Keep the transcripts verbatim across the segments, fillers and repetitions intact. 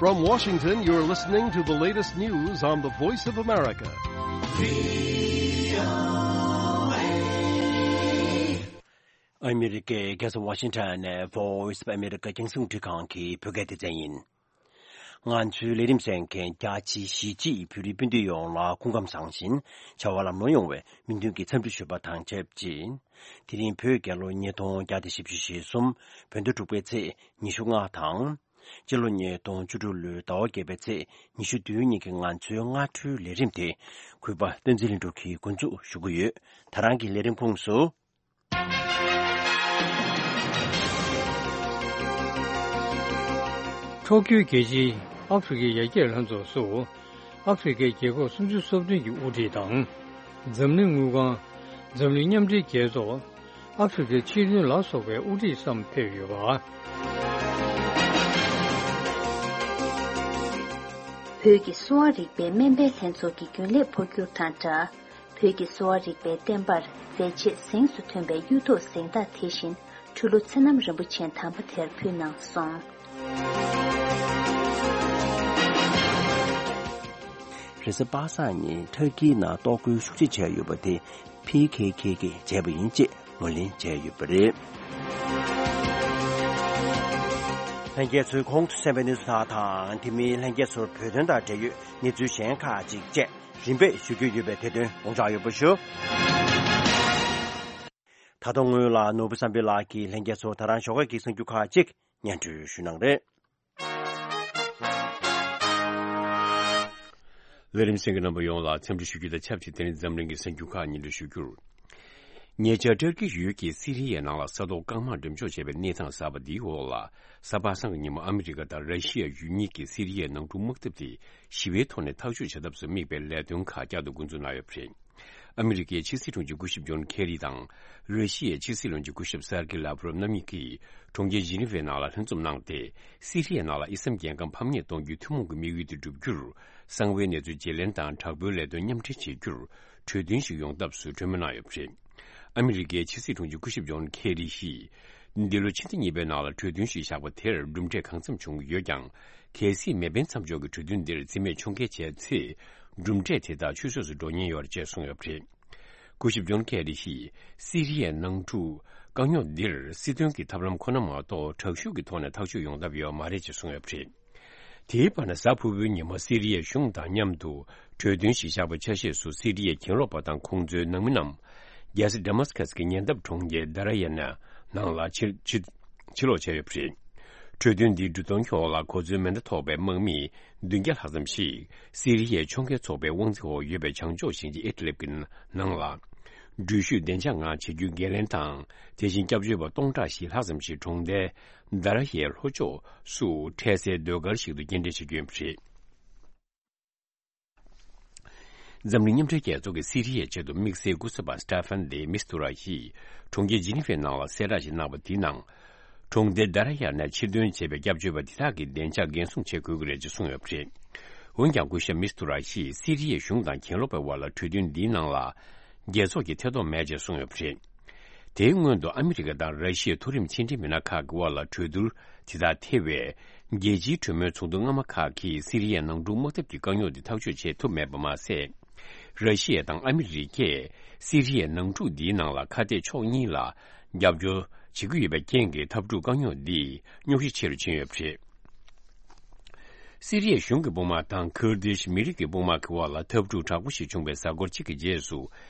From Washington, you're listening to the latest news on the Voice of America. ཨ་མི་རི་ཀའི་རྒྱལ་ས་ཝ་ཤིང་ཊོན་ནས་Voice of America རྒྱང་སྲིང་རླུང་འཕྲིན་ཁང་གི་བོད་སྐད་སྡེ་ཚན་ཡིན། ང་ཚོའི་ལས་རིམ་གསན་མཁན་རྒྱ་ཆེའི་གཞིས་བྱེས་བོད་རིགས་སྤུན་ཟླ་ཡོངས་ལ་སྐུ་ཁམས་བཟང་ཞིང་བྱ་བ་ལམ་ལྷོང་ཡོང་བའི་སྨོན་འདུན་གྱི་འཚམས་འདྲི་ཞུ་བ་དང་ཆབས་ཅིག་དེ་རིང་བོད་རྒྱལ་ལོ་ཉིས་སྟོང་བརྒྱ་དང་བཞི་བཅུ་ཞེ་གསུམ། བོད་ཟླ་དྲུག་པའི་ཚེས་ཉི་ཤུ་ལྔ་དང་། སྤྱི་ལོ་ཉིས་སྟོང་བཅུ་དྲུག་ལོའི་ཟླ་བ་བརྒྱད་པའི་ཚེས་ཉི་ཤུ་བདུན་ཉིན་གྱི་ང་ཚོའི་སྔ་དྲོའི་ལས་རིམ་དེ་གུས་པ་བསྟན་འཛིན་ལྷུན་གྲུབ་ཀྱིས་འགོ་འཛུགས་ཞུ་གི་ཡོད། ད་རང་གི་ལས་རིམ་ཁོངས་སུ། ཕྱོགས་བསྐྱོད་རྒྱལ་སྤྱིའི་ཨ་ཧྥེ་རི་ཁའི་ཡར་རྒྱས་ལྷན་ཚོགས་སུ་ཨ་ཧྥེ་རི་ཁའི་རྒྱལ་ཁབ་སུམ་ཅུ་སོ་བདུན་གྱི་དབུ་ཁྲིད་དང་། འཛམ་གླིང་དངུལ་ཁང་། འཛམ་གླིང་མཉམ་འབྲེལ་རྒྱལ་ཚོགས། ཨ་ཧྥེ་རི་ཁའི་སྤྱི་མཐུན་ལ་སོགས་པའི་དབུ་ཁྲིད་བསམ་ཕེབས་ཡོད་པ། བོད་ཀྱི་གསོ་བ་རིག་པའི་སྨན་པའི་ལྷན་ཚོགས་ཀྱི་རྒྱུན་ལས་འཕོ་འགྱུར་དང་སྦྲགས། བོད་ཀྱི་གསོ་བ་རིག་པའི་བསྟན་པར་མཛད་རྗེས་གཟེངས་སུ་ཐོན་པའི་གཡུ་ཐོག་གཟེངས་རྟགས་དེ་བཞིན་འཕྲུལ་ལོ་ཚེ་རྣམ་རིན་པོ་ཆེ་དམ་པ་དེར་ཕུལ་གནང་སོང་། རེས་གཟའ་པ་སངས་ཉིན་ཐར་ཀིའི་ནང་གཏོར་རྒོལ་ཤུགས་ཆེ་བྱས་ཡོད་པ་དེ་ཕི་ཁེ་ཁེ་གིས་བྱས་པ་ཡིན་ཅེས་ངོས་ལེན་བྱས་ཡོད་པ་རེད། ལྷན་རྒྱས་ཚོས་གོང་དུ་གསན་པའི་གནས་ཚུལ་དག་དང་། དེ་མིན་ལྷན་རྒྱས་ཚོར་བོད་དོན་དང་འབྲེལ་ཡོད་གནས་ཚུལ་གཞན་ཁག་ཅིག་བཅས་རིམ་པས་ཞུ་རྒྱུ་ཡོད་པས་དེ་དོན་དགོངས་འཇགས་ཡོད་པ་ཞུ། ད་དུང་སྔོན་ལ་ནོར་བུ་བསམ་འཕེལ་ལགས་ཀྱིས་ལྷན་རྒྱས་ཚོར་ད་རང་ཞོགས་ཀས་ཀྱི་གསར་འགྱུར་ཁག་ཅིག་སྙན་སྒྲོན་ཞུ་གནང་རེད། ལས་རིམ་གསན་མཁན་རྣམ་པ་ཡོངས་ལ་འཚམས་འདྲི་ཞུ་རྒྱུ་དང་ཆབས་ཅིག་དེ་རིང་འཛམ་གླིང་གི་གསར་འགྱུར་ཁག་སྙན་སྒྲོན་ཞུ་རྒྱུར། ཉེ་ཆར་ཏུར་ཀི་ཡུལ་གྱི་སི་རི་ཡའི་ནང་ལ་ས་ཐོག་རྐང་དམག་འགྲེམས་འཇོག་བྱས་པའི་གནས་སྟངས་གསར་པ་འདིའི་འོག་ལ། གཟའ་པ་སངས་ཀྱི་ཉིན་མོ་ཨ་མི་རི་ཀ་དང་ར་ཤི་ཡ་ཡུལ་གཉིས་ཀྱིས་སི་རི་ཡའི་ནང་འཁྲུག་དམག་འཐབ་དེ་ཞི་བའི་ཐོག་ནས་ཐག་གཅོད་བྱ་ཐབས་སུ་དམིགས་པའི་ལས་དོན་ཁག་བསྐྱར་དུ་འགོ་འཛུགས་གནང་ཡོད་པ་རེད། ཨ་མི་རི་ཀའི་ཕྱི་སྲིད་དྲུང་ཆེ་སྐུ་ཞབས་ཇོན་ཁེ་རི་དང་། ར་ཤི་ཡའི་ཕྱི་སྲིད་བློན་ཆེན་སྐུ་ཞབས་སར་ཀི་ལབ་རོབ་རྣམ་གཉིས་ཀྱིས་གྲོང་ཁྱེར་ཇི་ནི་ཝའི་ནང་ལ་ལྷན་འཛོམས་གནང་སྟེ། སི་རི་ཡའི་ནང་ལ་དབྱེ་མཚམས་རྒྱལ་ཁམས་ཕམ་ཉེས་གཏོང་རྒྱུའི་ཐུན་མོང་གི་དམིགས་ཡུལ་དེ་བསྒྲུབ་རྒྱུར། གསང་བའི་གནས་ཚུལ་བརྗེ་ལེན་དང་དྲག་པོའི་ལས་དོན་མཉམ་འབྲེལ་བྱེད་རྒྱུར་གྲོས་མཐུན་ཞིག་ཡོང་ཐབས་སུ་གྲོས་མོལ་གནང་ཡོད་པ་རེད། ཨ་མི་རི་ཀའི་ཕྱི་སྲིད་དྲུང་ཆེ་སྐུ་ཞབས་ཇོན་ཁེ་རི་ཡིས། འདི་ལོ་ཕྱི་ཟླ་གཉིས་པའི་ནང་ལ་གྲོས་མཐུན་ཞིག་བཞག་པ་དེར་གྲུབ་འབྲས་གང་འཚམ་བྱུང་ཡོད་ཀྱང་། གལ་སྲིད་མེ་འཕེན་མཚམས་འཇོག་གི་གྲོས་མཐུན་འདིར་རྩིས་མེད་ཕྱོགས་འགལ་བྱས་ཚེ། གྲུབ་འབྲས་དེ་དག་ཆུད་ཟོས་སུ་འགྲོ་ཉེན་ཡོད་རེད་ཅེས་གསུངས་ཡོད་པ་རེད། སྐུ་ཞབས་ཇོན་ཁེ་རི་ཡིས་སི་རི་ཡའི་ནང་འཁྲུག་དཀའ་རྙོག་འདིར་སྲིད་དོན་གྱི་ཐབས་ལམ་ཁོ་ན་མ་གཏོགས་དྲག་ཤུགས་ཀྱི་ཐོག་ནས་ཐག་གཅོད་ཡོང་ཐབས་ཡོད་མ་རེད་ཅེས་གསུངས་ཡོད་པ་རེད། དེའི་བར་ན་གཟའ་ཕུར་བུའི་ཉིན་མོ་སི་རི་ཡའི་གཞུང་དང་མཉམ་དུ་གྲོས་མཐུན་ཞིག་བཞག་པའི་ཆ་ཤས་སུ་སི་རི་ཡའི་གྱེན་ལོག་པ་དང་ཁོང་ཚོའི་ནང་མི་རྣམས་རྒྱལ་ས་ཌ་མཱ་སི་ཀ་སི་གི་ཉེ་འདབས་གྲོང་ཁྱེར་དཱ་ར་ཡ་ན་ནང་ལ་ཕྱིར་ཕྱིར་ཕྱིར་ལོག་བྱས་ཡོད་པ་རེད། གྲོས་མཐུན་འདིའི་འབྲུ་གཏོང་ཁྱོག་ལ་གོ་མཚོན་མེ་མདའ་ཐོགས་པའི་དམག་མི་བདུན་བརྒྱ་ལྷག་ཙམ་ཞིག་སི་རི་ཡའི་ཕྱོགས་འགལ་ཚོགས་པའི་དབང་འཛིན་འོག་ཡོད་པའི་བྱང་ཕྱོགས་ཞིང་ཆེན་ཨིད་ལིབ་ཀྱི་ནང་ལ། འགྲུལ་བཞུད་བདེ་འཇགས་ངང་བྱེད་རྒྱུའི་འགན་ལེན་དང་། དེ་བཞིན་སྐྱབས་བཅོལ་བ་སྟོང་ཕྲག་བཞི་ལྷག་ཙམ་ཞིག་གྲོང་རྡལ་དཱ་ར་ཡའི་ལྷོ་ཕྱོགས་སུ་འཕྲལ་སེལ་ཟློས་གར་ཞིག་ཏུ་སྐྱེལ་འདྲེན་བྱེད་ཀྱི་ཡོད་པ་རེད། འཛམ་གླིང་མཉམ་འབྲེལ་རྒྱལ་ཚོགས་ཀྱི་སི་རི་ཡའི་ཆེད་དུ་དམིགས་བསལ་སྐུ་ཚབ་པ་སི་ཏཱ་ཧྥན་དེ་མིས་ཏུ་ར་ཡིས་གྲོང་ཁྱེར་ཇི་ནི་ཝའི་ནང་ལ་གསལ་བསྒྲགས་ཤིག་གནང་བ་དེའི་ནང་། གྲོང་རྡལ་དཱ་ར་ཡ་ནས་ཕྱིར་ཐོན་བྱས་པའི་སྐྱབས་བཅོལ་བ་འདི་དག་གི་བདེ་འཇགས་འགན་སྲུང་བྱེད་དགོས་ཀྱི་རེད་ཅེས་གསུངས་ཡོད་པ་རེད། འོན་ཀྱང་སྐུ་ཞབས་མིས་ཏུ་ར་ཡིས་སི་རི་ཡའི་གཞུང་དང་གྱེན་ལོག་པའི་དབར་ལ་གྲོས་མཐུན་འདིའི་ནང་ལ་རྒྱལ་ཚོགས་ཀྱི་ཐེ་གཏོགས་མེད་ཅེས་གསུངས་ཡོད་པ་རེད། དེའི་སྔོན་དུ་ཨ་མི་རི་ཀ་དང་ར་ཤི་ཡའི་མཐོ་རིམ་ཕྱི་འབྲེལ་མི་སྣ་ཁག་གི་དབར་ལ་གྲོས་བསྡུར་དེ་དག་ཐེ་བའི་རྒྱལ་སྤྱིའི་གྲོས་མོལ་ཚོགས་འདུ་སྔ་མ་ཁག་གིས་སི་རི་ཡའི་ནང་འཁྲུག་དམག་འཐབ་ཀྱི་དཀའ་རྙོག་འདི་ཐག་གཅོད་བྱེད་ཐུབ་མེད་པ་མ་ཟད། ར་ཤི་ཡ་དང་ཨ་མི་རི་ཀས་སི་རི་ཡའི་ནང་འཁྲུག་འདིའི་ནང་ལ་ཁ་གཏད་ཕྱོགས་གཉིས་ལ་རྒྱབ་སྐྱོར་བྱེད་ཀྱི་ཡོད་པའི་རྐྱེན་གྱིས་འཐབ་འཁྲུག་དཀའ་རྙོག་འདི་རྙོག་གཞི་ཆེ་རུ་ཕྱིན་ཡོད་པ་རེད། སི་རི་ཡའི་གཞུང་གི་དཔུང་དམག་དང་ཁུར་དིཤ་མི་རིགས་ཀྱི་དཔུང་དམག་གི་དབར་ལ་འཐབ་འཁྲུག་དྲག་པོ་ཞིག་བྱུང་བའི་གཟའ་འཁོར་གཅིག་གི་རྗེས་སུ།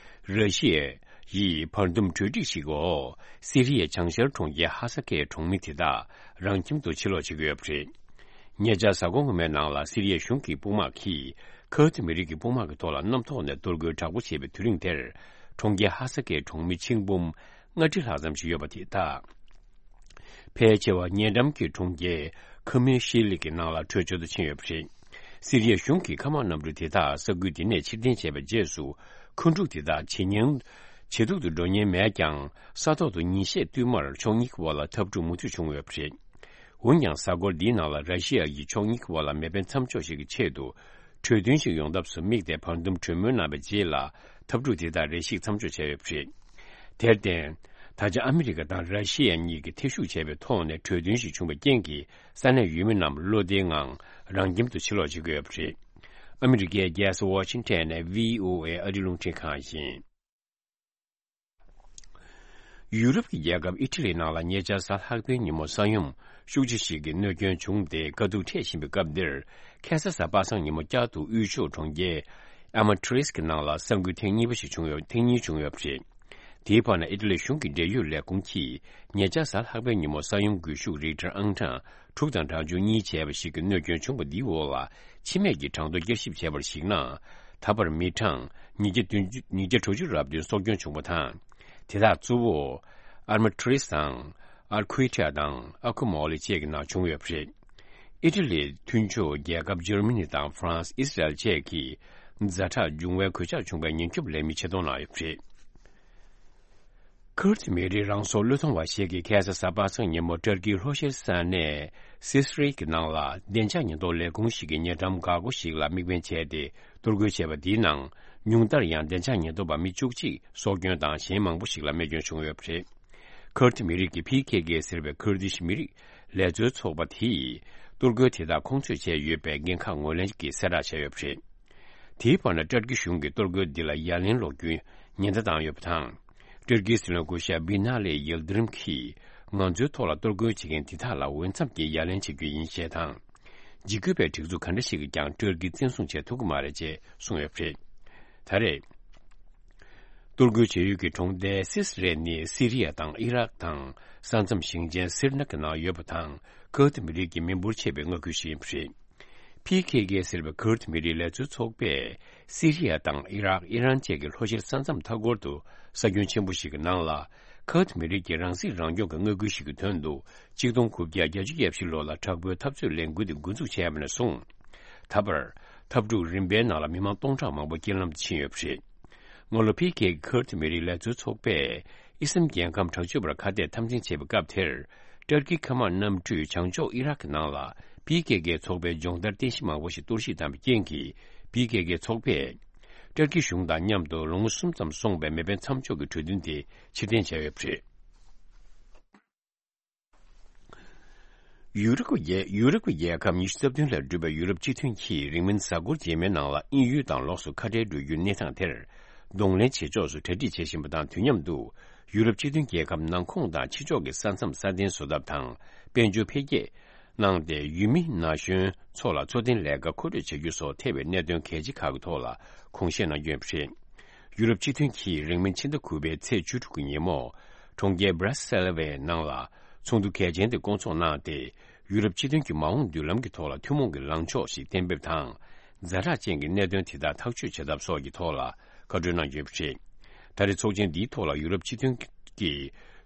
ར་ཤི་ཡས་བར་འདུམ་གྲོས་འགྲིག་ཞིག་གི་འོག་སི་རི་ཡའི་བྱང་ཤར་གྲོང་ཁྱེར་ཧ་ས་ཀའི་གྲོང་མི་དེ་དག་རང་ཁྱིམ་དུ་ཕྱིར་ལོག་བྱེད་ཀྱི་ཡོད་པ་རེད། ཉེ་ཆར་གཟའ་འཁོར་སྔོན་མའི་ནང་ལ་སི་རི་ཡའི་གཞུང་གི་དཔུང་དམག་གིས་ཁུར་དི་མི་རིགས་ཀྱི་དཔུང་དམག་གི་ཐོག་ལ་གནམ་ཐོག་ནས་གཏོར་རྒོལ་དྲག་པོ་བྱས་པའི་དུས་རིང་དེར། གྲོང་ཁྱེར་ཧ་ས་ཀའི་གྲོང་མི་ཆིག་འབུམ་ལྔ་ཁྲི་ལྷག་ཙམ་ཞིག་ཡོད་པ་དེ་དག་ཕལ་ཆེ་བ་ཉེ་འགྲམ་གྱི་གྲོང་ཁྱེར་ཁ་མེ་ཤི་ལི་གི་ནང་ལ་བྲོས་བྱོལ་དུ་ཕྱིན་ཡོད་པ་རེད། སི་རི་ཡའི་གཞུང་གིས་མཁའ་དམག་གནམ་གྲུ་དེ་དག་ས་ཁུལ་དེ་ནས་ཕྱིར་འཐེན་བྱས་པའི་རྗེས་སུ། མཁའ་འཁྲུག་དེ་དག་ཇེ་ཉུང་ཇེ་སྡུག་ཏུ་འགྲོ་ཉེན་མེད་ཀྱང་། ས་ཐོག་ཏུ་ཉིན་ཤས་བསྟུད་མར་ཕྱོགས་གཉིས་ཀྱི་དབར་ལ་འཐབ་འཁྲུག་མུ་མཐུད་བྱུང་ཡོད་པ་རེད། འོན་ཀྱང་། གཟའ་འཁོར་འདིའི་ནང་ལ་ར་ཤི་ཡ་ཡིས་ཕྱོགས་གཉིས་ཀྱི་དབར་ལ་མེ་འཕེན་མཚམས་འཇོག་ཞིག་གི་ཆེད་དུ། གྲོས་མཐུན་ཞིག་ཡོང་ཐབས་སུ་དམིགས་ཏེ་བར་འདུམ་གྲོས་མོལ་གནང་བའི་རྗེས་ལ། འཐབ་འཁྲུག་དེ་དག་རེ་ཞིག་མཚམས་འཇོག་བྱས་ཡོད་པ་རེད། དེར་བརྟེན། ད་ ད་ཆ་ཨ་མི་རི་ཀ་དང་ར་ཤི་ཡ་གཉིས་ཀྱིས་ཐེ་ཞུགས་བྱས་པའི་ཐོག་ནས་གྲོས་མཐུན་ཞིག་བྱུང་བའི་རྐྱེན་གྱིས་ས་གནས་ཡུལ་མི་རྣམས་བློ་བདེའི་ངང་རང་ཁྱིམ་དུ་ཕྱིར་ལོག་བྱེད་ཀྱི་ཡོད་པ་རེད། ཨ་མི་རི་ཀའི་རྒྱལ་ས་ཝ་ཤིང་ཊོན་ནས་བྷི་ཨོ་ཨེ་ཨ་རིའི་རླུང་འཕྲིན་ཁང་ཡིན། ཡུ་རོབ་ཀྱི་རྒྱལ་ཁབ་ཨི་ཊ་ལི་ནང་ལ་ཉེ་ཆར་གཟའ་ལྷག་པའི་ཉིན་མོ་ས་ཡོམ་ཤུགས་ཆེ་ཞིག་གིས་གནོད་སྐྱོན་བྱུང་སྟེ་དཀའ་སྡུག་འཕྲད་བཞིན་པའི་སྐབས་འདིར། ཁ་སང་གཟའ་པ་སངས་ཉིན་མོ་བསྐྱར་དུ་དབུས་ཕྱོགས་གྲོང་ཁྱེར་ཨ་མ་ཊི་རིས་ཀྱི་ནང་ལ་ས་འགུལ་ཐེངས་གཉིས་པ་ཞིག་བྱུང་ཡོད། ཐེངས་གཉིས་བྱུང་ཡོད་པ་རེད། དེའི་བར་ན་ཨི་ཊ་ལི་གཞུང་གི་འབྲེལ་ཡོད་ལས་ཁུངས་ཀྱིས་ཉེ་ཆར་གཟའ་ལྷག་པའི་ཉིན་མོ་ས་ཡོམ་སྒུལ་ཤུགས་རིག་ཊར་ཨང་གྲངས་དྲུག་དང་གྲངས་ཆུང་གཉིས་བྱས་པ་ཞིག་གི་གནོད་སྐྱོན་བྱུང་བ་འདིའི་འོག་ལ་འཆི་རྨས་ཀྱི་གྲངས་ཐོ་བསྐྱར་ཞིབ་བྱས་པར་གཞིགས་ན། ད་བར་མི་གྲངས་ཉིས་བརྒྱ་བདུན་ཅུ། ཉིས་བརྒྱ་དྲུག་ཅུ་རེ་བདུན་སྲོག་སྐྱོན་བྱུང་བ་དང་། དེ་དག་གཙོ་བོ་ཨར་མ་ཊི་རིས་དང་ཨར་ཁུའི་ཊ་དང་ཨ་ཁུ་མོ་ལི་བཅས་ཀྱི་ནང་བྱུང་ཡོད་པ་རེད། ཨི་ཊ་ལིའི་མཐུན་ཕྱོགས་རྒྱལ་ཁབ་འཇར་མ་ནི་དང་ཧྥ་རན་སི། ཨི་སི་རལ་བཅས་ཀྱིས་ཛ་དྲག་འབྱུང་བའི་གོད་ཆག་བྱུང་བའི་ཉེན་སྐྱོབ་ལས་མི་ཆེད་གཏོང་གནང་ཡོད་པ་རེད། ཁུར་ཏི་མི་རིགས་རང་སྲོག་བློས་གཏོང་བ་ཞིག་གིས་ཁ་སང་གཟའ་པ་སངས་ཉིན་མོ་ཏུར་ཀིའི་ལྷོ་ཤར་ས་གནས་སི་སི་རི་གི་ནང་ལ་བདེ་འཇགས་ཉེན་རྟོག་ལས་ཁུངས་ཤིག་གི་ཉེ་འགྲམ་འགག་སྒོ་ཞིག་ལ་དམིགས་འབེན་བྱས་ཏེ་གཏོར་རྒོལ་བྱས་པ་འདིའི་ནང་ཉུང་མཐར་ཡང་བདེ་འཇགས་ཉེན་རྟོག་པ་མི་བཅུ་གཅིག་སྲོག་སྐྱོན་དང་གཞན་མང་པོ་ཞིག་ལ་རྨས་སྐྱོན་བྱུང་ཡོད་པ་རེད། ཁུར་ཏི་མི་རིགས་ཀྱི་ཕི་ཁེ་ཁེ་ཟེར་བའི་ཁུར་དིཤ་མི་རིགས་ལས་རྩོལ་ཚོགས་པ་དེས་གཏོར་རྒོལ་དེ་དག་ཁོང་ཚོས་བྱས་ཡོད་པའི་འགན་ཁག་ངོས་ལེན་གྱིས་གསལ་བསྒྲགས་བྱས་ཡོད་པ་རེད། དེའི་བར་ན་ཏུར་ཀི་གཞུང་གིས་གཏོར་རྒོལ་འདི་ལ་ཡ་ལན་སློག་རྒྱུའི་ཉེན་བརྡ་བཏང་ཡོད་པ་དང་། ཏུར་ཀིའི་སྲིད་བློན་སྐུ་ཞབས་བི་ན་ལེ་ཡིལ་དི་རིམ་གྱིས་ང་ཚོའི་ཐོག་ལ་གཏོར་རྒོལ་བྱེད་མཁན་འདི་དག་ལ་འོས་འཚམ་གྱི་ཡ་ལན་བྱེད་རྒྱུ་ཡིན་ཞེས་དང་། འཇིགས་སྐུལ་བའི་སྒྲིག་འཛུགས་ག་འདྲ་ཞིག་གིས་ཀྱང་ཏུར་ཀི་བཙན་བཟུང་བྱེད་ཐུབ་ཀྱི་མ་རེད་ཅེས་གསུངས་ཡོད་པ་རེད། ད་རེས་གཏོར་རྒོལ་བྱེད་ཡུལ་གྱི་གྲོང་རྡལ་སི་སི་རེ་ནི་སི་རི་ཡ་དང་ཨི་རག་དང་ས་མཚམས་ཞིང་ཆེན་སིར་ན་གི་ནང་ཡོད་པ་དང་། ཁུར་ཏི་མི་རིགས་ཀྱི་མི་འབོར་ཆེ་བའི་མངའ་ཁུལ་ཞིག་ཡིན་པ་རེད། ཕི་ཁེ་ཁེ་ཟེར་བའི་ཁུར་ཏི་མི་རིགས་ལས་རྩོལ་ཚོགས་པས་སི་རི་ཡ་དང་ཨི་རག་ཨི་རན་བཅས་ཀྱི་ལྷོ་ཤར་ས་མཚམས་མཐའ་འཁོར་དུ་ས་ཁྱོན་ཆེན་པོ་ཞིག་གི་ནང་ལ་ཁུར་ཏི་མི་རིགས་ཀྱི་རང་སྲིད་རང་སྐྱོང་གི་མངའ་ཁུལ་ཞིག་གི་དོན་དུ་ཆིག་སྟོང་དགུ་བརྒྱ་བརྒྱད་ཅུ་གྱ་བཞི་ལོ་ལ་དྲག་པོའི་འཐབ་རྩོད་ལས་འགུལ་དེ་འགོ་འཛུགས་བྱས་པ་ནས་བཟུང་། ད་བར་འཐབ་འཁྲུག་རིམ་པའི་ནང་ལ་མི་མང་སྟོང་ཕྲག་མང་པོ་རྐྱེན་ལམ་དུ་ཕྱིན་ཡོད་པ་རེད། སྔ་ལོ་ཕི་ཁེ་ཁུར་ཏི་མི་རིགས་ལས་རྩོལ་ཚོགས་པས་ཨི་སམ་རྒྱལ་ཁམས་དྲག་སྤྱོད་པར་ཁ་གཏད་འཐབ་འཛིང་བྱེད་པའི་སྐབས་དེར། ཏུར་ཀི་མཁའ་དམག་གནམ་གྲུས་བྱང་ཕྱོགས་ཨི་རག་གི་ནང་ལ་ཕི་ཁེ་ཁེ་ཚོགས་པའི་སྦྱོང་བརྡར་རྟེན་གཞི་མང་པོ་ཞིག་གཏོར་བཤིག་བཏང་བའི་རྐྱེན་གྱིས། ཕི་ཁེ་ཁེ་ཚོགས་པས་ཏུར་ཀི་གཞུང་དང་མཉམ་དུ་ལོ་ངོ་གསུམ་ཙམ་སོང་བའི་མེ་འཕེན་མཚམས་འཇོག་གི་གྲོས་མཐུན་དེ་ཕྱིར་འཐེན་བྱས་ཡོད་པ་རེད། ཡུ་རོབ་ཀྱི་རྒྱལ། ཡུ་རོབ་ཀྱི་རྒྱལ་ཁབ་ཉི་ཤུ་རྩ་བདུན་ལས་གྲུབ་པའི་ཡུ་རོབ་སྤྱི་མཐུན་གྱིས་རིང་མིན་གཟའ་འཁོར་རྗེས་མའི་ནང་ལ་དབྱིན་ཡུལ་དང་ལོགས་སུ་ཁ་བྲལ་འགྲོ་རྒྱུའི་གནས་སྟངས་དེར་གདོང་ལེན་བྱེད་ཕྱོགས་སུ་གྲ་སྒྲིག་བྱེད་བཞིན་པ་དང་། དུས་མཉམ་དུ་ཡུ་རོབ་སྤྱི་མཐུན་རྒྱལ་ཁབ་ནང་ཁོངས་དང་ཕྱི་ཕྱོགས་ཀྱི་ས་མཚམས་སྲ་བརྟན་བཟོ་ཐབས་དང་དཔལ་འབྱོར་འཕེལ་རྒྱས་གནང་སྟེ། ཡུལ་མི་ན་གཞོན་ཚོ་ལ་འཚོ་རྟེན་ལས་ཀ་མཁོ་སྤྲོད་བྱ་རྒྱུ་སོགས་ཐེ་བའི་གནད་དོན་གལ་ཆེ་ཁག་གི་ཐོག་ལ་དགོངས་བཞེས་གནང་རྒྱུ་ཡིན་པ་རེད། ཡུ་རོབ་སྤྱི་མཐུན་གྱིས་རིང་མིན་ཕྱི་ཟླ་དགུ་པའི་ཚེས་བཅུ་དྲུག་གི་ཉིན་མོ། གྲོང་ཁྱེར་སྦྲ་སེལ་བའི་ནང་ལ་ཚོགས་འདུ་གལ་ཆེན་དེ་བསྐོང་ཚོགས་གནང་སྟེ། ཡུ་རོབ་སྤྱི་མཐུན་གྱི་མ་འོངས་མདུན་ལམ་གྱི་ཐོག་ལ་ཐུན་མོང་གི་ལངས་ཕྱོགས་ཤིག་གཏན་འབེབས་དང་། ཛ་དྲག་ཅན་གྱི་གནད་དོན་དེ་དག་ཐག་གཅོད་བྱེད་ཐབས་སོགས་ཀྱི་ཐོག་ལ་བཀའ་གྲོས་གནང་རྒྱུ་ཡིན་པ་རེད། ད་རེས་ཚོགས་ཆེན་འདིའི་ཐོག་ལ་ཡུ་རོབ་སྤྱི་མཐུན་གྱི་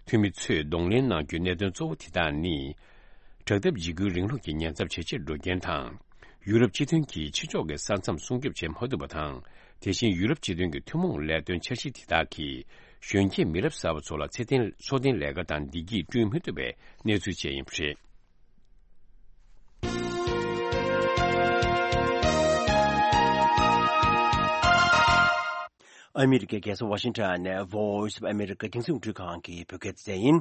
འཐུས་མི་ཚོས་གདོང་ལེན་གནང་རྒྱུའི་གནད་དོན་གཙོ་བོ་དེ་དག་ནི། དྲག་འཐབ་འཇིགས་སྐུལ་རིང་ལུགས་ཀྱི་ཉེན་ཚབས་ཇེ་ཆེར་འགྲོ་རྐྱེན་དང་། ཡུ་རོབ་སྤྱི་མཐུན་གྱིས་ཕྱི་ཕྱོགས་ཀྱི་ས་མཚམས་སྲུང་སྐྱོབ་བྱེད་མ་ཐུབ་པ་དང་། དེ་བཞིན་ཡུ་རོབ་སྤྱི་མཐུན་གྱི་ཐུན་མོང་ལས་དོན་འཆར་གཞི་དེ་དག་གིས་གཞོན་སྐྱེས་མི་རབས་གསར་པ་ཚོ་ལ་ཚེ་བརྟན་འཚོ་རྟེན་ལས་ཀ་དང་བདེ་སྐྱིད་བསྐྲུན་མི་ཐུབ་པའི་གནས་ཚུལ་བཅས་ཡིན་པ་རེད། ཨ་མི་རི་ཀའི་རྒྱལ་ས་ཝ་ཤིང་ཊོན་ནས་Voice of America་རྒྱང་སྲིང་རླུང་འཕྲིན་ཁང་གི་བོད་སྐད་སྡེ་ཚན་ཡིན།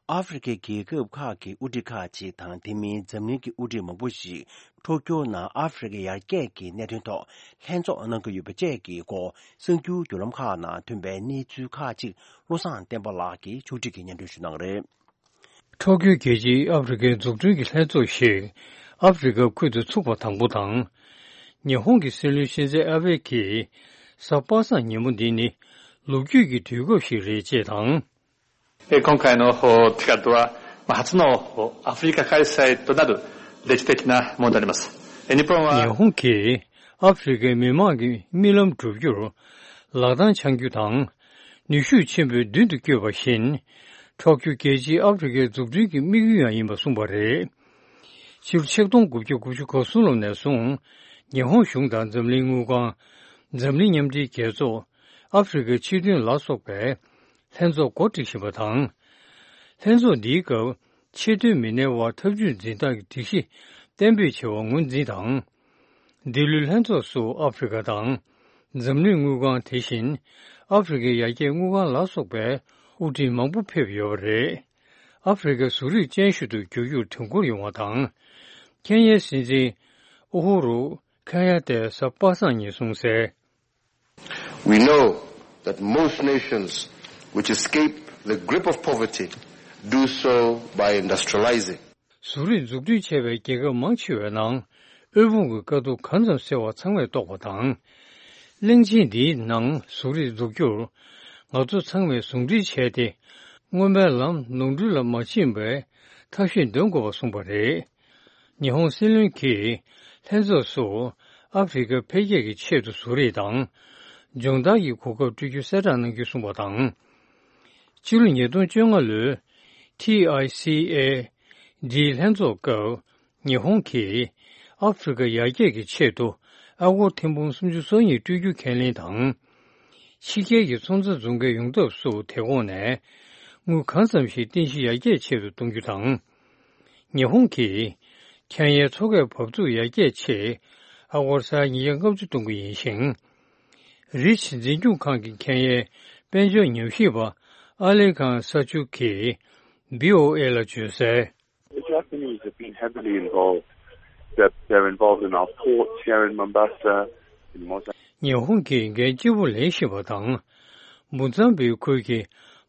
ཨ་ཧྥེ་རི་ཁའི་རྒྱལ་ཁབ་ཁག་གི་དབུ་ཁྲིད་ཁག་ཅིག་དང་། དེ་མིན་འཛམ་གླིང་གི་དབུ་ཁྲིད་མང་པོ་ཞིག་ཊོ་ཀྱོ་ནང་ཨ་ཧྥེ་རི་ཁའི་ཡར་རྒྱས་ཀྱི་གནད་དོན་ཐོག་ལྷན་ཚོགས་གནང་གི་ཡོད་པ་བཅས་ཀྱི་སྐོར། གསར་འགྱུར་བརྒྱུད་ལམ་ཁག་ནང་ཐོན་པའི་གནས་ཚུལ་ཁག་ཅིག་བློ་བཟང་བསྟན་པ་ལགས་ཀྱིས་ཕྱོགས་སྒྲིག་གིས་སྙན་སྒྲོན་ཞུ་གནང་གི་རེད། ཊོ་ཀྱོ་རྒྱལ་སྤྱིའི་ཨ་ཧྥེ་རི་ཁའི་འཛུགས་སྐྲུན་གྱི་ལྷན་ཚོགས་ཤིག་ཨ་ཧྥེ་རི་ཁ་ཁུལ་དུ་ཚུགས་པ་དང་པོ་དང་། ཉི་ཧོང་གི་སྲིད་བློན་ཤིན་ཛེ་ཨ་བྷེ་གྱིས་གཟའ་པ་སངས་ཉིན་མོ་འདི་ནི་ལོ་རྒྱུས་ཀྱི་དུས་སྐབས་ཤིག་རེད་ཅེས་དང་། えー今回の ティカッドは、まあ、初の アフリカ開催となる歴史的なものであります。えー日本は ཉི་ཧོང་གིས་ཨ་ཧྥེ་རི་ཁའི་མི་དམངས་ཀྱི་རྨི་ལམ་བསྒྲུབ་རྒྱུར་ལག་རྡང་འཆང་རྒྱུ་དང་། ནུས་ཤུགས་ཆེན་པོས་མདུན་དུ་བསྐྱོད་པ་བཞིན། ཊོ་ཀྱོ་རྒྱལ་སྤྱིའི་ཨ་ཧྥེ་རི་ཁའི་འཛུགས་སྐྲུན་གྱི་དམིགས་ཡུལ་ཡང་ཡིན་པ་གསུངས་པ་རེད། ཕྱི་ལོ་ཆིག་སྟོང་དགུ་བརྒྱ་དགུ་བཅུ་གོ་གསུམ་ལོ་ནས་བཟུང་། ཉི་ཧོང་གཞུང་དང་འཛམ་གླིང་དངུལ་ཁང་། འཛམ་གླིང་མཉམ་འབྲེལ་རྒྱལ་ཚོགས། ཨ་ཧྥེ་རི་ཁའི་ཕྱིར་ཐོན་ལ་སོགས་པའི་ལྷན་ཚོགས་འགོ་ཁྲིད་བཞིན་པ་དང་། ལྷན་ཚོགས་འདིའི་སྐབས་ཕྱིར་ཐོན་མི་སྣའི་དབར་འཐབ་ཇུས་འཛིན་སྟངས་ཀྱི་སྒྲིག་གཞི་གཏན་འབེབས་བྱ་བ་ངོས་འཛིན་དང་། འདི་ལོའི་ལྷན་ཚོགས་སུ་ཨ་ཧྥེ་རི་ཁ་དང་། འཛམ་གླིང་དངུལ་ཁང་། དེ་བཞིན་ཨ་ཧྥེ་རི་ཁའི་ཡར་རྒྱས་དངུལ་ཁང་ལ་སོགས་པའི་ དབུ་ཁྲིད་མང་པོ་ཕེབས་ཡོད་པ་རེད། ཨ་ཧྥེ་རི་ཁ་གཟུགས་རིས་ཅན་ཞིག་ཏུ་འགྱུར་རྒྱུར་དོན་འཁོར་ཡོང་བ་དང་། ཁེན་ཡའི་སྲིད་འཛིན་ཨུ་ཧུ་རུ་ཁེན་ཡ་ཏས་གཟའ་པ་སངས་ཉིན་གསུངས་གསལ། We know that most nations which escape the grip of poverty do so by industrializing. གཟུགས་རིས་འཛུགས་སྐྲུན་བྱས་པའི་རྒྱལ་ཁབ་མང་ཆེ་བའི་ནང་། དབུལ་ཕོངས་ཀྱི་དཀའ་སྡུག་གང་ཙམ་སེལ་བ་ཚང་མས་རྟོགས་པ་དང་། གླིང་ཆེན་འདིའི་ནང་གཟུགས་རིས་འཛུགས་རྒྱུར། ང་ཚོ་ཚང་མས་ཟུང་འབྲེལ་བྱས་ཏེ། སྔོན་མའི་ལམ་ནོར་འཁྲུལ་ལ་མ་ཕྱིན་པའི་ཐབས་ཤེས་འདོན་དགོས་པ་གསུངས་པ་རེད། ཉི་ཧོང་སྲིད་བློན་གྱིས་ལྷན་ཚོགས་སུ་ཨ་ཧྥེ་རི་ཁ་འཕེལ་རྒྱས་ཀྱི་ཆེད་དུ་གཟུགས་རིས་དང་། སྦྱོང་བརྡར་གྱི་གོ་སྐབས་སྤྲོད་རྒྱུ་གསལ་བསྒྲགས་གནང་རྒྱུ་གསུངས་པ་དང་། ཕྱི་ལོ་ཉིས་སྟོང་བཅོ་ལྔ་ལོའི་ཊི་ཨའི་སི་ཨེ་ཌི་ལྷན་ཚོགས་སྐབས། ཉི་ཧོང་གིས་ཨ་ཧྥེ་རི་ཁ་ཡར་རྒྱས་ཀྱི་ཆེད་དུ་ཨ་སྒོར་ཐེར་འབུམ་སུམ་ཅུ་སོ་གཉིས་སྤྲོད་རྒྱུ་ཁས་ལེན་དང་། ཕྱི་རྒྱལ་གྱི་ཚོང་རྫས་བཟོ་མཁན་ཡོང་ཐབས་སུ་དེ་གོང་ནས་དངུལ་གང་འཚམ་ཞིག་རྟེན་གཞི་ཡར་རྒྱས་ཆེད་དུ་གཏོང་རྒྱུ་དང་། ཉི་ཧོང་གིས་ཁེན་ཡའི་མཚོ་ཁའི་འབབ་ཚུགས་ཡར་རྒྱས་ཆེད་ཨ་སྒོར་ས་ཡ་ཉིས་བརྒྱ་ལྔ་བཅུ་གཏོང་གི་ཡིན་ཞིང་། རིས་འཛིན་སྐྱོང་ཁང་གི་ཁེན་ཡའི་དཔལ་འབྱོར་ཉམས་ཞིབ་པ་ཨ་ལེ་ཁང་ས་ཆུ་གིས་བྷི་ཨོ་ཨེ་ལ་བརྗོད་གསལ། The Japanese have been heavily involved. They're, they're involved in our ports here in Mombasa, in Mozambique. ཉི་ཧོང་གིས་འགན་ལྕི་པོ་ལེན་བཞིན་པ་དང་། འབུམ་ཚང་པའི་ཁུལ་གྱི་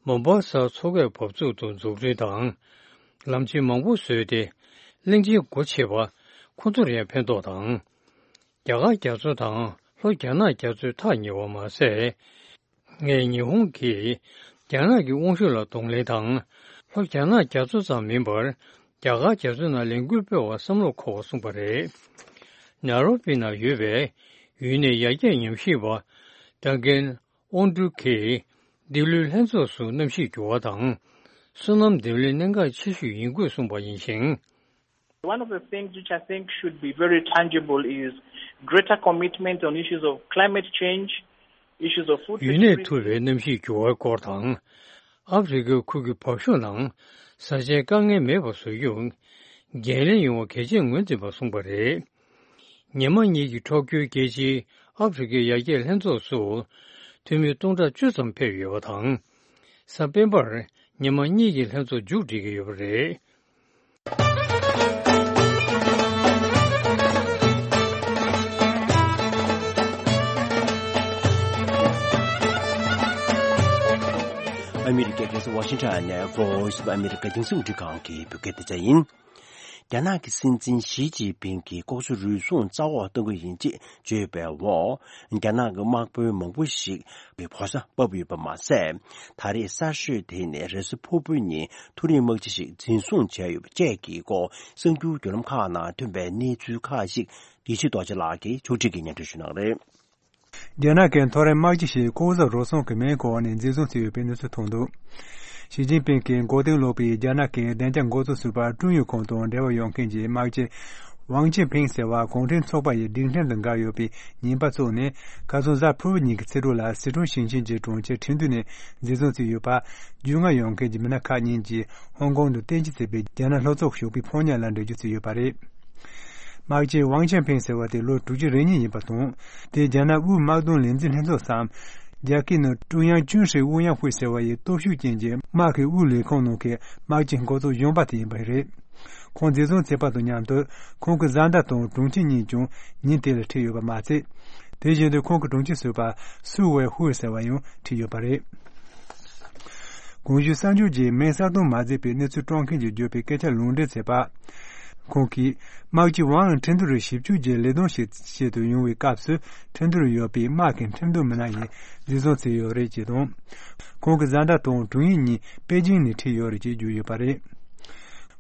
མོ་བྷ་ས་མཚོ་ཁའི་འབབ་ཚུགས་དུ་འཛུགས་སྐྲུན་དང་། ལམ་ཆེན་མང་པོ་བཟོས་ཏེ། གླིང་ཆེན་སྒོ་ཕྱེ་བ་ཁོ་ཚོར་ཡང་ཕན་ཐོགས་དང་། རྒྱ་གར་རྒྱ་མཚོ་དང་ལྷོ་རྒྱ་ནག་རྒྱ་མཚོས་ཐག་ཉེ་བ་མ་ཟད། ངས་ཉི་ཧོང་གིས་རྒྱ་ནག་གི་དབང་ཤུགས་ལ་གདོང་ལེན་དང་། ལྷོ་རྒྱ་ནག་རྒྱ་མཚོ་ཙམ་མིན་པར། རྒྱ་གར་རྒྱ་མཚོ་ནང་ལས་འགུལ་སྤེལ་བར་བསམ་བློ་འཁོར་བ་གསུངས་པ་རེད། ནཱ་རོ་པི་ནང་ཡོད་པའི་ཡུན་ནན་ཡར་རྒྱས་ཉམས་ཞིབ་པ་ཌང་ཀན་ཨོན་ཀྲུའུ་གིས་འདི་ལོའི་ལྷན་ཚོགས་སུ་གནམ་གཤིས་འགྱུར་བ་དང་། སོ་ནམ་འདེམས་ལས་གནད་འགག་ཆེ་ཤོས་ཡིན་སྐོར་གསུངས་པ་ཡིན་ཞིང་། One of the things which I think should be very tangible is greater commitment on issues of climate change, issues of food security. ཡུན་གནས་ཐུབ་པའི་གནམ་གཤིས་འགྱུར་བའི་སྐོར་དང་། ཨ་ཧྥེ་རི་ཁའི་ཁུལ་གྱི་བབ་ཤུགས་ནང་བཟའ་བཅའི་དཀའ་ངལ་མེད་པ་བཟོ་རྒྱུར་འགན་ལེན་ཡོང་བ་གལ་ཆེར་ངོས་འཛིན་པ་གསུངས་པ་རེད། ཉི་མ་གཉིས་ཀྱི་འཁྲོག་རྒྱུའི་རྒྱལ་སྤྱིའི་ཨ་ཧྥེ་རི་ཁའི་ཡར་རྒྱས་ལྷན་ཚོགས་སུ་འཐུས་མི་སྟོང་ཕྲག་བཅུ་ཙམ་ཕེབས་ཡོད་པ་དང་། གཟའ་སྤེན་པར་ཉི་མ་གཉིས་ཀྱི་ལྷན་ཚོགས་མཇུག་སྒྲིལ་གྱི་ཡོད་པ་རེད། ཨ་མི་རི་ཀའི་རྒྱལ་ས་ཝ་ཤིང་ཊོན་ནས་Voice of America་རྒྱང་སྲིང་རླུང་འཕྲིན་ཁང་གི་བོད་སྐད་སྡེ་ཚན་ཡིན། རྒྱ་ནག་གི་སྲིད་འཛིན་ཞི་ཅིན་ཕིང་གིས་ལྐོག་ཟ་རུལ་སུངས་རྩ་བ་གཏོང་གི་ཡིན་ཅེས་བརྗོད་པའི་འོག་རྒྱ་ནག་གི་དམག་དཔོན་མང་པོ་ཞིག་གི་བོ་ས་བབས་ཡོད་པ་མ་ཟད། ད་རེས་གསར་ཤོས་དེ་ནི་རེས་གཟའ་ཕུར་བུའི་ཉིན་མཐོ་རིམ་དམག་སྤྱི་ཞིག་འཛིན་བཟུང་བྱས་ཡོད་པ་བཅས་ཀྱི་སྐོར་གསར་འགྱུར་བརྒྱུད་ལམ་ཁག་ནང་ཐོན་པའི་གནས་ཚུལ་ཁག་ཅིག་ཡེ་ཤེས་རྡོ་རྗེ་ལགས་ཀྱིས་ཕྱོགས་སྒྲིག་གིས་སྙན་སྒྲོན་ཞུ་གནང་རེད། རྒྱ་ནག་གི་མཐོ་རིམ་དམག་སྤྱི་ཞིག་ལྐོག་ཟ་རུལ་སུངས་ཀྱི་མིང་འཁོར་ནས་འཛིན་བཟུང་བྱས་ཡོད་པའི་གནས་ཚུལ་ཐོན་འདུག་ཞི་ཅིན་ཕིང་གིས་འགོ་རྟིང་སློག་པའི་རྒྱ་ནག་གི་བདེ་འཇགས་འགོ་གཙོ་ཟུར་པ་ཀྲུང་ཡུང་ཁུང་དང་འབྲེལ་བ་ཡོད་མཁན་གྱི་དམག་སྤྱི་ཝང་ཅིན་ཕིང་ཟེར་བ་གུང་ཁྲན་ཚོགས་པ་ཡི་སྒྲིག་ཁྲིམས་དང་འགལ་ཡོད་པའི་ཉེས་པ་བཙུགས་ནས། ཁ་སང་གཟའ་ཕུར་བུ་ཉིན་གྱི་ཕྱི་དྲོ་ལ་སི་ཁྲོན་ཞིང་ཆེན་གྱི་གྲོང་ཁྱེར་ཁྲིན་ཏུའུ་ནས་འཛིན་བཟུང་བྱས་ཡོད་པ། རྒྱུས་མངའ་ཡོད་མཁན་གྱི་མི་སྣ་ཁག་གཉིས་ཀྱིས་ཧོང་ཀོང་དུ་རྟེན་གཞི་བྱས་པའི་རྒྱ་ནག་ལྷོ་ཕྱོགས་ཞོགས་པའི་ཕོ་ཉ་ལ་འགྲེལ་བརྗོད་བྱས་ཡོད་པ་རེད། དམག་སྤྱི་ཝང་ཅན་ཕིང་ཟེར་བ་དེ་ལོ་དྲུག་ཅུ་རེ་གཉིས་ཡིན་པ་དང་། དེ་རྒྱ་ནག་དབུས་དམག་དོན་ལས་འཛིན་ལྷན་ཚོགས་སམ། རྒྱ་སྐད་ནང་ཀྲུང་དབྱང་ཅུན་ཧྲི་ཨུ་ཡང་ཧུའེ་ཟེར་བ་ཡི་སྟོབས་ཤུགས་ཅན་གྱི་དམག་གི་དབུ་ལས་ཁང་ནང་གི་དམག་སྤྱི་འགོ་གཙོ་གཞོན་པ་དེ་ཡིན་པ་རེད། ཁོང་འཛིན་བཟུང་བྱས་པ་དང་མཉམ་དུ། ཁོང་གི་བཟའ་ཟླ་དང་དྲུང་ཆེ་གཉིས་ཀྱང་ཉིན་དེ་ལ་ཁྲིད་ཡོད་པ་མ་ཚད། དེ་བཞིན་དུ་ཁོང་གི་དྲུང་ཆེ་ཟུར་པ་སུའུ་ཝེ་ཧུའེ་ཟེར་བ་ཡང་ཁྲིད་ཡོད་པ་རེད། གོང་ཞུས་གསར་འགྱུར་རྗེས་མིང་གསལ་སྟོན་མ་མཛད་པའི་གནས་ཚུལ་བཀྲམ་མཁན་གྱིས་བརྗོད་པའི་སྐད་ཆ་ལུང་འདྲེན་བྱས་པ། ཁོང་གིས། དམག་སྤྱི་ཝང་ཁྲིན་ཏུའུ་རུ་ཞིབ་འཇུག་གི་ལས་དོན་ཞིག་བྱེད་དུ་ཡོང་བའི་སྐབས་སུ། ཁྲིན་ཏུའུ་རུ་ཡོད་པའི་དམག་གི་ཁྲིམས་དོན་མི་སྣ་ཡིས་འཛིན་བཟུང་བྱས་ཡོད་རེད་ཅེས་དང་། ཁོང་གི་བཟའ་ཟླ་དང་དྲུང་ཡིག་གཉིས་པེ་ཅིང་ནས་ཁྲིད་ཡོད་རེད་ཅེས་བརྗོད་ཡོད་པ་རེད།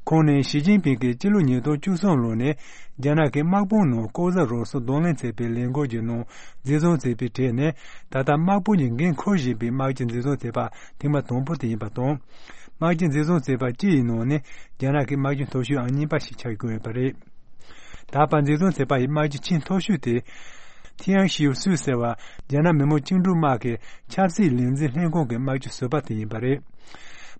ཁོང་ནས་ཞི་ཅིན་ཕིང་གིས་སྤྱི་ལོ་ཉིས་སྟོང་བཅུ་གསུམ་ལོ་ནས་རྒྱ་ནག་གི་དམག་དཔུང་ནང་ལྐོག་ཟ་རུལ་སུངས་གདོང་ལེན་བྱས་པའི་ལས་འགུལ་གྱི་ནང་འཛིན་བཟུང་བྱས་པའི་གྲས་ནས། ད་ལྟ་དམག་དཔུང་གི་འགན་འཁུར་བཞིན་པའི་དམག་སྤྱི་འཛིན་བཟུང་བྱས་པ་ཐེངས་མ་དང་པོ་དེ་ཡིན་པ་དང་། དམག་སྤྱི་འཛིན་བཟུང་བྱས་པ་སྤྱི་ཡི་ནང་ནས་རྒྱ་ནག་གི་དམག་སྤྱི་མཐོ་ཤོས་ཨང་གཉིས་པ་ཞིག་ཆགས་ཀྱི་ཡོད་པ་རེད། ད་བར་འཛིན་བཟུང་བྱས་པ་ཡི་དམག་སྤྱི་ཆེས་མཐོ་ཤོས་དེ། ཐི་ཡང་ཤིའུ་སུའུ་ཟེར་བ་རྒྱ་ནག་མི་དམངས་བཅིངས་འགྲོལ་དམག་གི་ཆབ་སྲིད་ལས་འཛིན་ལྷན་ཁང་གི་དམག་སྤྱི་ཟུར་པ་དེ་ཡིན་པ་རེད།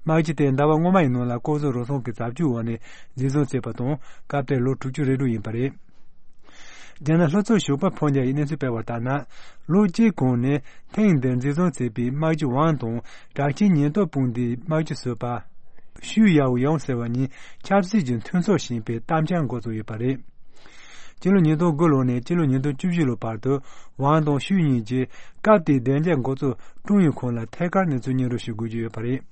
དམག་སྤྱི་དེ་ཟླ་བ་སྔོན་མ་ཡི་ནང་ལ་ལྐོག་ཟ་རུལ་སུངས་ཀྱི་བྱ་སྤྱོད་འོག་ནས་འཛིན་བཟུང་བྱས་པ་དང་། སྐབས་དེར་ལོ་དྲུག་ཅུ་རེ་དྲུག་ཡིན་པ་རེད། རྒྱ་ནག་ལྷོ་ཕྱོགས་ཞོགས་པ་ཕོ་ཉ་ཡིས་གནས་ཚུལ་སྤེལ་བ་ལྟར་ན། ལོ་གཅིག་གོང་ནས་ཐེངས་འདིར་འཛིན་བཟུང་བྱས་པའི་དམག་སྤྱི་ཝང་དང་དྲག་ཆས་ཉེན་རྟོག་དཔུང་སྡེའི་དམག་སྤྱི་ཟུར་པ་ཞུས་ཡའོ་ཡང་ཟེར་བ་གཉིས་ཆབ་སྲིད་ཀྱི་མཐུན་ཚོགས་ཞེས་པའི་གཏམ་འཆལ་འགོ་བཙུགས་ཡོད་པ་རེད། སྤྱི་ལོ་ཉིས་སྟོང་དགུ་ལོ་ནས་སྤྱི་ལོ་ཉིས་སྟོང་བཅུ་བཞི་ལོ་བར་དུ་ཝང་དང་ཞུས་གཉིས་ཀྱིས་སྐབས་དེའི་བདེ་འཇགས་འགོ་གཙོ་ཀྲུང་ཡོན་ཁོང་ལ་ཐད་ཀར་གནས་ཚུལ་སྙན་སྒྲོན་ཞུ་དགོས་ཀྱི་ཡོད་པ་རེད།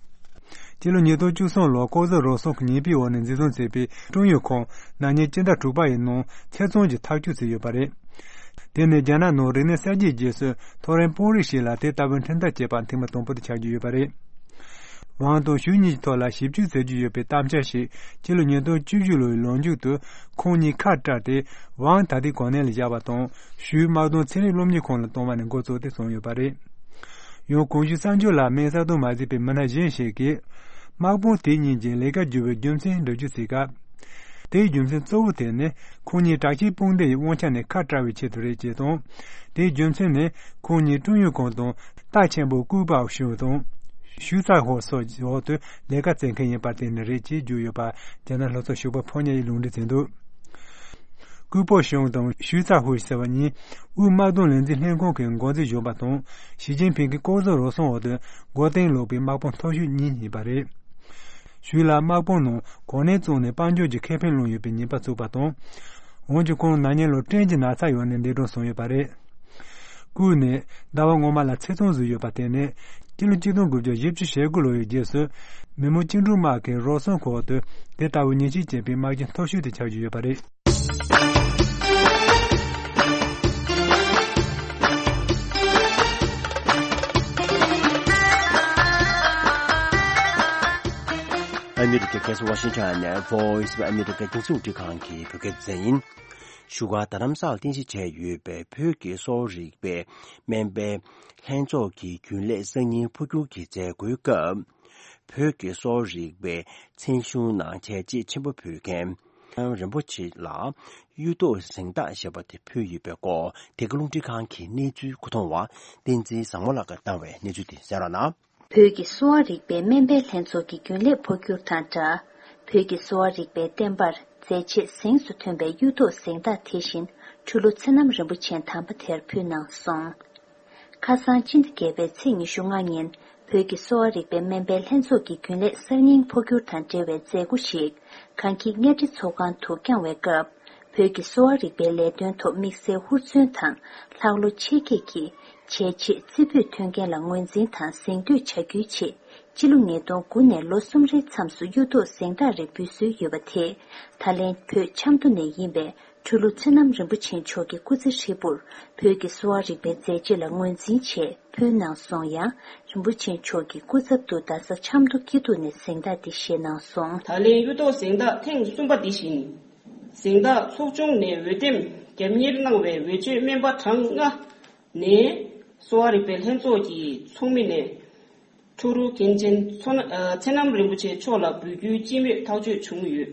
སྤྱི་ལོ་ཉིས་སྟོང་བཅུ་གསུམ་ལོར་ལྐོག་ཟ་རུལ་སུངས་ཀྱི་ཉེས་པའི་འོག་ནས་འཛིན་བཟུང་བྱས་པའི་ཀྲུང་ཡོན་ཁོང་ན་ནིང་སྤྱི་ཟླ་དྲུག་པ་ཡི་ནང་ཚེ་བཙོན་གྱི་ཐག་གཅོད་བྱས་ཡོད་པ་རེད། དེ་ནི་རྒྱ་ནག་ནང་རིག་གནས་གསར་བརྗེའི་རྗེས་སུ་མཐོ་རིམ་དཔོན་རིགས་ཤིག་ལ་དེ་ལྟ་བུའི་ཁྲིམས་ཐག་བཅད་པ་ཐེངས་མ་དང་པོ་དེ་ཆགས་ཀྱི་ཡོད་པ་རེད། ཝང་དང་ཞུས་གཉིས་ཀྱི་ཐོག་ལ་ཞིབ་དཔྱོད་མཛད་རྒྱུ་ཡོད་པའི་གཏམ་འཆལ་ཞིག་སྤྱི་ལོ་ཉིས་སྟོང་བཅུ་བཞི་ལོའི་ལོ་མཇུག་ཏུ་ཁོང་གཉིས་ཁ་བྲལ་ཏེ་ཝང་ད་ལྟའི་གོ་གནས་ལ་བཞག་པ་དང་ཞུས་དམག་དོན་ཚན་རིག་སློབ་གཉེར་ཁང་ལ་གཏོང་བ་ནས་འགོ་བཙུགས་ཏེ་བྱུང་ཡོད་པ་རེད། ཡང་གོང་ཞུས་གསར་འགྱུར་ལ་སྨན་གསལ་སྟོན་མ་བྱས་པའི་མི་སྣ་གཞན་ཞིག་གིས། དམག་དཔུང་དེ་གཉིས་ཀྱིས་ལས་ཀ་བསྒྱུར་བའི་རྒྱུ་མཚན་འགྲེལ་བརྗོད་བྱེད་སྐབས། དེའི་རྒྱུ་མཚན་གཙོ་བོ་དེ་ནི་ཁོང་གཉིས་དྲག་ཆས་དཔུང་སྡེ་ཡི་དབང་ཆ་ནས་ཁ་བྲལ་བའི་ཆེད་དུ་རེད་ཅེས་དང་། དེའི་རྒྱུ་མཚན་ནི་ཁོང་གཉིས་ཀྲུང་ཡོན་ཁོང་དང་རྟ་ཆེན་པོ་ཀུའུ་པའོ་ཞུང་དང་། ཞུས་ཚ་ཧོ་སོགས་ཀྱི་འོག་ཏུ་ལས་ཀ་བྱེད་མཁན་ཡིན་པར་བརྟེན་ནས་རེད་ཅེས་བརྗོད་ཡོད་པ་རྒྱ་ནག་ལྷོ་ཕྱོགས་ཞོགས་པ་ཕོ་ཉ་ཡིས་ལུང་འདྲེན་བྱས་འདུག་ཀུའུ་པའོ་ཞུང་དང་ཞུས་ཚ་ཧུའེ་ཟེར་བ་གཉིས་དབུས་དམག་དོན་ལས་འཛིན་ལྷན་ཁང་གི་འགོ་འཛིན་གཞོན་པ་དང་ཞི་ཅིན་ཕིང་གི་ལྐོག་ཟ་རུལ་སུངས་འོག་ཏུ་མགོ་རྟིང་སློག་པའི་དམག་དཔུང་མཐོ་ཤོས་གཉིས་ཡིན་པ་རེད། ཞུས་ལ་དམག་དཔུང་ནང་གོ་གནས་བཙོང་ནས་དཔལ་འབྱོར་གྱི་ཁེ་ཕན་བླངས་ཡོད་པའི་ཉེས་པ་བཙུགས་པ་དང་། འོན་ཀྱང་ཁོང་ན་ནིང་ལོར་སྐྲན་གྱི་ན་ཚ་ཡོང་ནས་འདས་གྲོངས་སོང་ཡོད་པ་རེད། ཀུའུ་ནི་ཟླ་བ་སྔོན་མ་ལ་ཚེ་བཙོན་ཟིན་ཡོད་པ་དེ་ནི་སྤྱི་ལོ་གཅིག་སྟོང་དགུ་བརྒྱ་བཞི་བཅུ་ཞེ་དགུ་ལོ་ཡི་རྗེས་སུ་མི་མང་བཅིངས་འགྲོལ་དམག་གིས་རུལ་སུངས་འོག་ཏུ་དེ་ལྟ་བུའི་ཉེས་ཆད་བཅད་པའི་དམག་སྤྱི་མཐོ་ཤོས་དེ་ཆགས་ཀྱི་ཡོད་པ་རེད། ཨ་མི་རི་ཀའི་རྒྱལ་ས་ཝ་ཤིང་ཊོན་ནས་Voice of America་རྒྱང་སྲིང་རླུང་འཕྲིན་ཁང་གི་བོད་སྐད་སྡེ་ཚན་ཡིན། བཞུགས་སྒར་རྡ་རམ་ས་ལར་རྟེན་གཞི་བྱས་ཡོད་པའི་བོད་ཀྱི་གསོ་བ་རིག་པའི་སྨན་པའི་ལྷན་ཚོགས་ཀྱི་རྒྱུན་ལས་གསར་རྙིང་འཕོ་འགྱུར་གྱི་མཛད་སྒོའི་སྐབས། བོད་ཀྱི་གསོ་བ་རིག་པའི་ཚན་གཞུང་ནང་བྱས་རྗེས་ཆེན་པོ་ཕུལ་མཁན་རིན་པོ་ཆེ་ལ་གཡུ་ཐོག་གཟེངས་རྟགས་ཞེས་པ་དེ་ཕུལ་ཡོད་པའི་སྐོར་དེ་ག་རླུང་འཕྲིན་ཁང་གི་གནས་ཚུལ་མཁོ་གཏོང་བ་བསྟན་འཛིན་བཟང་མོ་ལགས་ཀྱིས་བཏང་བའི་གནས་ཚུལ་དེ་གསན་རོགས་གནང་། བོད་ཀྱི་གསོ་བ་རིག་པའི་སྨན་པའི་ལྷན་ཚོགས་ཀྱི་རྒྱུན་ལས་འཕོ་འགྱུར་དང་སྦྲགས། བོད་ཀྱི་གསོ་བ་རིག་པའི་བསྟན་པར་མཛད་རྗེས་གཟེངས་སུ་ཐོན་པའི་གཡུ་ཐོག་གཟེངས་རྟགས་དེ་བཞིན་ཁྲུ་ལུ་ཚེ་རྣམ་རིན་པོ་ཆེ་དམ་པ་དེར་ཕུལ་གནང་སོང་། ཁ་སང་སྤྱི་ཟླ་བརྒྱད་པའི་ཚེས་ཉི་ཤུ་ལྔ་ཉིན་བོད་ཀྱི་གསོ་བ་རིག་པའི་སྨན་པའི་ལྷན་ཚོགས་ཀྱི་རྒྱུན་ལས་གསར་རྙིང་འཕོ་འགྱུར་དང་འབྲེལ་བའི་མཛད་སྒོ་ཞིག་གངས་སྐྱིད་གཉའ་ཁྲི་ཚོགས་ཁང་དུ་བསྐྱངས་བའི་སྐབས། བོད་ཀྱི་གསོ་བ་རིག་པའི་ལས་དོན་ཐོག་དམིགས་བསལ་ཧུར་བརྩོན་དང་ལྷག་བློ་ཆེ་བསྐྱེད་ཀྱིས་བྱས་རྗེས་རྩེ་ཕུད་ཐོན་མཁན་ལ་ངོས་འཛིན་དང་གཟེངས་བསྟོད་བྱ་རྒྱུའི་ཆེད་སྤྱི་ལོ་ཉིས་སྟོང་དགུ་ནས་ལོ་གསུམ་རེའི་མཚམས་སུ་གཡུ་ཐོག་གཟེངས་རྟགས་རེ་འབུལ་སྲོལ་ཡོད་པ་དེ་ད་ལན་བོད་ཆབ་མདོ་ནས་ཡིན་པའི་ཁྲུ་ལུ་ཚེ་རྣམ་རིན་པོ་ཆེ་མཆོག་གི་སྐུ་ཚེ་ཧྲིལ་པོར་བོད་ཀྱི་གསོ་བ་རིག་པའི་མཛད་རྗེས་ལ་ངོས་འཛིན་ཆེད་ཕུལ་གནང་སོང་ཡང་རིན་པོ་ཆེ་མཆོག་གི་སྐུ་ཚབ་ཏུ་རྡ་ས་ཆབ་མདོ་སྐྱིད་སྡུག་ནས་གཟེངས་རྟགས་འདི་བཞེས་གནང་སོང་། ད་ལན་གཡུ་ཐོག་གཟེངས་རྟགས་ཐེངས་གསུམ་པ་འདི་བཞིན། གཟེངས་རྟགས་ཚོགས་ཆུང་ནས་འོས་འདེམས་རྒྱབ་གཉེར་གནང་བའི་འོས་ཆོས་སྨན་པ་གྲངས་ལྔ་ནས་གསོ་བ་རིག་པའི་ལྷན་ཚོགས་ཀྱི་ཚོགས་མི་ནས་ཁྲུ་རུ་མཁན་ཆེན་མཚོ་སྣ་ཨ་ཚེ་རྣམ་རིན་པོ་ཆེ་མཆོག་ལ་འབུལ་རྒྱུའི་སྤྱི་མོས་ཐག་གཅོད་བྱུང་ཡོད།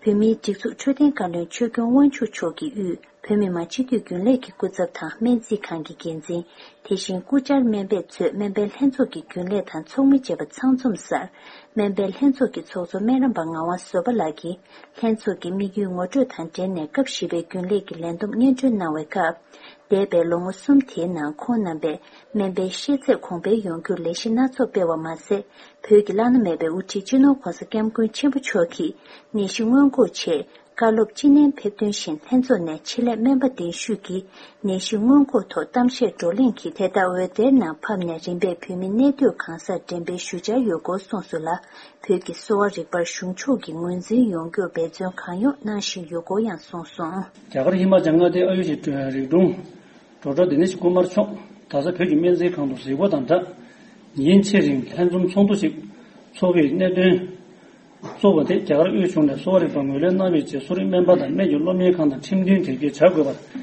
བོད་མིའི་སྒྲིག་འཛུགས་འཕྲོད་བསྟེན་བཀའ་བློན་ཆོས་སྐྱོང་དབང་ཕྱུག་མཆོག་གིས་དབུས། བོད་མི་མང་སྤྱི་འཐུས་རྒྱུན་ལས་ཀྱི་སྐུ་ཚབ་དང་སྨན་རྩིས་ཁང་གི་འགན་འཛིན། དེ་བཞིན་སྐུ་བཅར་སྨན་པས་གཙོས་སྨན་པའི་ལྷན་ཚོགས་ཀྱི་རྒྱུན་ལས་དང་ཚོགས་མི་བཅས་པ་ཚང་འཛོམས་སར། སྨན་པའི་ལྷན་ཚོགས་ཀྱི་ཚོགས་གཙོ་སྨན་རམས་པ་ངག་དབང་བཟོད་པ་ལགས་ཀྱིས་ལྷན་ཚོགས་ཀྱི་དམིགས་ཡུལ་ངོ་སྤྲོད་དང་འབྲེལ་ནས་སྐབས་བཞི་པའི་རྒྱུན་ལས་ཀྱི་ལས་བསྡོམས་སྙན་སྒྲོན་གནང་བའི་སྐབས། འདས་པའི་ལོ་ངོ་གསུམ་དེའི་ནང་ཁོང་རྣམ་པས་སྨན་པའི་ཤེས་ཚད་གོང་འཕེལ་ཡོང་རྒྱུར་ལས་གཞི་སྣ་ཚོགས་སྤེལ་བ་མ་ཟད། བོད་ཀྱི་བླ་ན་མེད་པའི་དབུ་ཁྲིད་སྤྱི་ནོར་༸གོང་ས་༸སྐྱབས་མགོན་ཆེན་པོ་མཆོག་གིས་ནད་གཞི་སྔོན་འགོག་ཆེད། བཀའ་སློབ་ཅི་ནན་ཕེབས་དོན་བཞིན་ལྷན་ཚོགས་ནས་ཆེད་ལས་སྨན་པ་གདན་ཞུས་ཀྱིས་ནད་གཞི་སྔོན་འགོག་ཐོག་གཏམ་བཤད་བགྲོ་གླེང་གིས་དེ་ལྟར་འོད་སྡེར་ནང་ཕབ་ནས་རིམ་པས་བོད་མི་གནས་སྡོད་གང་སར་འགྲེམས་སྤེལ་ཞུ་འཆར་ཡོད་སྐོར་གསུངས་སོང་ལ། བོད་ཀྱི་གསོ་བ་རིག་པར་གཞུང་ཕྱོགས་ཀྱི་ངོས་འཛིན་ཡོང་རྒྱུར་འབད་བརྩོན་གང་ཡོང་གནང་བཞིན་ཡོད་སྐོར་ཡང་གསུངས་སོང་། རྒྱ་གར་ཧི་མ་ཅལ་མངའ་སྡེའི་ཨ་ཡུ་ཤི་རིག་གྲོང་། ཌོག་ཊར་དྷ་ནེ་ཤི་ཀུ་མར་མཆོག་ད་ཆ་བོད་ཀྱི་སྨན་རྩིས་ཁང་དུ་གཟིགས་སྐོར་དང་སྦྲགས། ཉིན་ཕྱེད་རིང་ལྷན་འཛོམས་ཚོགས་འདུ་ཞིག་འཚོགས་པའི་གནད་དོན་གཙོ་བོ་དེ་རྒྱ་གར་དབུས་གཞུང་ནས་གསོ་བ་རིག་པ་ངོས་ལེན་གནང་བའི་རྗེས་གསོ་རིག་སྨན་པ་དང་སྨན་གྱི་སློབ་གཉེར་ཁང་དང་ཁྲིམས་མཐུན་གྲོས་འགལ་བྱ་དགོས་པར་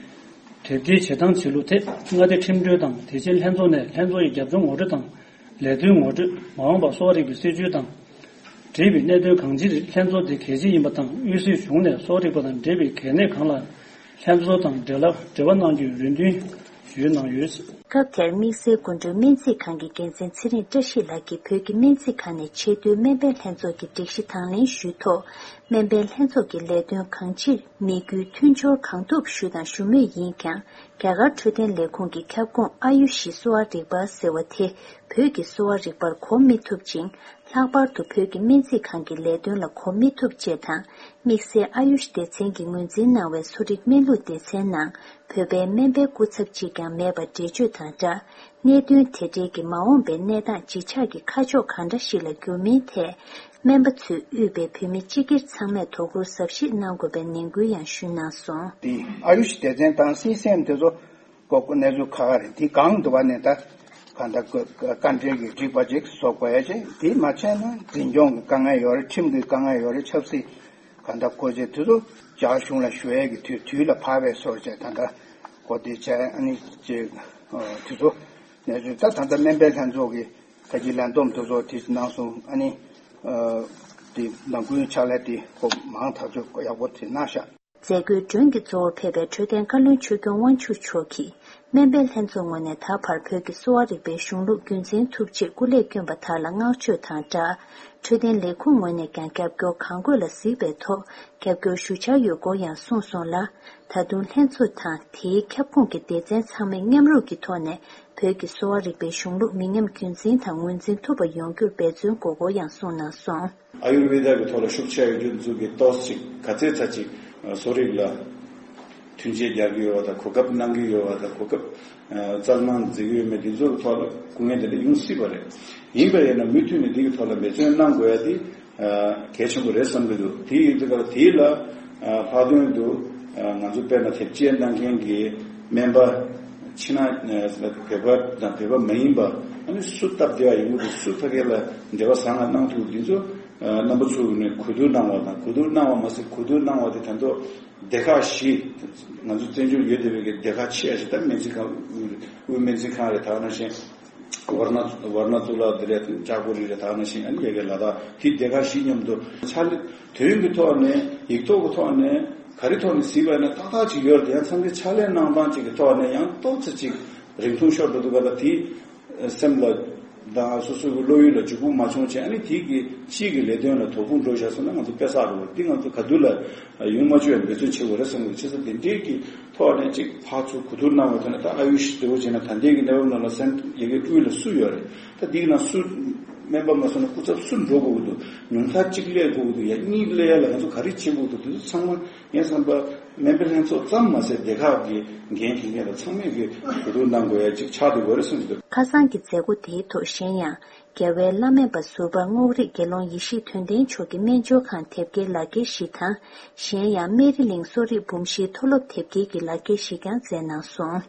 གྲ་སྒྲིག་བྱེད་སྟངས་བྱེད་ལུགས་ཐད་མངའ་སྡེ་ཁྲིམས་དྲུང་དང་དེ་བཞིན་ལྷན་ཚོགས་ནས་ལྷན་ཚོགས་ཀྱི་རྒྱབ་ལྗོངས་ངོ་སྤྲོད་དང་། ལས་དོན་ངོ་སྤྲོད། མ་འོངས་པར་གསོ་བ་རིག་པའི་སྲིད་བྱུས་དང་། འབྲེལ་བའི་གནད་དོན་གང་ཅིར་ལྷན་ཚོགས་འདི་གལ་ཆེ་ཡིན་པ་དང་དབུས་སྲིད་གཞུང་ནས་གསོ་བ་རིག་པ་དང་འབྲེལ་བའི་གལ་གནད་གང་ལ་ལྷན་ཚོགས་དང་འབྲེལ་བ་འབྲེལ་བ་གནང་རྒྱུའི་རེ་འདུན་ ཞུས་གནང་ཡོད། སྐབས་དེར་དམིགས་བསལ་སྐུ་མགྲོན་སྨན་རྩིས་ཁང་གི་འགན་འཛིན་ཚེ་རིང་བཀྲ་ཤིས་ལགས་ཀྱིས་བོད་ཀྱི་སྨན་རྩིས་ཁང་ནས་ཆེས་མཐོའི་སྨན་པའི་ལྷན་ཚོགས་ཀྱི་སྒྲིག་གཞི་དང་ལེན་ཞུས་ཐོག་སྨན་པའི་ལྷན་ཚོགས་ཀྱི་ལས་དོན་གང་ཅིར་དམིགས་ཡུལ་མཐུན་སྦྱོར་གང་ཐུབ་ཞུ་དང་ཞུ་མུས་ཡིན་ཀྱང་། རྒྱ་གར་འཕྲོད་བསྟེན་ལས་ཁུངས་ཀྱི་ཁྱབ་ཁོངས་ཨ་ཡུ་ཤི་གསོ་བ་རིག་པ་ཟེར་བ་དེ་བོད་ཀྱི་གསོ་བ་རིག་པར་གོ་མི་ཐུབ་ཅིང་། ལྷག་པར་དུ་བོད་ཀྱི་སྨན་རྩིས་ཁང་གི་ལས་དོན་ལ་གོ་མི་ཐུབ་ཅེས་དང་། དམིགས་བསལ་ཨ་ཡུཤ་སྡེ་ཚན་གྱིས་ངོས་འཛིན་གནང་བའི་གསོ་རིག་སྨན་ལུགས་སྡེ་ཚན་ནང་བོད་པའི་སྨན་པའི་སྐུ་ཚབ་ཅིག་ཀྱང་མེད་པ་འགྲེལ་བརྗོད་དང་སྦྲགས། གནད་དོན་དེ་འབྲེལ་གྱི་མ་འོངས་པའི་གནས་སྟངས་ཇི་ཆགས་ཀྱི་ཁ་ཕྱོགས་གང་འདྲ་ཞིག་ལ་འགྱུར་མིན་ཐད། སྨན་པ་ཚོས་དབུས་པའི་བོད་མི་སྤྱི་སྒེར་ཚང་མས་དོ་ཁུར་གཟབ་བཞེས་གནང་དགོས་པའི་ནན་སྐུལ་ཡང་ཞུས་གནང་སོང་། དེ་ཨ་ཡུཤ་སྡེ་ཚན་དང་སི་སི་ཨེམ་དེ་ཚོ་གོ་གནས་ཚུལ་ཁག་ཁག་རེད། དེ་གང་འདུག་པ་ནས་ད་གང་ལྟར་བཀའ་འགྲེལ་གྱི་སྒྲིག་པ་ཅིག་བཟོ་དགོས་ཡ་ཅིག་དེ་མ་བྱས་ན་འཛིན་སྐྱོང་གི་དཀའ་ངལ་ཡོད་རེད། ཁྲིམས་ཀྱི་དཀའ་ངལ་ཡོད་རེད། ཆབ་སྲིད་གང་ལྟར་གོ་ཆེ་དུས་ཚོད་རྒྱ་གཞུང་ལ་ཞུ་ཡས་ཀྱི་དུས་དུས་ལ་བབ་པའི་སོར་བཅད་ད་ལྟ་གོ་བདེ་བྱས་ཨ་ནི་ཅིག་དུས་ཚོད་གནས་ཚུལ་ད་ད་ལྟ་སྨན་པའི་ལྷན་ཚོགས་ཀྱི་ད་ཅི་ལན་འདོམས་དུས་ཚོད་དེ་གནང་སོང་། ཨ་ནི་དེ་ནང་ཁུལ་ཕྱག་ལས་དེ་ཁོ་མང་ཐག་ཆོད་ཡག་པོ་དེ་གནང་ཤག་མཛད་སྒོའི་མགྲོན་གྱི་གཙོ་བོར་ཕེབས་པའི་འཕྲོད་བསྟེན་བཀའ་བློན་ཆོས་སྐྱོང་དབང་ཕྱུག་མཆོག་གིས། སྨན་པའི་ལྷན་ཚོགས་ངོས་ནས་ད་བར་བོད་ཀྱི་གསོ་བ་རིག་པའི་གཞུང་ལུགས་རྒྱུན་འཛིན་ཐུབ་ཆེད་སྐུ་ལས་བསྐྱོན་པ་དག་ལ་བསྔགས་བརྗོད་དང་སྦྲགས། འཕྲོད་བསྟེན་ལས་ཁུངས་ངོས་ནས་ཀྱང་རྒྱབ་སྐྱོར་གང་དགོས་ལ་གཟིགས་པའི་ཐོག་རྒྱབ་སྐྱོར་ཞུ་འཆར་ཡོད་སྐོར་ཡང་གསུངས་སོང་ལ། ད་དུང་ལྷན་ཚོགས་དང་དེའི་ཁྱབ་ཁོངས་ཀྱི་སྡེ་ཚན་ཚང་མས་མཉམ་རུབ་ཀྱི་ཐོག་ནས་བོད་ཀྱི་གསོ་བ་རིག་པའི་གཞུང་ལུགས་མི་ཉམས་རྒྱུན་འཛིན་དང་ངོས་འཛིན་ཐུབ་པ་ཡོང་རྒྱུར་འབད་བརྩོན་དགོས་སྐོར་ཡང་གསུངས་གནང་སོང་། ཨ་ཡུར་ཝེ་ད་གི་ཐོག་ལ་ཤུགས་ཆེ་ཡོད་རྒྱུ་ཚོ་གི་ཏོག་ཙམ་ག་ཚད་ཚ་ཅིག་གསོ་རིག་ལ་མཐུན་རྐྱེན་རྒྱག་གི་ཡོད་པ་དང་གོ་སྐབས་གནང་གི་ཡོད་པ་དང་གོ་སྐབས་རྩལ་མང་འཛིན་གི་ཡོད་མེད་དེ་ཚོ་གི་ཐོག་ལ་སྐུ་ངལ་དེ་འདྲ་ཡོང་སྲིད་པ་རེད། ཡིན་པ་ཡིན་ན་མུ་མཐུད་ནས་དེ་གི་ཐོག་ལ་འབད་བརྩོན་གནང་དགོས་ཡ་དེ་གལ་ཆེན་པོ་རེད་བསམ་གི་འདུག་དེ་ཡིན་དུས་ཀ་ལ་དེ་ལ་ལྷག་དོན་དུ་ང་ཚོ་དཔེར་ན་དེབ་སྐྱེལ་གནང་མཁན་གྱི་སྨན་པ་ཕྱི་ནང་བོད་པ་དང་བོད་པ་མ་ཡིན་པ་ཨ་ནི་སུ་སྟབས་བདེ་བ་ཡོང་གི་འདུག་སུ་ཕ་གི་ལ་འབྲེལ་བ་བཟང་ང་གནང་ཐུབ་འདི་ཚོ། རྣམ་པ་ཚོ་ནས་གོ་བསྡུར་གནང་བ་དང་གོ་བསྡུར་གནང་བ་མ་ཟད་གོ་བསྡུར་གནང་བ་དེ་ད་དུང་སྡེ་ཁག་བཞི་ང་ཚོ་བཙན་བྱོལ་ཡོད་བསྡད་པའི་སྡེ་ཁག་ཆེ་ཤོས་ད་སྨན་རྩིས་ཁང་དབུས་སྨན་རྩིས་ཁང་རེད། ད་ནང་བཞིན་ཝར་ན་ཝར་ན་ཏུ་ལ་དེ་རེད། ཅག་པོ་རི་རེད། ད་ནང་བཞིན་ཨ་ནི་ཡ་གི་ལ་དྭགས་དེ་སྡེ་ཁག་བཞི་མཉམ་དུ་ཕྱག་ལས་དོན་གྱི་ཐོག་ནས་ཡིག་ཐོག་གི་ཐོག་ནས་ག་རེ་ཐོག་ནས་གཟིགས་པ་ཡིན་ན་ཏག་ཏག་ཅིག་ཡོད་རེད། ཡང་ཚང་གི་ཕྱག་ལས་གནང་སྟངས་ཅིག་གི་ཐོག་ནས་ཡང་ཏོག་ཙམ་ཅིག་རིང་ཐུང་ཤོར་འགྲོ་འདུག་ག་ལ་དེ། སེམས་ལ་དང་སོ་སོའི་བློ་ཡུལ་ལ་འཇུག་པོ་མ་བྱུང་བྱས་ཨ་ནི་དེ་གི་སྤྱི་གི་ལས་དོན་ལ་དོ་ཕོག་འགྲོ་བཞག་སོང་ན་ང་ཚོ་དཔེ་བསགས་རེད་བ། འདི་ང་ཚོ་ག་དུས་ལ་ཡོང་མ་བཅུག་ཡ་འབད་བརྩོན་བྱེད་དགོས་རེད་བསམ་གི་འདུག་བྱས་ཙང་དེ་འདྲའི་གི་ཐོག་ནས་ཅིག་ཕར་ཚུར་གོ་བསྡུར་གནང་བའི་ཐོག་ནས་ད་ཨ་ཡུ་ཤི་འདྲ་བོ་བྱས་ན་ད་ལྟའི་གི་གནས་བབ་ནང་ལ་སེམས་ཡ་གི་དབུས་ལ་སུ་ཡོད་རེད། ད་འདི་གི་ནང་སུ་སྨན་པ་མ་སོང་ན་སྐུ་ཚབ་སུ་འགྲོ་དགོས་ཀྱི་འདུག་ཉུང་མཐར་གཅིག་སླེབས་དགོས་ཀྱི་འདུག་ཡ་གཉིས་སླེབས་ཡ་ལ་ང་ཚོ་ག་རེ་བྱེད་དགོས་ཀྱི་འདུག་དེ་ཚོ་ཚང་མ། ངས་བསམ་པ་སྨན་པའི་ལྷན་ཚོགས་ཙམ་མ་ཟད་སྡེ་ཁག་གི་འགན་འཁྱེར་མཁན་དང་ཚང་མས་ཀྱི་གོ་བསྡུར་གནང་དགོས་ཡ་གཅིག་ཆགས་བསྡད་ཡོད་རེད་གསུངས་ཀྱི་འདུག་ཁ་སང་གི་མཛད་སྒོ་དེའི་ཐོག་གཞན་ཡང་རྒྱལ་བའི་བླ་སྨན་པ་ཟུར་པ་རྔོག་རིགས་དགེ་སློང་ཡེ་ཤེས་དོན་ལྡན་མཆོག་གི་སྨན་སྦྱོར་ཁང་དེབ་སྐྱེལ་ལག་འཁྱེར་བཞི་དང་གཞན་ཡང་སྨན་རི་གླིང་གསོ་རིག་འབུམ་བཞིའི་མཐོ་སློབ་དེབ་སྐྱེལ་གྱི་ལག་འཁྱེར་བཞི་ཀྱང་མཛད་གནང་སོང་།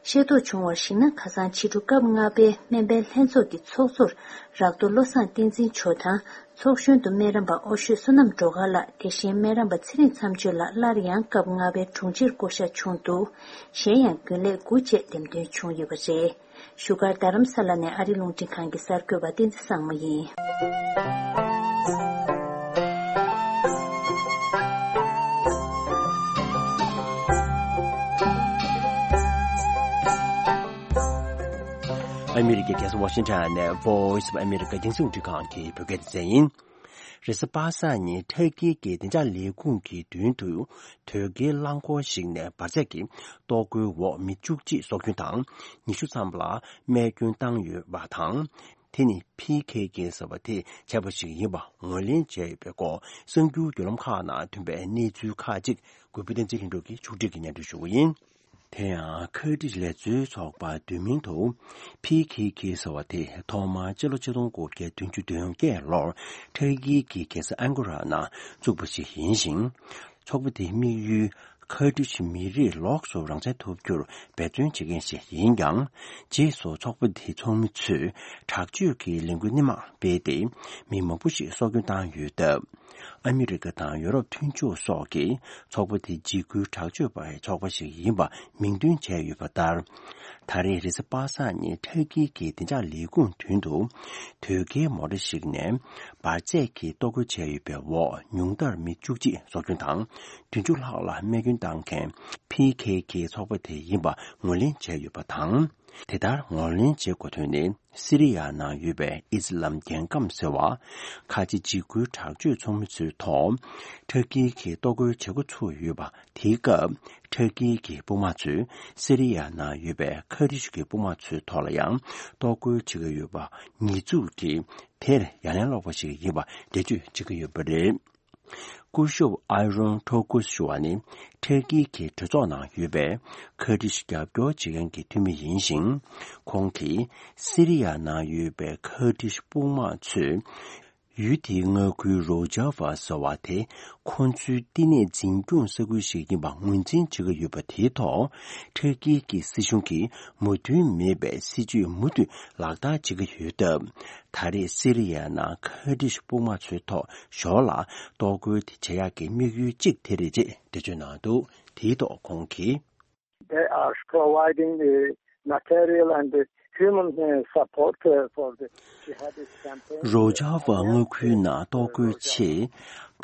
ཤེས་རྟོགས་བྱུང་བར་གཞིགས་ན་ཁ་སང་ཕྱི་དྲོ་སྐབས་ལྔ་པའི་སྨན་པའི་ལྷན་ཚོགས་ཀྱི་ཚོགས་གཙོར་རག་རྡོ་བློ་བཟང་བསྟན་འཛིན་མཆོག་དང་། ཚོགས་གཞོན་དུ་སྨན་རམས་པ་ཨོ་ཤོད་བསོད་ནམས་སྒྲོལ་དཀར་ལགས། དེ་བཞིན་སྨན་རམས་པ་ཚེ་རིང་མཚམས་གཅོད་ལགས་སླར་ཡང་སྐབས་ལྔ་པའི་དྲུང་ཆེར་བསྐོ་གཞག་བྱུང་འདུག་གཞན་ཡང་རྒྱུན་ལས་དགུ་བཅས་འདེམས་ཐོན་བྱུང་ཡོད་པ་རེད། བཞུགས་སྒར་རྡ་རམ་ས་ལ་ནས་ཨ་རི་རླུང་འཕྲིན་ཁང་གི་གསར་འགོད་པ་བསྟན་འཛིན་བཟང་མོ་ཡིན། ཨ་མི་རི་ཀའི་རྒྱལ་ས་ཝ་ཤིང་ཊོན་ནས་Voice of America་རྒྱང་སྲིང་རླུང་འཕྲིན་ཁང་གི་བོད་སྐད་སྡེ་ཚན་ཡིན། རེས་གཟའ་པ་སངས་ཉིན་ཊར་ཀི་གི་བདེ་འཇགས་ལས་ཁུངས་ཀྱི་མདུན་དུ་དོས་སྐྱེལ་རླངས་འཁོར་ཞིག་ནས་འབར་རྫས་ཀྱི་གཏོར་རྒོལ་འོག་མི་བཅུ་གཅིག་སྲོག་སྐྱོན་དང་ཉི་ཤུ་ཙམ་ལ་རྨས་སྐྱོན་བཏང་ཡོད་པ་དང་། དེ་ནི་ཕི་ཁེ་ཁེ་ཟེར་བ་དེས་བྱས་པ་ཞིག་ཡིན་པ་ངོས་ལེན་བྱས་ཡོད་པའི་སྐོར་གསར་འགྱུར་བརྒྱུད་ལམ་ཁག་ནང་ཐོན་པའི་གནས་ཚུལ་ཁག་ཅིག་གུས་པ་བསྟན་འཛིན་ལྷུན་གྲུབ་ཀྱིས་ཕྱོགས་སྒྲིག་གིས་སྙན་སྒྲོན་ཞུ་གི་ཡིན། དེ་ཡང་ཁ་ཏྲིག་ལས་བཟོའི་ཚོགས་པ་བསྡུས་མིང་དུ་ཕི་ཁེ་ཁེ་ཟེར་བ་དེ་ཐོག་མར་སྤྱི་ལོ་ཆིག་སྟོང་དགུ་བརྒྱ་བདུན་ཅུ་དོན་བརྒྱད་ལོར་ཊར་ཀི་གི་རྒྱལ་ས་ཨན་ཀོ་ར་ནང་བཙུགས་པ་ཞིག་ཡིན་ཞིང་། ཚོགས་པ་དེའི་དམིགས་ཡུལ་ཁ་ཏྲིག་མི་རིགས་ལོགས་སུ་རང་བཙན་ཐོབ་རྒྱུར་འབད་བརྩོན་བྱེད་མཁན་ཞིག་ཡིན་ཀྱང་། རྗེས་སུ་ཚོགས་པ་དེའི་ཚོགས་མི་ཚོས་དྲག་སྤྱོད་ཀྱི་ལས་འགུལ་སྣེ་མང་སྤེལ་ཏེ་མི་མང་པོ་ཞིག་སྲོག་སྐྱོན་བཏང་ཡོད་སྟབས། ཨ་མི་རི་ཀ་དང་ཡོ་རོབ་མཐུན་ཕྱོགས་སོགས་ཀྱིས་ཚོགས་པ་དེ་འཇིགས་སྐུལ་དྲག་སྤྱོད་པའི་ཚོགས་པ་ཞིག་ཡིན་པ་མིང་འདོན་བྱས་ཡོད་པ་ལྟར། ད་ ད་རེས་རེས་གཟའ་པ་སངས་ཉིན་ཊར་ཀི་གི་བདེ་འཇགས་ལས་ཁུངས་མདུན་དུ། དོས་སྐྱེལ་མོ་ཊ་ཞིག་ནས་འབར་རྫས་ཀྱི་གཏོར་རྒོལ་བྱས་ཡོད་པའི་འོག་ཉུང་མཐར་མི་བཅུ་གཅིག་སྲོག་སྐྱོན་དང་། བདུན་ཅུ་ལྷག་ལ་རྨས་སྐྱོན་བཏང་མཁན་ཕི་ཁེ་ཁེ་ཚོགས་པ་དེ་ཡིན་པ་ངོས་ལེན་བྱས་ཡོད་པ་དང་། དེ་ལྟར་ངོས་ལེན་བྱེད་དགོས་དོན་ནི། སི་རི་ཡ་ནང་ཡོད་པའི་ཨི་སི་ལམ་རྒྱལ་ཁམས་ཟེར་བ། ཁ་ཆེ་འཇིགས་སྐུལ་དྲག་སྤྱོད་ཚོགས་མི་ཚོའི་ཐོག་ཊར་ཀི་གིས་གཏོར་རྒོལ་བྱེད་འགོ་ཚུགས་ཡོད་པ་དེའི་སྐབས། ཊར་ཀི་གི་དཔུང་དམག་ཚོས་སི་རི་ཡ་ནང་ཡོད་པའི་ཁ་ཏྲི་ཤུ་གི་དཔུང་དམག་ཚོའི་ཐོག་ལ་ཡང་གཏོར་རྒོལ་བྱེད་ཀྱི་ཡོད་པ་ཉེས་འཛུགས་ཀྱིས། དེར་ཡ་ལན་སློག་པ་ཞིག་ཡིན་པ་འགྲེལ་བརྗོད་བྱེད་ཀྱི་ཡོད་པ་རེད། སྐུ་ཞབས་ཨའི་རོན་ཊོ་ཀུས་ཞུ་བ་ནི། ཊར་ཀི་གི་གྲོས་ཚོགས་ནང་ཡོད་པའི་ཁ་ཏྲི་ཤུ་རྒྱབ་སྐྱོར་བྱེད་མཁན་གྱི་འཐུས་མི་ཡིན་ཞིང་། ཁོང་གིས་སི་རི་ཡ་ནང་ཡོད་པའི་ཁ་ཏྲི་ཤུ་དཔུང་དམག་ཚོས། ཡུལ་དེའི་མངའ་ཁུལ་རོ་ཇཱ་ཝ་ཟེར་བ་དེ་ཁོང་ཚོའི་བསྟི་གནས་འཛིན་སྐྱོང་ས་ཁུལ་ཞིག་ཡིན་པ་ངོས་འཛིན་བྱེད་ཀྱི་ཡོད་པ་དེའི་ཐོག་ཊར་ཀི་གི་སྲིད་གཞུང་གིས་མོས་མཐུན་མེད་པའི་སྲིད་ཇུས་མུ་མཐུད་ལག་བསྟར་བྱེད་ཀྱི་ཡོད་སྟབས། ད་རེས་སི་རི་ཡ་ནང་ཁ་ཏྲི་ཤུ་དཔུང་དམག་ཚོའི་ཐོག་ཞོར་ལ་གཏོར་རྒོལ་དེ་བྱེད་ཡག་གི་དམིགས་ཡུལ་གཅིག་དེ་རེད་ཅེས་འགྲེལ་བརྗོད་གནང་འདུག་དེའི་ཐོག་ཁོང་གིས། They are providing the material and the human, uh, support, uh, for the jihadist campaign. རོ་ཇཱ་ཝ་མངའ་ཁུལ་ནང་གཏོར་རྒོལ་ཆེད་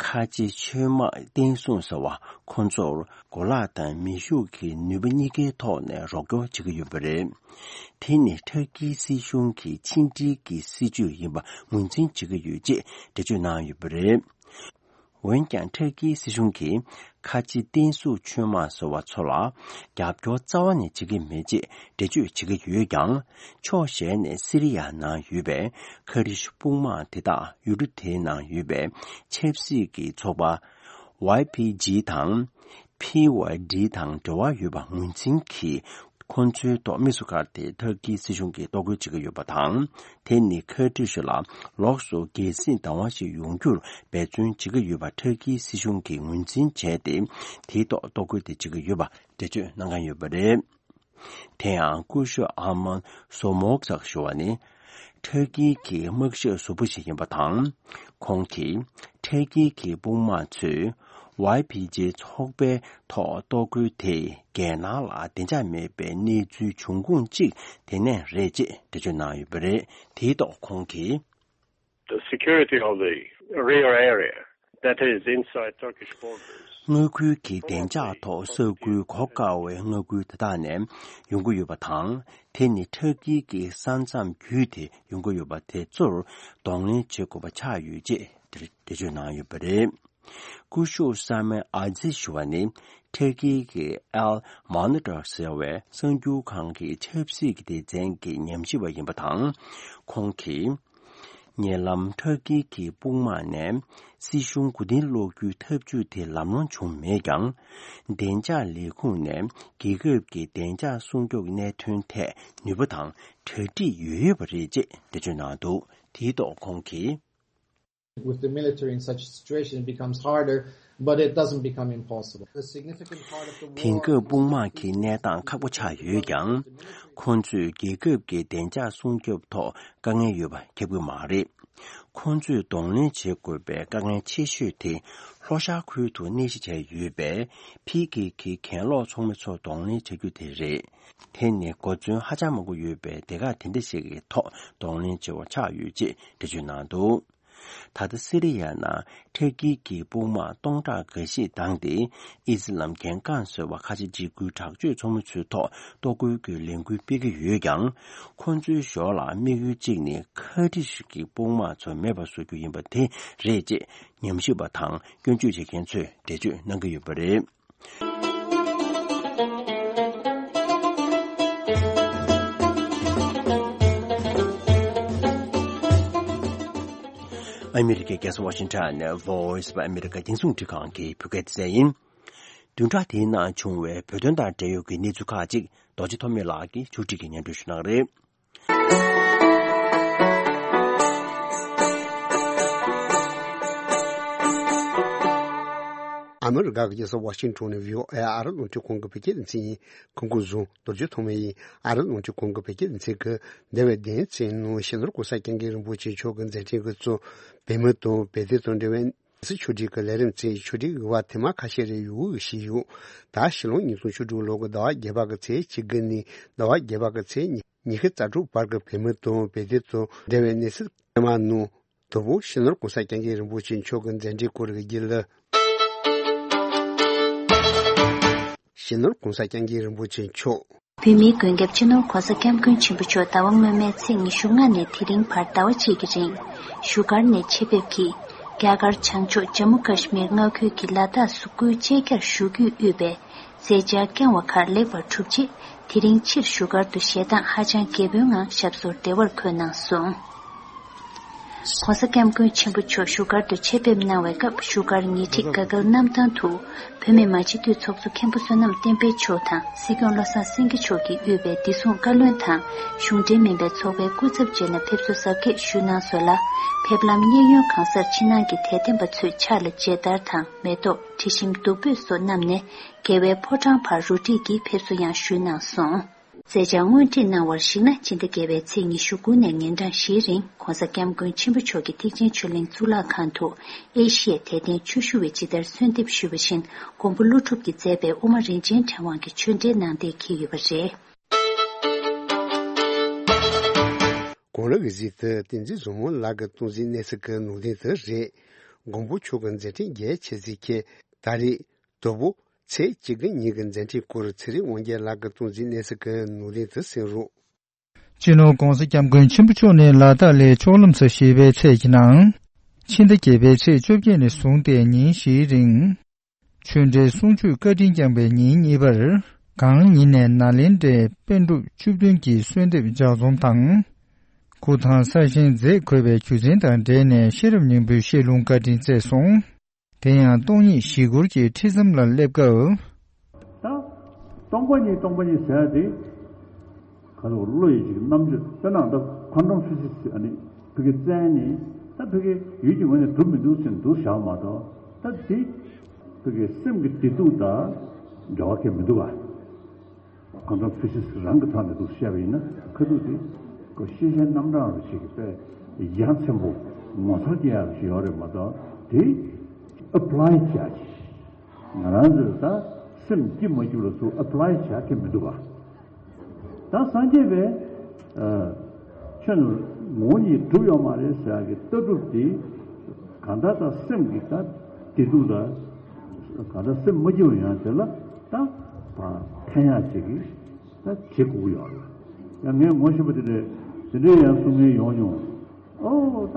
ཁ་ཆེ་ཆུང་དམག་བརྟན་སྲུང་ཟེར་བ་ཁོ་ཚོར་གོ་ལག་དང་མེ་ཤུགས་ཀྱི་ནུས་པ་གཉིས་ཀའི་ཐོག་ནས་རོགས་སྐྱོར་བྱེད་ཀྱི་ཡོད་པ་རེད། དེ་ནི་ཊར་ཀིའི་སྲིད་གཞུང་གི་ཕྱི་འབྲེལ་གྱི་སྲིད་ཇུས་ཡིན་པ་ངོས་འཛིན་བྱེད་ཀྱི་ཡོད་ཅེས་འགྲེལ་བརྗོད་གནང་ཡོད་པ་རེད། འོན་ཀྱང་ཊར་ཀིའི་སྲིད་གཞུང་གིས་ཁ་ཆེ་བརྟན་སྲུང་ཆུང་དམག་ཟེར་བ་ཚོ་ལ་རྒྱབ་སྐྱོར་རྩ་བ་ནས་བྱེད་ཀྱི་མེད་ཅེས་འགྲེལ་བརྗོད་བྱེད་ཀྱི་ཡོད་ཀྱང་། ཕྱོགས་གཞན་ནས་སི་རི་ཡ་ནང་ཡོད་པའི་ཁ་ཏྲི་ཤུ་དཔུང་དམག་དེ་དག་ཡུལ་གྲུ་དེའི་ནང་ཡོད་པའི་ཆབ་སྲིད་ཀྱི་ཚོགས་པ་ཝའི་ཕི་ཇི་དང་། ཕི་ཝའི་ཌི་དང་འབྲེལ་བ་ཡོད་པ་ངོས་འཛིན་གྱིས། ཁོང་ཚོའི་ཐོག་དམིགས་སུ་བཀར་ཏེ་ཊར་ཀིའི་སྲིད་གཞུང་གིས་གཏོར་རྒོལ་བྱེད་ཀྱི་ཡོད་པ་དང་། དེ་ནི་ཁ་ཏྲི་ཤུ་ལ་ལོགས་སུ་རྒྱལ་སྲིད་བདག་དབང་ཞིག་ཡོང་རྒྱུར་འབད་བརྩོན་བྱེད་ཀྱི་ཡོད་པ་ཊར་ཀིའི་སྲིད་གཞུང་གིས་ངོས་འཛིན་བྱས་ཏེ། དེའི་ཐོག་གཏོར་རྒོལ་དེ་བྱེད་ཀྱི་ཡོད་པ་འགྲེལ་བརྗོད་གནང་མཁན་ཡོད་པ་རེད། དེ་ཡང་སྐུ་ཞབས་ཨ་མན་སོ་མོག་སག་ཞུ་བ་ནི། ཊར་ཀི་གི་དམག་ཞབས་ཟུར་པོ་ཞིག་ཡིན་པ་དང་། ཁོང་གིས་ཊར་ཀི་གི་དཔུང་དམག་ཚོས་ཝའི་ཕི་ཇེ་ཚོགས་པའི་ཐོག་གཏོར་རྒོལ་དེས་རྒྱལ་ནང་ལ་བདེ་འཇགས་མེད་པའི་གནས་ཚུལ་འབྱུང་ཁུངས་གཅིག་དེ་ནས་རེད་ཅེས་འགྲེལ་བརྗོད་གནང་ཡོད་པ་རེད། དེའི་ཐོག་ཁོང་གིས། The security of the rear area, that is inside Turkish borders. མངའ་ཁུལ་གྱི་བདེ་འཇགས་ཐོག་ས་ཁུལ་གོ་དཀའ་བའི་མངའ་ཁུལ་དེ་དག་ནས་ཡོང་གི་ཡོད་པ་དང་། དེ་ནི་ཊར་ཀི་གི་ས་མཚམས་བརྒྱུད་དེ་ཡོང་གི་ཡོད་པ་དེ་ཚོར་གདོང་ལེན་བྱེད་དགོས་པ་ཆགས་ཡོད་ཅེས་འགྲེལ་བརྗོད་གནང་ཡོད་པ་རེད། སྐུ་ཞབས་ས་མེ་ཨ་ཛི་ཞུ་བ་ནི། ཊར་ཀི་གི་ཨལ་མོ་ནི་ཊར་ཟེར་བའི་གསར་འགྱུར་ཁང་གི་ཆབ་སྲིད་ཀྱི་སྡེ་ཚན་གྱི་ཉམས་ཞིབ་པ་ཡིན་པ་དང་། ཁོང་གིས། ཉེ་ལམ་ཊར་ཀི་གི་དཔུང་དམག་ནས་སྲིད་གཞུང་མགོ་རྟིང་སློག་རྒྱུའི་ཐབས་ཇུས་དེ་ལམ་ལྷོང་བྱུང་མེད་ཀྱང་། བདེ་འཇགས་ལས་ཁུངས་ནས་རྒྱལ་ཁབ་ཀྱི་བདེ་འཇགས་སྲུང་སྐྱོབ་གནད་དོན་ཐད་ནུས་པ་དང་གྲ་སྒྲིག་ཡོད་ཡོད་པ་རེད་ཅེས་འགྲེལ་བརྗོད་གནང་འདུག་དེའི་ཐོག་ཁོང་གིས། With the military in such a situation, it becomes harder, but it doesn't become impossible. The significant part of the war དེང་སྐབས་དཔུང་དམག་གི་གནས་སྟངས་ཁག་པོ་ཆགས་ཡོད་ཀྱང་། ཁོང་ཚོས་རྒྱལ་ཁབ་ཀྱི་བདེ་འཇགས་སྲུང་སྐྱོབ་ཐོག་དཀའ་ངལ་ཡོད་པ་ཁྱབ་ཀྱི་མ་རེད། ཁོང་ཚོས་གདོང་ལེན་བྱེད་དགོས་པའི་དཀའ་ངལ་ཆེ་ཤོས་དེ་ལྷོ་ཤར་ཁུལ་དུ་གནས་གཞི་བྱས་ཡོད་པའི་ཕི་ཀེ་ཀེ་གྱེན་ལོག་ཚོགས་མི་ཚོ་གདོང་ལེན་བྱ་རྒྱུ་དེ་རེད། དེ་ནི་གོ་མཚོན་ཧ་ཅང་མང་པོ་ཡོད་པའི་སྡེ་ཁག་དེ་འདྲ་ཞིག་གི་ཐོག་གདོང་ལེན་བྱེད་པ་ཆགས་ཡོད་ཅེས་འགྲེལ་བརྗོད་གནང་འདུག་ད་ལྟ་སི་རི་ཡ་ནང་ཊར་ཀི་གི་དཔུང་དམག་སྟོང་ཕྲག་འགའ་ཤས་བཏང་སྟེ། ཨི་སི་ལམ་རྒྱལ་ཁམས་ཟེར་བ་ཁ་ཆེ་འཇིགས་སྐུལ་དྲག་སྤྱོད་ཚོགས་མི་ཚོའི་ཐོག་གཏོར་རྒོལ་གྱི་ལས་འགུལ་སྤེལ་གྱི་ཡོད་ཀྱང་། ཁོང་ཚོའི་ཞོར་ལ་དམིགས་ཡུལ་གཅིག་ནི་ཁ་ཏྲི་ཤུ་གི་དཔུང་དམག་ཚོ་མེད་པ་བཟོ་རྒྱུ་ཡིན་པ་དེ་རེད་ཅེས་ཉམས་ཞིབ་པ་དང་སྐྱོན་བརྗོད་བྱེད་མཁན་ཚོས་འགྲེལ་བརྗོད་གནང་གི་ཡོད་པ་རེད། ཨ་མི་རི་ཀའི་རྒྱལ་ས་ཝ་ཤིང་ཊོན་ནས་Voice of America་རྒྱང་སྲིང་རླུང་འཕྲིན་ཁང་གི་བོད་སྐད་སྡེ་ཚན་ཡིན། བདུན་ཕྲག་འདིའི་ནང་བྱུང་བའི་བོད་དོན་དང་འབྲེལ་ཡོད་ཀྱི་གནས་ཚུལ་ཁག་ཅིག་རྡོ་རྗེ་ཐོགས་མེད་ལགས་ཀྱིས་ཕྱོགས་སྒྲིག་གིས་སྙན་སྒྲོན་ཞུ་གནང་གི་རེད། ཨ་མི་རི་ཀ་གི་རྒྱལ་ས་ཝ་ཤིང་ཊོན་ནས་བྷི་ཨོ་ཨེ་ཨ་རི་རླུང་འཕྲིན་ཁང་གི་བོད་སྐད་སྡེ་ཚན་ཡིན། གོང་བཀུར་བཟང་། རྡོ་རྗེ་ཐོགས་མེད་ཡིན། ཨ་རི་རླུང་འཕྲིན་ཁང་གི་བོད་སྐད་སྡེ་ཚན་གྱིས་འདས་པའི་བདུན་ཕྲག་ནང་སྤྱི་ནོར་གོང་ས་སྐྱབས་མགོན་རིན་པོ་ཆེ་མཆོག་གི་མཛད་འཕྲིན་གྱིས་གཙོས་བོད་མི་དང་བོད་དོན་དང་འབྲེལ་བའི་ སི་ཆོས་སྒྲིག་གི་ལས་རིམ་ཚེ་ཆོས་སྒྲིག་གི་བ་ཐེངས་མ་ཁ་ཤས་རེ་ཡོད་ཞིག་ཡོད། ད་ཕྱི་ལོ་ཉིས་སྟོང་བཅུ་དྲུག་ལོ་གི་ཟླ་བ་བརྒྱད་པ་གི་ཚེས་བཅུ་དགུ་ནས་ཟླ་བ་བརྒྱད་པ་གི་ཚེས་ཉི་ཤུ་རྩ་དྲུག་བར་གྱི་བོད་མི་དང་བོད་དོན་དང་འབྲེལ་བའི་གནས་ཚུལ་ཐེངས་མ་ནང་དུ་བོ་སྤྱི་ནོར་གོང་ས་སྐྱབས་མགོན་རིན་པོ་ཆེ་མཆོག་གི་མཛད་འཕྲིན་སྐོར་གྱི་རྒྱུན་ལས། སྤྱི་ནོར་གོང་ས་སྐྱབས་མགོན་རིན་པོ་ཆེ་མཆོག་བོད་མིའི་མགོན་སྐྱབས་སྤྱི་ནོར་གོང་ས་སྐྱབས་མགོན་ཆེན་པོ་མཆོག་ཟླ་བ་སྔོན་མའི་ཚེས་ཉི་ཤུ་ལྔ་ནས་དེ་རིང་བར་ཟླ་བ་གཅིག་གི་རིང་བཞུགས་སྒར་ནས་ཆེད་ཕེབས་ཀྱིས་རྒྱ་གར་བྱང་ཕྱོགས་ཇམ་མུ་ཀ་ཤི་མིར་མངའ་ཁུལ་གྱི་ལ་དྭགས་སུ་སྐུའི་བཅད་རྒྱར་བཞུགས་རྒྱུས་དབུས་པའི་མཛད་འཆར་བསྐྱངས་བ་ཁག་ལེགས་པར་གྲུབ་རྗེས་དེ་རིང་ཕྱིར་བཞུགས་སྒར་དུ་ཞལ་གདངས་ཧ་ཅང་རྒྱས་པོའི་ངང་ཞབས་སོར་བདེ་བར་འཁོད་གནང་སོང་། ྋགོང་ས་ྋསྐྱབས་མགོན་ཆེན་པོ་མཆོག་བཞུགས་སྒར་དུ་ཆེད་ཕེབས་གནང་བའི་སྐབས་བཞུགས་སྒར་ཉེ་འཁྲིས་དགའ་སྐལ་གནམ་ཐང་དུ་བོད་མི་མང་སྤྱི་འཐུས་ཚོགས་གཙོ་མཁན་པོ་བསོད་ནམས་བསྟན་འཕེལ་མཆོག་དང་སྲིད་སྐྱོང་བློ་བཟང་སེང་གེ་མཆོག་གིས་དབུས་པའི་བདེ་སྲུང་བཀའ་བློན་དང་གཞུང་འབྲེལ་མིན་པའི་ཚོགས་པའི་སྐུ་ཚབ་བཅས་ནས་ཕེབས་བསུ་གཟབ་རྒྱས་ཞུས་གནང་སོང་ལ། ཕེབས་ལམ་གཡས་གཡོན་གང་སར་ཕྱི་ནང་གི་དད་ལྡན་པ་ཚོས་ཕྱག་ལ་མཇལ་དར་དང་མེ་ཏོག་དྲི་ཞིམ་བདུག་སྤོས་སོགས་བསྣམས་ནས་རྒྱལ་བའི་ཕོ་བྲང་བར་རུ་སྒྲིག་གིས་ཕེབས་བསུ་ཡང་ཞུས་གནང་སོང་། མཛད་འཆར་སྔོན་ཁྲིད་གནང་བར་གཞིགས་ན་ཕྱི་ཟླ་བརྒྱད་པའི་ཚེས་ཉི་ཤུ་དགུ་ནས་ཉིན་གྲངས་བཞིའི་རིང་ྋགོང་ས་ྋསྐྱབས་མགོན་ཆེན་པོ་མཆོག་གིས་ཐེག་ཆེན་ཆོས་གླིང་གཙུག་ལག་ཁང་དུ་ཨེ་ཤི་ཡའི་དད་ལྡན་ཆོས་ཞུ་བས་ཇི་ལྟར་གསོལ་འདེབས་ཞུས་པ་བཞིན་མགོན་པོ་ཀླུ་སྒྲུབ་ཀྱིས་མཛད་པའི་དབུ་མ་རིན་ཆེན་ཕྲེང་བ་གི་ཆོས་འབྲེལ་གནང་གཏན་འཁེལ་ཡོད་པ་རེད། གོང་ལ་གི་གཟིགས་དེ་བསྟན་འཛིན་བཟང་མོ་ལགས་ཀྱི་སྟངས་འཛིན་གནས་ཚུལ་གྱི་ནང་དོན་དེ་རེད། མགོན་པོ་མཆོག་གི་མཛད་འཕྲིན་རྒྱས་ཆེ་ཚིག་ཁྱེད་ད་རེས། དོ་བོ། ཚེས་གཅིག་གི་ཉིན་གྱི་མཛད་འཕྲིན་སྐོར་ཚེ་རིང་དབང་རྒྱལ་ལགས་ཀྱིས་སྟངས་འཛིན་གནས་ཚུལ་གྱི་ནང་དོན་དུ་གསན་རོགས། སྤྱི་ནོར་༧གོང་ས་༧སྐྱབས་མགོན་ཆེན་པོ་མཆོག་ནས་ལ་དྭགས་ལ་ཕྱོགས་ལམ་སེལ་བཞེས་པའི་ཚད་ཀྱི་ནང་། ཕྱི་ཟླ་བརྒྱད་པའི་ཚེས་བཅོ་བརྒྱད་ནས་བཟུང་སྟེ་ཉིན་བཞིའི་རིང་། ཆོས་འབྲེལ་གསུང་ཆོས་བཀའ་དྲིན་བསྐྱངས་པའི་ཉིན་གཉིས་པར། གང་ཉིད་ནས་ནཱ་ལེནྡྲའི་པཎ་གྲུབ་བཅུ་བདུན་གྱི་གསོལ་འདེབས་ལྗགས་རྩོམ་དང་། སྐུ་ཐང་གསར་བཞེངས་མཛད་དགོས་པའི་རྒྱུ་མཚན་དང་འབྲེལ་ནས་ཤེས་རབ་སྙིང་པོའི་བཤད་ལུང་བཀའ་དྲིན་བསྩལ་སོང་། དེ་ཡང་སྟོང་ཉིད་བཞི་སྐོར་གྱི་ཁྲིད་མཚམས་ལ་སླེབས་སྐབས། ད་སྟོང་པ་ཉིད་སྟོང་པ་ཉིད་ཟེར་ཡ་དེ་ག་ལ་བློ་ཡི་ཅིག་རྣམ་དཔྱོད་དཔེར་ན་ད་ཁོན་ཊམ་ཕི་ཟིག་སི་ཨ་ནི་ཕ་གི་བཙན་ནི་ད་ཕ་གི་ཡུལ་གྱི་ངོས་ནས་གྲུབ་མི་འདུག་ཟེར་འདུག་བཞག་མ་གཏོགས་ད་དེ་ཕ་གི་སེམས་ཀྱི་བདེ་སྡུག་དང་འབྲེལ་བ་གང་ཡང་མི་འདུག་ག་ཁོན་ཊམ་ཕི་ཟིག་སི་རང་གི་ཐོག་ནས་འདུག་བཤད་པ་ཡིན་ན་ཁ་ཐུག་དེ་ཁོ་ཤེས་བྱའི་རྣམ་གྲངས་རུ་ཞིག་གི་དཔེ་ཡ་མཚན་པོ་ངོ་མཚར་སྐྱེ་ཡག་ཞིག་ཡོད་རེད་མ་གཏོགས་དེ་ཨེ་པ་ལའི་བྱ་ཞིག་ང་རང་ཚོས་ད་སེམས་སྐྱིད་མ་སྐྱིད་ལ་ཚུར་ཨེ་པ་ལའི་བྱ་གི་མི་འདུག་ག་ད་སངས་རྒྱས་པའི་ཆོས་ནི་ངོ་བོ་ཉིད་གྲུབ་ཡོད་མ་རེད་ཟེར་ཡག་གི་ལྟ་གྲུབ་དེ་གང་ལྟར་ད་སེམས་ཀྱི་ད་བདེ་སྡུག་ད་གང་ལྟར་སེམས་མ་སྐྱིད་པ་ཡོང་དེ་ལ་ད་ཕན་ཡག་ཅིག་གི་ད་བྱེད་དགོས་ཀྱི་ཡོད་རེད། ཡང་ངས་ངོ་ཤེས་པ་དེ་འདྲས་དེ་འདྲས་ཡང་གསུང་མཁན་ཡོང་མྱོང་། ཨོ་ད་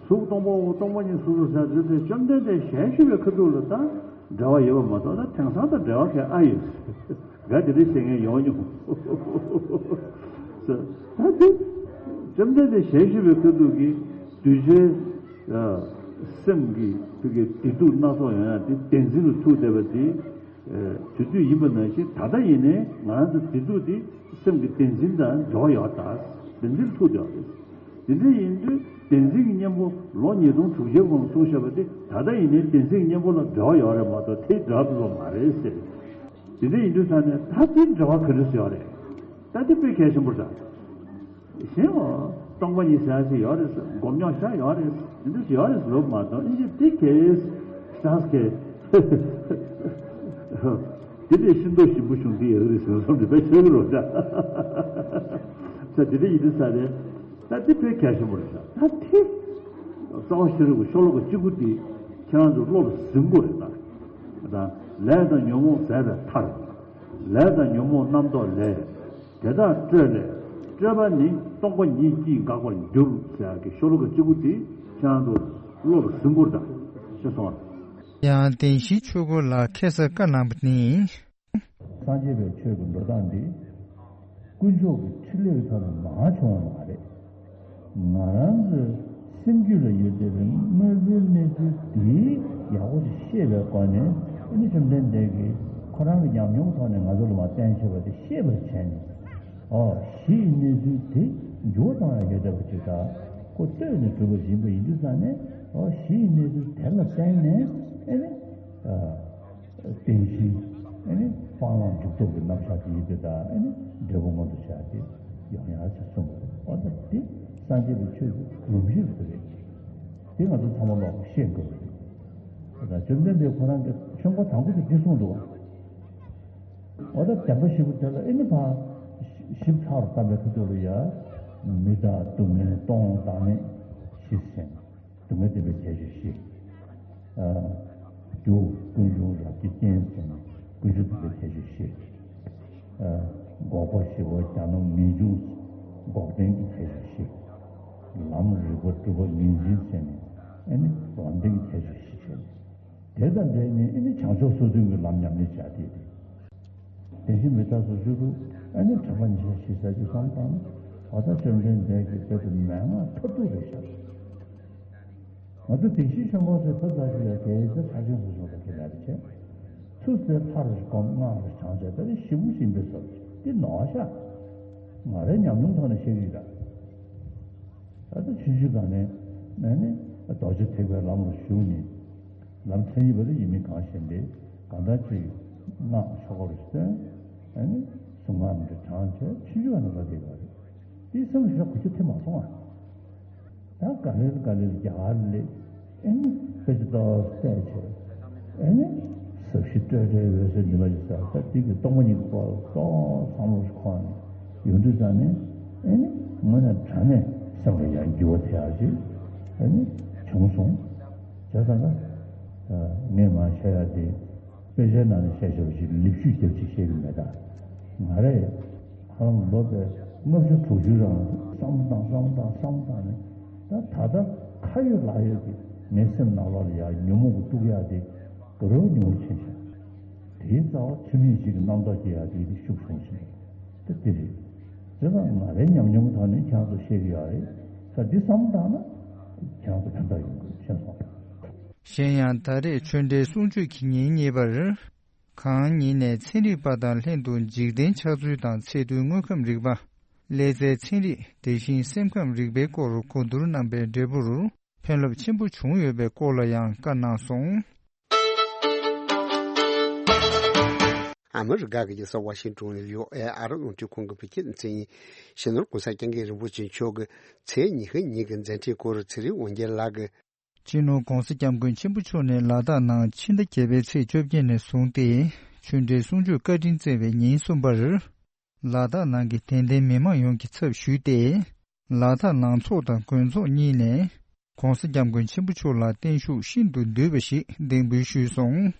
གཟུགས་སྟོང་པའོ་སྟོང་པ་ཉིད་གཟུགས་སོ་ཟེར་དུས་དེ་བཅོམ་ལྡན་འདས་ཞལ་བཞུགས་པའི་ཁ་ཐུག་ལ་ད་འབྲེལ་བ་ཡོད་པ་མ་གཏོགས་ད་དེང་སང་ད་འབྲེལ་བ་ག་ཨ་ཡོད་ག་དེ་འདྲ་བཤད་མཁན་ཡོང་མྱོང་། ད་དེ་བཅོམ་ལྡན་འདས་ཞལ་བཞུགས་པའི་ཁ་ཐུག་གི་གདུལ་བྱའི་སེམས་ཀྱི་ཐུགས་ཀྱི་བདེ་སྡུག་སྣ་ཚོགས་ཡོང་ཡ་དེ་བདེན་འཛིན་ལ་ཐུག་བསྡད་པ་དེ། དུས་ཚོད་ཡིན་པ་ནང་བཞིན་ད་ལྟ་ཡིན་ནའི་ང་རང་ཚོ་བདེ་སྡུག་དེ་སེམས་ཀྱི་བདེན་འཛིན་དང་འབྲེལ་བ་ཡོད་ད། བདེན་འཛིན་ཐུག་བསྡད་པ་རེད། དེ་འདྲ་ཡིན་དུས་བདེན་འཛིན་གྱི་གཉེན་པོ་ལོ་ཉིས་སྟོང་དྲུག་བརྒྱའི་གོང་གསུངས་བཞག་པ་དེ་ད་ལྟ་ཡིན་ནའི་བདེན་འཛིན་གྱི་གཉེན་པོ་ལ་འབྲེལ་བ་ཡོད་རེད་མ་གཏོགས་དེ་འབྲེལ་བ་མ་རེད་ཟེར། དེ་འདྲ་ཡིན་དུས་ཙང་ནས་ད་དེ་འབྲེལ་བ་ག་འདྲ་ཡོད་རེད། ད་དེ་དཔེ་གལ་ཆེན་པོ་རེད། གཞན་འོ་སྟོང་པ་ཉིད་ཟེར་ཡ་ཞིག་ཡོད་རེད་ཟེར་སྒོམ་ཉོག་ཤ་ཡོད་རེད་ཟེར་འདི་འདྲ་ཞིག་ཡོད་རེད་ཟེར་ལབ་མ་གཏོགས་ཨིན་ཇི་དེ་གས་ཤ་གས་དེ་ལས་ཤིན་ཏུ་ཞིམ་པོ་བྱུང་འདི་ཡག་རེད་ཟེར་བསམ་དེ་དཔེ་ཤེས་གི་རོ་ད་ས་དེ་འདྲ་ཡིན་དུས་ས་རེད། ད་དེ་དཔེ་གལ་ཆེན་པོ་རེད་ཤག་ད་དེ་རྩ་བ་ཤེས་རིག་གི་ཤོ་ལོ་ཀ་གཅིག་པུ་དེ་ཁྱེད་རང་ཚོ་བློ་ལ་ཟིན་དགོས་རེད་ད། ད་ལས་དང་ཉོན་མོངས་ཟད་པའི་མཐར། ལས་དང་ཉོན་མོངས་རྣམ་རྟོག་ལས། དེ་དག་སྤྲོས་ལས། སྤྲོས་པ་ནི་སྟོང་པ་ཉིད་ཀྱིས་འགག་པར་འགྱུར་ཟེར་ཡག་གི་ཤོ་ལོ་ཀ་གཅིག་པུ་དེ་ཁྱེད་རང་ཚོ་བློ་ལ་ཟིན་དགོས་རེད་ད། ཤེས་སོང་ངས། ཡང་བདེན་བཞིའི་ཆོས་སྐོར་ལ་ཁ་སང་བཀའ་གནང་བ་ནི། སངས་རྒྱས་པའི་ཆོས་ཀྱི་འགྲོ་སྟངས་འདི། དཀོན་མཆོག་གི་ཕྲིན་ལས་ཀྱི་ཐོག་ནས་མར་བྱུང་བ་མ་རེད། ང་རང་ཚོའི་སེམས་རྒྱུད་ལ་ཡོད་བསྡད་པའི་དངོས་པོའི་གནས་ཚུལ་དེ་ཡག་པོ་ཞིག་ཤེས་པའི་སྒོ་ནས་ཨ་ནི་བཅོམ་ལྡན་འདས་ཀྱིས་ཁོ་རང་གི་ཉམས་མྱོང་ཐོག་ནས་ང་ཚོ་ལ་མར་བསྟན་བཞག་པ་དེ་ཤེས་པར་བྱས་ནས། ཨོ་གཞི་ཡི་གནས་ཚུལ་དེ་འགྱུར་བ་གཏོང་ཡག་ཡོད་བསྡད་པ་ཅིག་དང་ཁོ་ལྟོས་ནས་གྲུབ་པ་ཡིན་པ་ཡིན་དུས་ཙང་ནས་ཨོ་གཞི་ཡི་གནས་ཚུལ་དེ་ལ་བརྟེན་ནས་ཨ་ནི། བརྟན་གཞི། ཨ་ནི་སྤང་བླང་འཇུག་ལྡོག་གི་རྣམ་གཞག་དེ་ཡིན་པས་ད་ཨ་ནི་འབྲས་བུ་མངོན་དུ་བྱ་སྟེ་ཡོང་ཡག་ཅེས་གསུངས་པ་རེད། འོ་ད་འདི་སངས་རྒྱས་པའི་ཆོས་ཀྱི་སྒྲོམ་གཞི་རེད། དེ་ང་ཚོ་ཚང་མ་ལོག་ཤེས་དགོས་པ་རེད། ད་བཅོམ་ལྡན་འདས་ཁོ་རང་གི་ཆོས་འཁོར་དང་པོ་དེ་འདི་གསུངས་འདུག་འོ་ད་བདེན་པ་བཞི་པོ་དེ་ལ་ཨེ་ནི་ཕར་ཞིབ་ཚགས་རུ་བལྟམས་པའི་ཁ་ཐུག་ལ་ཡ། མི་རྟག་སྡུག་བསྔལ་སྟོང་བདག་མེད་བཞི་ཟེར་ནས་སྡུག་བསྔལ་བདེན་པའི་ཁྱད་ཆོས་བཞི། རྒྱུ་ཀུན་འབྱུང་རབ་ཀྱི་རྐྱེན་ཟེར་ནས་ཀུན་འབྱུང་བདེན་པའི་ཁྱད་ཆོས་བཞི། འགོག་པ་ཞི་བ་གྱ་ནོམ་ངེས་འབྱུང་འགོག་བདེན་གྱི་ཁྱད་ཆོས་བཞི། ལམ་རིག་པ་གྲུབ་པ་ངེས་འཛིན་ཟེར་ནས་ཨེ་ནི་ལམ་བདེན་གྱི་ཁྱད་ཆོས་བཞི་བྱས་ནས། དེ་དང་འབྲེལ་ནས་ཨེ་ནི་བྱང་ཕྱོགས་སོ་བདུན་གྱི་ལམ་ཉམས་ལེན་བྱ་དེ་རེད། དེ་བཞིན་མི་རྟག་སོགས་བཅུ་དྲུག་ཨེ་ནི་དྲན་པ་ཉེར་བཞི་ཟེར་གྱི་བསམ་བཏང་ན་འོ་ད་བཅོམ་ལྡན་འདས་ཀྱིས་དཔེ་དེ་མན་ངག་མཐར་ཐུག་རེད་ཤག་ང་ཚོ་བདེན་བཞིའི་ཆོས་འཁོར་ཟེར་ཐབས་ཟ་ཞིག་ལ་དེའི་ཚེ་ཕར་ཕྱིན་སོ་སོ་ལ་དེ་ལ་རེ་བྱས། ཚུར་ཟེར་ལྷ་རུ་སྒོམ་སྔགས་རུ་བགྲང་བྱས་ད་རེ་ཞི་བོ་སྦྱིན་པའི་ཚོགས་འདི་ནོར་ཤག་ང་རའི་ཉམས་མྱོང་ཐོག་ནས་བཤད་ཀྱི་ཡོད་ད། ད་ལྟ་ཆུང་ཆུང་སྒང་ནས་ནས་ནི་རྡོ་རྗེ་ཐེག་པའི་ལམ་ལ་ཞུགས་ནས་ལམ་མཚན་ཉིད་པ་ལ་ཡིན་མིན་གང་ཤེས་ཏེ་གང་ལྟར་ཅིག་སྔགས་ཆོ་ག་རུ་བརྩོན། ཨ་ནི་གཟུངས་སྔགས་རུ་བགྲང་བྱས་ཆུང་ཆུང་བ་ནས་ལ་བསྡད་པ་རེད། དེའི་སེམས་ལ་ཞེ་དྲག་གུ་ཆ་ཐེབས་མ་སོང་ཨ། ད་ག་ལེར་ག་ལེར་རྒྱ་གར་ལ་ཨེ་ནི་དཔེ་ཆ་ཏོག་བལྟས་བྱས་ཨེ་ནི་ཟབ་ཞི་སྤྲོས་བྲལ་འོད་གསལ་འདི་མ་ཞིག་ཟེར་ད་དེ་གི་སྟོང་པ་ཉིད་ཀྱི་སྐོར་ལ་ཏོག་བསམ་བློ་ཞིག་འཁོར་ནས་ཡོང་དུས་ཙང་ནས་ཨེ་ནི་དངོས་གནས་དྲང་གནས་སེམས་ལ་ཡང་འགྱུར་བ་དེ་ཡག་ཅིག་ཨེ་ནི་བྱུང་སོང་། བྱས་ཙང་ད་ངས་མར་བཤད་ཡག་དེ། དཔེ་ཆའི་ནང་ནས་བཤད་བཞག་པ་ཞིག་ལེགས་བཤད་རྒྱབ་ཅིག་བཤད་ཀྱི་མེད་ད། ང་རས་ཧ་ལམ་ལོ་དཔེ་ལྔ་བཅུ་དྲུག་ཅུའི་རིང་བསམ་བློ་བཏང་བསམ་བློ་བཏང་བསམ་བློ་བཏང་ནས་ད་ད་ལྟ་ཁ་ཡོད་ལག་ཡོད་ཀྱི་ངའི་སེམས་ནང་ལོགས་ལ་ཡ་ཉོན་མོངས་ཀྱི་དཀྲུག་ཡག་དེ་དགའ་རབ་ཉུང་རུ་ཕྱིན་ཤག་དེའི་རྩ་བ་ཚུལ་མིན་ཞིག་གི་རྣམ་རྟོག་སྐྱེ་ཡག་དེ་དེ་ཤུགས་བྱུང་སོང་། ད་དེ་རེད། དེ་ལ་ང་རའི་ཉམས་མྱོང་ཐོག་ནས་ཁྱེད་རང་ཚོ་བཤད་ཀྱི་ཡོད་རེད། ད་འདི་བསམ་བློ་བཏང་ན་ཁྱེད་རང་ཚོ་ཕན་ཐོགས་ཡོང་གི་རེད་ཤེས་སོང་། གཞན་ཡང་ད་རེས་ཆོས་འབྲེལ་གསུང་ཆོས་ཀྱི་ཉིན་གཉིས་པར། གང་ཉིད་ནས་ཚན་རིག་པ་དང་ལྷན་དུ་འཇིག་རྟེན་ཆགས་ཚུལ་དང་ཚད་རྡུལ་དངོས་ཁམས་རིག་པ། ཀླད་རྩའི་ཚན་རིག་དེ་བཞིན་སེམས་ཁམས་རིག་པའི་སྐོར་གོ་བསྡུར་གནང་པའི་འབྲས་བུར་ཕན་རླབས་ཆེན་པོ་བྱུང་ཡོད་པའི་སྐོར་ལ་ཡང་བཀའ་གནང་སོང་། ཨ་མི་རི་ཀ་གི་རྒྱལ་ས་ཝ་ཤིང་ཏོན་ལ་ཡོད་ཨེ་ཨ་རབ་རླུང་འཕྲིན་ཁང་གི་བོད་སྐད་སྡེ་ཚན་ཡིན། སྤྱི་ནོར་༸གོང་ས་༸སྐྱབས་མགོན་རིན་པོ་ཆེ་མཆོག་གི་ཚེས་ཉི་ཤུ་ཉིན་གྱི་མཛད་འཕྲིན་སྐོར་ཚེ་རིང་དབང་རྒྱལ་ལགས་ཀྱིས། སྤྱི་ནོར་༸གོང་ས་༸སྐྱབས་མགོན་ཆེན་པོ་མཆོག་ནས་ལ་དྭགས་ནང་ཕྱི་ཟླ་བརྒྱད་པའི་ཚེས་བཅོ་བརྒྱད་ནས་བཟུང་སྟེ་ཆོས་འབྲེལ་གསུང་ཆོས་བཀའ་དྲིན་བསྩལ་བའི་ཉིན་གསུམ་པར། ལ་དྭགས་ནང་གི་དད་ལྡན་མི་མང་ཡོངས་ཀྱི་ཚབ་ཞུས་ཏེ། ལ་དྭགས་ནང་ཚོགས་དང་དགོན་ཚོགས་གཉིས་ནས་༸གོང་ས་༸སྐྱབས་མགོན་ཆེན་པོ་མཆོག་ལ་བརྟན་བཞུགས་ཤིན་ཏུ་བསྡུས་པ་ཞིག་གདན་འབུལ་ཞུས་སོང་།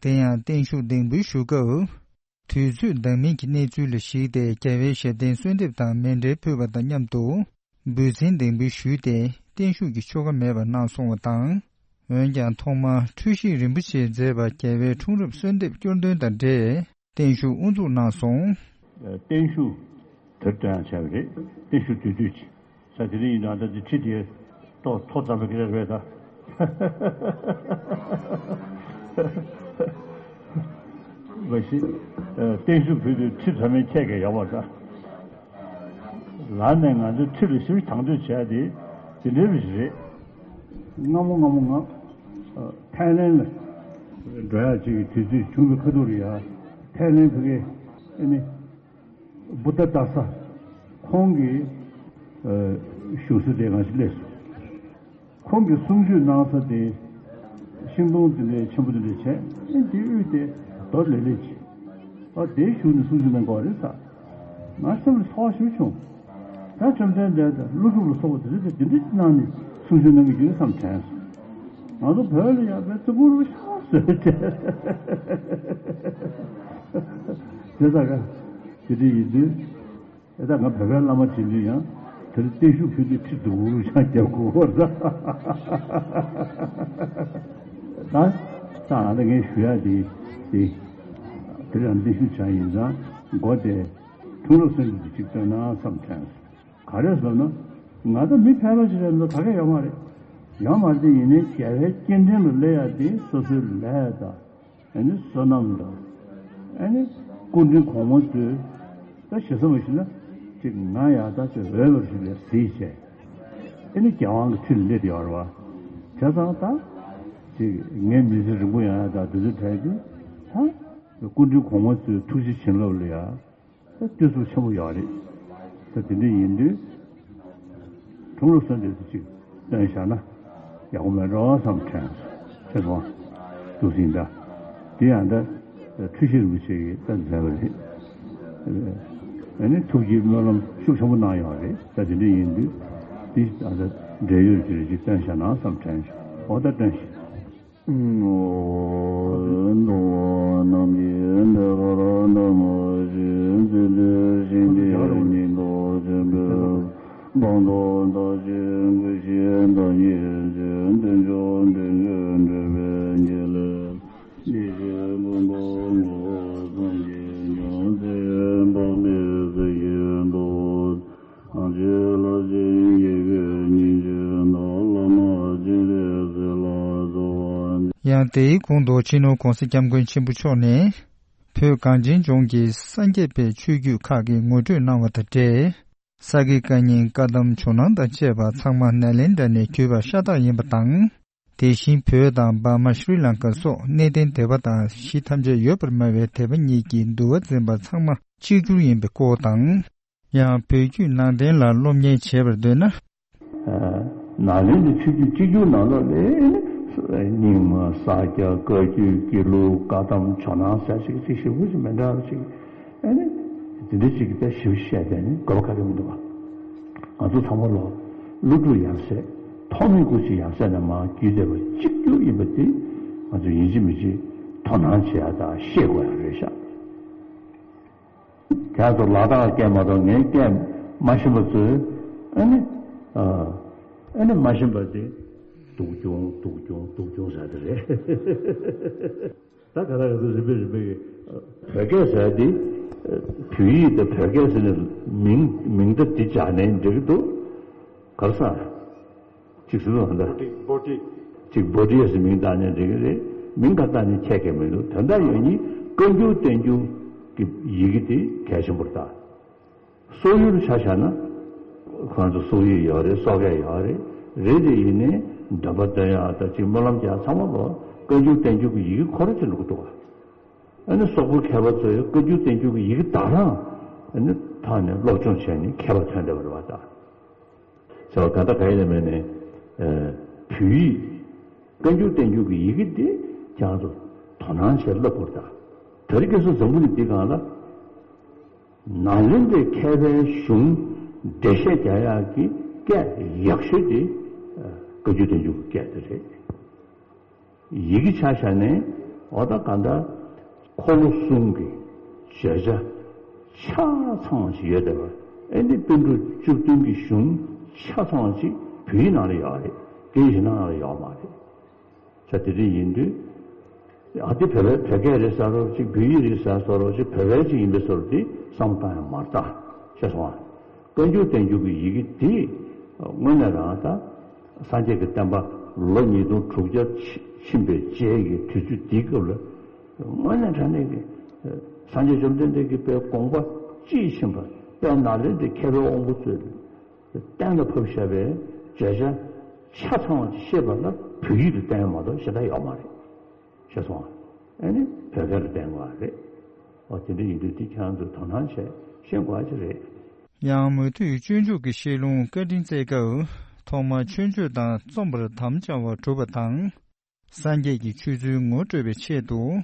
དེ་ཡང་བརྟན་བཞུགས་གདན་འབུལ་ཞུ་སྐབས། དུས་ཚོད་འདང་མིན་གྱི་གནས་ཚུལ་ལ་གཞིགས་ཏེ་རྒྱལ་བའི་ཞབས་བརྟན་གསོལ་འདེབས་དང་མཎྜལ་ཕུལ་བ་དང་མཉམ་དུ། འབུལ་ཚན་གདན་འབུལ་ཞུས་ཏེ་བརྟན་བཞུགས་ཀྱི་ཆོ་ག་མེད་པར་གནང་སོང་བ་དང་། འོན་ཀྱང་ཐོག་མར་འཁྲུལ་ཞིག་རིན་པོ་ཆེས་མཛད་པ་རྒྱལ་བའི་འཁྲུངས་རབས་གསོལ་འདེབས་སྐྱོར་འདོན་དང་འབྲེལ། བརྟན་བཞུགས་དབུ་འཛུགས་གནང་སོང་། བརྟན་བཞུགས་དུས་དྲན་བྱས་པ་རེད། བརྟན་བཞུགས་དུས་དུས་ཀྱི་ས་དེ་རིང་ཡིན་ནའང་ད་ལྟ་ཁྲི་དེ་ཏོག་ཐོག་བརྩམས་པའི་སྐད་ཆ་རེད་ད། མ་གཞི་བརྟན་བཞུགས་ཕུལ་དུས་ཁྲི་བརྩམས་མིན་ཁྱེད་ཀྱིས་ཡོང་བ་ད། ལར་ནས་ང་ཚོས་ཁྲི་ལ་ཞིབ་དང་དོད་བྱས་ཏེ་དེ་འདྲའི་རིགས་རེད། སྔ་མོ་སྔ་མོ་ང་ཐའི་ལན་ལ་འགྲོ་ཡག་ཅིག་གི་དུས་ཚོད་བྱུང་བའི་ཁ་ཐུག་ལ་ཡ་ཐའི་ལན་ཕ་གི་ཨ་ནི་བུདྡྷ་ཏ་ས་ཁོང་གི་བཞུགས་ས་དེ་ང་ཚོ་སླེབས་སོང་། ཁོང་གིས་གསུང་ཆོས་གནང་ས་དེ་ཤིང་སྡོང་དེ་འདྲའི་ཆེན་པོ་དེ་འདྲ་བྱས་ཨེ་འདི་དབུས་དེ་རྡོ་ལེབ་ལེབ་ཅིག་ཨ་དེའི་གཞུག་ནས་གསུང་ཆོས་གནང་དགོས་རེད་ཟེར། ང་སེམས་ལ་ཚོར་བ་ཞེ་པོ་བྱུང་། ད་བཅོམ་ལྡན་འདས་དང་ཀླུ་སྒྲུབ་ལ་སོགས་པ་དེ་ཚོ་དེ་འདྲ་གནང་ནས་གསུང་ཆོས་གནང་གི་ཡོད་བསམ་དྲན་སོང་། ང་ཚོ་བོད་ལ་ཡང་བའི་ཙི་གུ་རུ་ཤ་ཟོས་དྲན། དེ་ལྟ་ག་དེ་འདྲ་ཡིན་དུས། ཨེ་ད་ང་བོད་པའི་བླ་མ་དྲན་དུས་ཡང་དེར་བརྟན་བཞུགས་ཕུལ་དུས་ཁྲི་འདུག་རུ་ཆང་རྒྱབ་དགོས་པར་ད། ད་ད་ང་ད་ངས་ཞུ་ཡག་དེ་དེ་དེ་རང་བརྟན་བཞུགས་བྱ་ཡིན་ཙང་མགོ་དེ་འཁྲུངས་རབས་གསོལ་འདེབས་དེ་གཅིག་བཏོན་ན་བསམ་དྲན། ག་རེ་ཟེར་ན་ང་ད་མི་ཕལ་པ་ཞིག་རེད་འདུག་ག་གེ་ཡོད་མ་རེད། ཡོད་མ་རེད་དེ་ཡིན་ནའི་རྒྱལ་བའི་སྐྱེ་ཕྲེང་ལ་སླེབས་ཡག་དེ་སོ་སོའི་ལས་དང་། ཨ་ནི་བསོད་ནམས་དང་། ཨ་ནི་སྐུ་དྲིན་གོང་མ་ཚོས་ད་ཞེ་ས་མ་ཞུ་ན་ཅིག་ང་ཡག་ད་ཅིག་འོས་པ་ཞིག་ལ་གཟིགས་བྱས། ཨ་ནི་རྒྱལ་དབང་གི་ཁྲི་ལ་སླེབས་ཡོད་རེད་བ། བྱས་ཙང་ད་ཅིག་ངའི་མི་ཚེ་རིང་པོ་ཡོང་ཡ་ད་དུས་ཚོད་བྲལ་དུས་ད་སྐུ་མགྲོན་གོང་མ་ཚོའི་ཐུགས་རྗེ་བྱིན་རླབས་ལ་ཡ། ད་བརྟུལ་ཞུགས་ཆེན་པོ་ཡོད་རེད། ད་དེ་འདྲ་ཡིན་དུས་དྲུང་རབས་གསོལ་འདེབས་དེ་ཅིག་བཏོན་བཞག་ན་ཡག་པོ་མེད་འགྲོ་བསམ་དྲན་སོང་། ཤེས་སོང་། འདུག་སེ་ཡིན་ད། དེ་ཡང་ད་འཁྲུལ་ཞིག་རིན་པོ་ཆེ་གིས་ད་མཛད་པ་རེད། ཨ་ནི་ཐུགས་ཀྱི་སྨོན་ལམ་ཤུགས་ཆེན་པོ་གནང་ཡོད་རེད། ད་དེ་འདྲ་ཡིན་དུས་དེ་ད་ད་འབྲེལ་ཡོད་ཅིག་ཅིག་བཏོན་བཞག་ན་བསམ་དྲན་སོང་། འོ་ད་བཏོན་ཞིག་ཡང་དེའི་གོང་དུ་སྤྱི་ནོར་༸གོང་ས་༸སྐྱབས་མགོན་ཆེན་པོ་མཆོག་ནས། བོད་གངས་ཅན་ལྗོངས་ཀྱི་སངས་རྒྱས་པའི་ཆོས་བརྒྱུད་ཁག་གི་ངོ་སྤྲོད་གནང་བ་དང་འབྲེལ། ས་དགེ་བཀའ་རྙིང་བཀའ་གདམས་ཇོ་ནང་དང་བཅས་པ་ཚང་མ་ནཱ་ལེནྡྲ་ནས་བརྒྱུད་པ་ཤ་སྟག་ཡིན་པ་དང་། དེ་བཞིན་བོད་དང་འབར་མ་ཤྲི་ལང་ཀ་སོགས་གནས་བརྟན་སྡེ་པ་དང་གཞི་ཐམས་ཅད་ཡོད་པར་སྨྲ་བའི་སྡེ་པ་གཉིས་ཀྱི་འདུལ་བ་འཛིན་པ་ཚང་མ་གཅིག་གྱུར་ཡིན་པའི་སྐོར་དང་། ཡང་བོད་བརྒྱུད་ནང་བསྟན་ལ་སློབ་གཉེར་བྱེད་པར་འདོད་ན། ནཱ་ལེནྡྲའི་ཆོས་བརྒྱུད་གཅིག་གྱུར་ནང་ལོགས་ལ་རྙིང་མ་ས་སྐྱ་བཀའ་བརྒྱུད་དགེ་ལུགས་བཀའ་གདམས་ཇོ་ནང་ཟེར་ཞིག་ཅིག་ཞིབ་པོ་ཞིག་མི་འདྲ་བ་ཞིག་ཨ་ནི་དེ་འདྲ་ཞིག་གི་ད་ཞིབ་བཤད་པས་ནི་དགོས་པ་ག་གེ་མི་འདུག་ག་ང་ཚོ་ཚང་མ་ལོ་ཀླུ་སྒྲུབ་ཡབ་སྲས་ཐོགས་མེད་སྐུ་མཆེད་ཡབ་སྲས་རྣམས་མར་བརྒྱུད་བསྡད་པ་གཅིག་གྱུར་ཡིན་པ་དེ་ང་ཚོ་ཡིན་གཅིག་མིན་གཅིག་དོ་སྣང་བྱེད་ཡ་དང་ཤེས་དགོས་ཡ་རེད་ཤག་ཁྱེད་ཚོ་ལ་དྭགས་སྐད་མ་གཏོགས་ངའི་སྐད་མ་ཤེས་པ་ཚོས་ཨ་ནི་ཨ་ཨ་ནི་མ་ཤེས་པ་དེ་སྡུག་གྱོང་སྡུག་གྱོང་སྡུག་གྱོང་ཟེར་དེ་རེད། ད་ག་ད་ག་ཚོད་རིམ་པས་རིམ་པས་ཀྱི་བོད་སྐད་ཟེར་དེ་བོད་ཡིག་དང་བོད་སྐད་ཟེར་ནས་མིང་མིང་བརྡ་འདི་སྦྱར་ནས་འགྲིག་གི་འདུག་ག་རེ་ཟེར། གཅིག་སུ་ལ་འདྲ། བོ་ཊི། གཅིག་བོ་ཊི་ཟེར་མིང་བཏགས་ནས་འགྲིག་གི་རེད། མིང་ག་བཏགས་ནས་ཁྱད་ཁྱད་མི་འདུག་དོན་དག་ཡོད་ཉིད་བཀའ་འགྱུར་བསྟན་འགྱུར་གྱི་ཡི་གེ་དེ་གལ་ཆེན་པོ་རེད་ད། སོག་ཡུལ་ཆ་བཞག་ན། ཁོང་ཚོ་སོག་ཡིག་ཡོད་རེད། སོག་སྐད་ཡོད་རེད། རེད་དེ་ཡིན་ནའི་འདོན་པ་འདོན་ཡག་དང་གཅིག་སྨོན་ལམ་རྒྱག་ཚང་མ་ལོ་བཀའ་འགྱུར་བསྟན་འགྱུར་གྱི་ཡི་གེ་ཁོ་རང་ཅིག་འགྲོ་གི་འདུག་ག་ཨ་ནི་སོག་པོའི་མཁས་པ་ཚོས་བཀའ་འགྱུར་བསྟན་འགྱུར་གྱི་ཡི་གེ་དག་རང་ཨ་ནི་ཐོག་ནས་སློབ་སྦྱོང་བྱས་ནས་མཁས་པ་ཐོན་བསྡད་པ་རེད་བ་ད། ཟེར་བ་ག་ད་ག་ཡིན་ལ་མེད་ནས། བོད་ཡིག་བཀའ་འགྱུར་བསྟན་འགྱུར་གྱི་ཡི་གེ་འདི་ཁྱེད་རང་ཚོ་དོ་སྣང་བྱས་བསླབ་དགོས་ད། དེ་རིང་ཁ་སང་འཛམ་བུ་གླིང་འདི་སྒང་ལ་ནཱ་ལེནྡྲའི་མཁས་པའི་གཞུང་འགྲེལ་བཤད་རྒྱག་ཡག་གི་སྐད་ཡག་ཤོས་དེ་བཀའ་འགྱུར་བསྟན་འགྱུར་གྱི་སྐད་དེ་རེད། ཡི་གེ་ཆ་བཞག་ནས་འོ་ད་ག་འདྲ་འཁོར་ལོ་གསུམ་གྱི་བརྗོད་བྱ་ཆ་ཚང་བ་ཞིག་ཡོད་བསྡད་པ། ཨེ་འདི་པཎ་གྲུབ་བཅུ་བདུན་གྱི་གཞུང་ཆ་ཚང་བ་ཞིག་བོད་ཡིག་ནང་ལ་ཡོད་རེད། སྐད་ཡིག་གཞན་ནང་ལ་ཡོད་མ་རེད། ས་དེ་འདྲ་ཡིན་དུས། ཨ་དེ་བོད་པའི་བོད་སྐད་རེད་ཟེར་རོགས་ཅིག་བོད་ཡིག་རེད་ཟེར་རོགས་ཅིག་བོད་པའི་ཅིག་ཡིན་པའི་བཟོ་འདྲ་དེ་བསམ་བློ་བཏང་ཡང་མ་རེད་ད། ཤེས་སོང་ཨ། བཀའ་འགྱུར་བསྟན་འགྱུར་གྱི་ཡི་གེ་དེ་དངོས་གནས་རང་ད་སངས་རྒྱས་ཀྱི་བསྟན་པ་ལོ་ཉིས་སྟོང་དྲུག་བརྒྱ་ཕྱིན་པའི་རྗེས་ཀྱི་དུས་ཚོད་འདིའི་སྐབས་ལ་དངོས་གནས་དྲང་གནས་ཀྱི་སངས་རྒྱས་བཅོམ་ལྡན་འདས་ཀྱི་དཔལ་དགོངས་པ་དཔྱིས་ཕྱིན་པ་དཔལ་ནཱ་ལེནྡྲའི་མཁས་པའི་དབང་པོ་ཚོས་གཏན་ལ་ཕབ་བཞག་པའི་བརྗོད་བྱ་ཆ་ཚང་བ་ཅིག་ཤེས་པ་ལ་བོད་ཡིག་ཏུ་བསྟན་ཡོད་མ་གཏོགས་གཞན་དག་ཡོད་མ་རེད། ཤེས་སོང་ཨ། ཨ་ནི་བོད་སྐད་ལ་བསྟན་དགོས་པ་རེད། འོ་དེ་འདྲ་ཡིན་དུས་དེ་ཁྱེད་རང་ཚོས་དོ་སྣང་བྱས་ཤེས་དགོས་པ་ཅིག་རེད། ཡང་མུ་སྟེགས་སྤྱོད་འཇུག་གི་བཤད་ལུང་བཀའ་དྲིན་སྩལ་སྐབས་ཐོག་མར་ཆོས་སྤྱོད་དང་རྩོམ་པར་དམ་བཅའ་བ་སྒྲུབ་པ་དང་། སངས་རྒྱས་ཀྱི་ཆོས་ཚུལ་ངོ་སྤྲོད་པའི་ཆེད་དུ།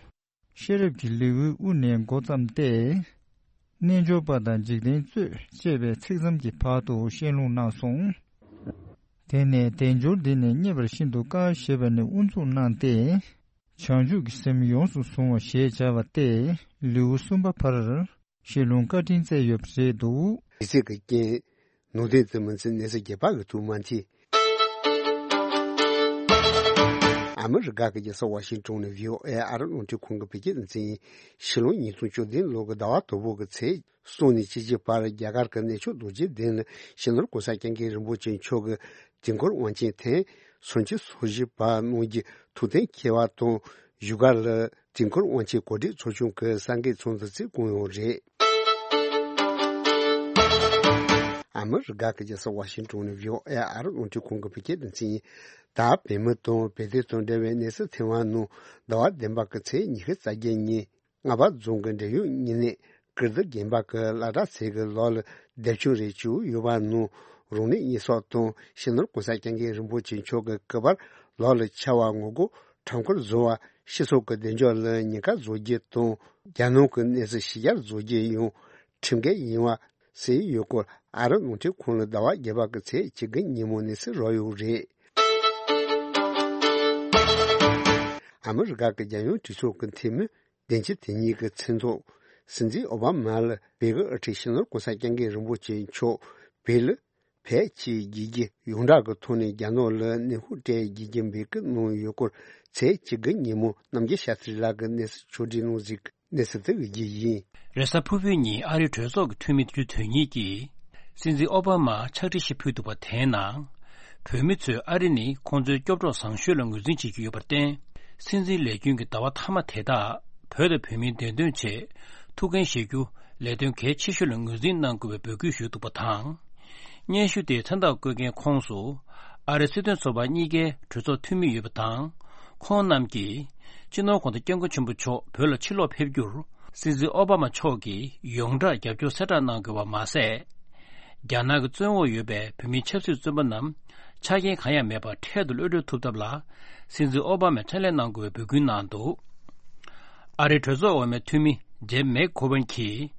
ཤེས་རབ་ཀྱི་ལེའུའི་དབུ་ནས་འགོ་བརྩམས་ཏེ། རྣལ་འབྱོར་པ་དང་འཇིག་རྟེན་རྩོད་ཅེས་པའི་ཚིག་ཙམ་གྱི་བར་དུ་བཤད་ལུང་གནང་སོང་། དེ་ནས་དལ་འབྱོར་འདི་ནི་རྙེད་པར་ཤིན་ཏུ་དཀའ་ཞེས་པ་ནས་དབུ་འཛུགས་གནང་སྟེ། བྱང་ཆུབ་ཀྱི་སེམས་ཡོངས་སུ་བཟུང་བ་ཞེས་བྱ་བ་སྟེ། ལེའུ་གསུམ་པ་བར་བཤད་ལུང་བཀའ་དྲིན་སྩལ་ཡོད་པ་རེད་འདུག། དུས་ཚོད་ཀྱི་རྐྱེན། ནང་དོན་དུ་མི་འཛིན་གནས་ཚུལ་རྒྱས་པ་གི་ཐུགས་མ་མཐུན། ཨ་མི་རི་ཀ་གི་རྒྱལ་ས་ཝ་ཤིང་ཏོན་ནས་བྷི་ཨོ་ཨེ་ཨ་རི་རླུང་འཕྲིན་ཁང་གི་བོད་སྐད་སྡེ་ཚན་ཡིན། ཕྱི་ལོ་ཉིས་སྟོང་བཅུ་བདུན་ལོ་གི་ཟླ་བ་དང་པོ་གི་ཚེས་གསུམ་ནས་བཅུ་གཅིག་བར་རྒྱ་གར་གྱི་གནས་མཆོག་རྡོ་རྗེ་གདན་ལ་སྤྱི་ནོར་༸གོང་ས་༸སྐྱབས་མགོན་རིན་པོ་ཆེ་མཆོག་གིས་དུས་འཁོར་དབང་ཆེན་ཐེངས་སུམ་ཅུ་སོ་བཞི་པ་གནང་རྒྱུའི་ཐུགས་གཏན་འཁེལ་བ་དང་། བཞུགས་སྒར་ལ་དུས་འཁོར་དབང་ཆེན་གོ་སྒྲིག་ཚོགས་ཆུང་གི་གསར་འགོད་ཚོགས་འདུ་བརྩིས་བསྐོང་ཡོད་རེད། ཨ་མི་རི་ཀ་གི་རྒྱལ་ས་ཝ་ཤིང་ཏོན་ནས་བྷི་ཨོ་ཨེ་ཨ་རི་རླུང་འཕྲིན་ཁང་གི་བོད་སྐད་སྡེ་ཚན་ཡིན། ད་བོད་མི་དང་བོད་དོན་དང་འབྲེལ་བའི་གནས་ཚུལ་ཐེངས་མ་ནང་ཟླ་བ་བདུན་པ་གི་ཚེས་ཉི་ཤུ་རྩ་བརྒྱད་ཉིན་རྔ་བ་རྫོང་གི་འབྲེལ་ཡོད་མི་སྣས་ཀིརྟི་དགོན་པ་གི་བླ་གྲྭ་ཚང་གི་ལོགས་ལ་སྡེབ་ཆུང་རེ་བྱས་ཡོད་པ་ནང་རང་ཉིད་ཉེས་གསོག་དང་སྤྱི་ནོར་གོང་ས་སྐྱབས་མགོན་རིན་པོ་ཆེ་མཆོག་གི་སྐུ་པར་ལོགས་ལ་ཆར་པ་ངོ་རྒོལ་ཁྲོམ་སྐོར་བཟོ་བ། སྤྱི་ཚོགས་ཀྱི་བདེ་འཇགས་ལ་ཉེན་ཁ་བཟོ་རྒྱུ་དང་རྒྱལ་ནང་གི་གནས་ཚུལ་ཕྱི་གྱར་བཟོ་རྒྱུ་ཡང་ཁྲིམས་འགལ་ཡིན་པ་གསལ་ཡོད་སྐོར་ཨ་རི་རླུང་འཕྲིན་ཁང་ལ་ཟླ་བ་བརྒྱད་པ་གི་ཚེས་བཅུ་དགུ་ཉིན་མོ་གནས་ཚུལ་རག་ཡོད་རེད། ཨ་མི་རི་ཀ་གི་རྒྱལ་ཡོངས་གྲོས་ཚོགས་ཀྱི་འཐུས་མི་བདུན་ཅུ་དོན་གཉིས་ཀྱི་མཚན་ཐོག་སྲིད་འཛིན་ཨོ་བྷ་མ་ལ་བོད་ཀྱི་དབུ་ཁྲིད་སྤྱི་ནོར་གོང་ས་སྐྱབས་མགོན་རིན་པོ་ཆེ་མཆོག་བོད་ལ་ཕེབས་སྐྱེལ་བགྱིད་རྒྱུ་ཡོངས་གྲགས་ཀྱི་ཐོག་ནས་རྒྱ་ནག་ལ་ནན་སྐུལ་སྤྲད་བགྱིད་རྒྱུ་འབོད་སྐུལ་གནང་ཡོད་སྐོར་ཚེས་བཅུ་དགུ་ཉིན་མོ་རྣམ་རྒྱལ་ཤཱ་སྟྲི་ལགས་ཀྱིས་གནས་ཚུལ་ཕྱོགས་སྒྲིག་གནང་གཟིགས། གནས་ཚུལ་དེ་གི་རྒྱུ་ཡིན། རེས་གཟའ་ཕུར་བུའི་ཉིན་ཨ་རིའི་གྲོས་ཚོགས་ཀྱི་འཐུས་མི་བདུན་ཅུ་དོན་གཉིས་ཀྱིས་སྲིད་འཛིན་ཨོ་བྷ་མར་ཕྱག་བྲིས་ཤིག་ཕུལ་འདུག་པ་དེའི་ནང་། བོད་མི་ཚོས་ཨ་རི་ནི་ཁོང་ཚོའི་སྐྱོབ་གྲོགས་བཟང་ཤོས་ལ་ངོས་འཛིན་བྱེད་ཀྱི་ཡོད་པར་བརྟེན། སྲིད་འཛིན་ལས་རྒྱུན་གྱི་ཟླ་བ་མཐའ་མ་དེ་དག་བོད་དང་བོད་མིའི་བདེ་དོན་ཆེད་ཐུགས་འགན་བཞེས་རྒྱུ་ལས་དོན་གལ་ཆེ་ཤོས་ལ་ངོས་འཛིན་གནང་དགོས་པའི་འབོད་སྐུལ་ཞུས་འདུག་པ་དང་། སྙན་ཞུ་དེའི་མཚན་རྟགས་བཀོད་མཁན་ཁོངས་སུ། ཨ་རིའི་སྲིད་དོན་ཚོགས་པ་གཉིས་ཀའི་གྲོས་ཚོགས་འཐུས་མི་ཡོད་པ་དང་། ཁོང་རྣམས་ཀྱིས། སྤྱི་ནོར་གོང་ས་སྐྱབས་མགོན་ཆེན་པོ་མཆོག་བོད་ལ་ཕྱིར་ལོག་ཕེབས་རྒྱུར། སྲིད་འཛིན་ཨོ་བྷ་མ་མཆོག་གིས་ཡོངས་གྲགས་རྒྱབ་སྐྱོར་གསལ་བསྒྲགས་གནང་དགོས་པ་མ་ཟད། རྒྱ་ནག་གི་བཙོན་འོག་ཡོད་པའི་བོད་མིའི་ཆབ་སྲིད་བཙོན་པ་རྣམས་ཆ་རྐྱེན་གང་ཡང་མེད་པར་འཕྲལ་དུ་གློད་གྲོལ་ཐུབ་ཐབས་ལ། སྲིད་འཛིན་ཨོ་བྷ་མས་ཕྲིན་ལས་གནང་དགོས་པའི་འབོད་སྐུལ་གནང་འདུག་ཨ་རིའི་གྲོས་ཚོགས་འོག་མའི་འཐུས་མི་ཇེབ་མེག་གྷོ་ཝན་གྱིས་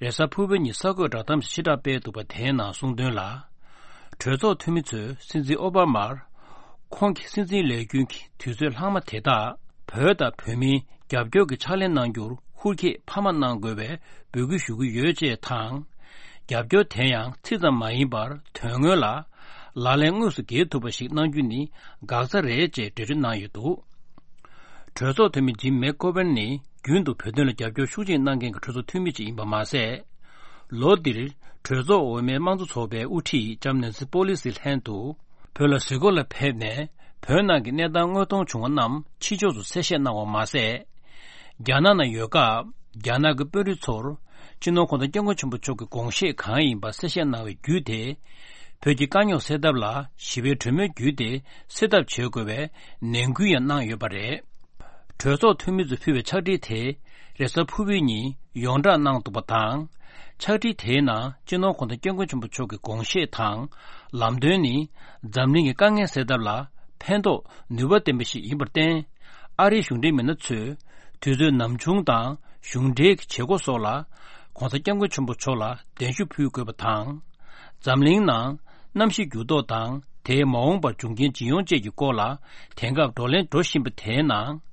རེས་གཟའ་ཕུར་བུའི་ཉིན་གསར་འགོད་བསྒྲགས་གཏམ་ཞིག་ཕྱིར་བསྒྲགས་སྤེལ་འདུག་པ་དེའི་ནང་གསུངས་དོན་ལ། གྲོས་ཚོགས་འཐུས་མི་ཚོས་སྲིད་འཛིན་ཨོ་བྷ་མར་ཁོང་གི་སྲིད་འཛིན་ལས་རྒྱུན་གྱི་དུས་ཚོད་ལྷག་མ་དེ་དག་བོད་དང་བོད་མིའི་རྒྱབ་སྐྱོར་གྱི་ཕྱག་ལས་གནང་རྒྱུར་ཧུར་བསྐྱེད་འཕར་མ་གནང་དགོས་པའི་འབོད་སྐུལ་ཞུ་གི་ཡོད་ཅེས་དང་། རྒྱབ་སྐྱོར་དེ་ཡང་ཚིག་ཙམ་མ་ཡིན་པར་དོན་དངོས་ལ་ལག་ལེན་དངོས་སུ་འགེལ་ཐུབ་པ་ཞིག་གནང་རྒྱུ་ནི་འགག་རྩ་རེད་ཅེས་འགྲེལ་བརྗོད་གནང་ཡོད་འདུག་གྲོས་ཚོགས་འཐུས་མི་ཇིམ་མེག་གྷོ་ཝན་ནི་རྒྱུན་དུ་བོད་དོན་ལ་རྒྱབ་སྐྱོར་ཤུགས་ཆེན་གནང་མཁན་གྱི་གྲོས་ཚོགས་འཐུས་མི་ཅིག་ཡིན་པ་མ་ཟད། ལོ་འདིར་གྲོས་ཚོགས་འོག་མའི་དམངས་གཙོ་ཚོགས་པའི་དབུ་ཁྲིད་ལྕམ་ནན་སི་པོ་ལི་སི་ལྷན་དུ་བོད་ལ་གཟིགས་སྐོར་ལ་ཕེབས་ནས་བོད་ནང་གི་གནས་སྟངས་དངོས་མཐོང་བྱུང་བ་རྣམས་ཕྱི་ཕྱོགས་སུ་གསལ་བཤད་གནང་བ་མ་ཟད། རྒྱ་ནག་ནང་ཡོད་སྐབས་རྒྱ་ནག་གི་དཔོན་རིགས་ཚོར་སྤྱི་ནོར་གོང་ས་སྐྱབས་མགོན་ཆེན་པོ་མཆོག་གི་དགོངས་བཞེད་གང་ཡིན་པ་གསལ་བཤད་གནང་བའི་བརྒྱུད་དེ། བོད་ཀྱི་དཀའ་རྙོག་སེལ་ཐབས་ལ་ཞི་བའི་གྲོས་མོལ་བརྒྱུད་དེ་སེལ་ཐབས་བྱེད་དགོས་པའི་ནན་སྐུལ་ཡང་གནང་ཡོད་པ་རེད། གྲོས་ཚོགས་འཐུས་མི་ཚོས་ཕུལ་བའི་ཕྱག་བྲིས་དེ་རེས་གཟའ་ཕུར་བུའི་ཉིན་ཡོངས་བསྒྲགས་གནང་འདུག་པ་དང་། ཕྱག་བྲིས་དེའི་ནང་སྤྱི་ནོར་གོང་ས་སྐྱབས་མགོན་ཆེན་པོ་མཆོག་གི་དགོངས་བཞེད་དང་ལམ་སྟོན་ནི་འཛམ་གླིང་གི་དཀའ་ངལ་སེལ་ཐབས་ལ་ཕན་ཐོགས་ནུས་པ་ལྡན་པ་ཞིག་ཡིན་པར་བརྟེན། ཨ་རིའི་གཞུང་འབྲེལ་མི་སྣ་ཚོས་དུས་ཚོད་ནམ་བྱུང་དང་གཞུང་འབྲེལ་གྱི་བྱེད་སྒོ་སོགས་ལ་གོང་ས་སྐྱབས་མགོན་ཆེན་པོ་མཆོག་ལ་གདན་ཞུ་ཕུལ་དགོས་པ་དང་། འཛམ་གླིང་ནང་གནམ་གཤིས་འགྱུར་ལྡོག་དང་དེས་མ་འོངས་པར་འབྱུང་རྐྱེན་ཇི་ཡོང་བཅས་ཀྱི་སྐོར་ལ་དེང་སྐབས་བགྲོ་གླེང་འགྲོ་བཞིན་པ་དེའི་ནང་།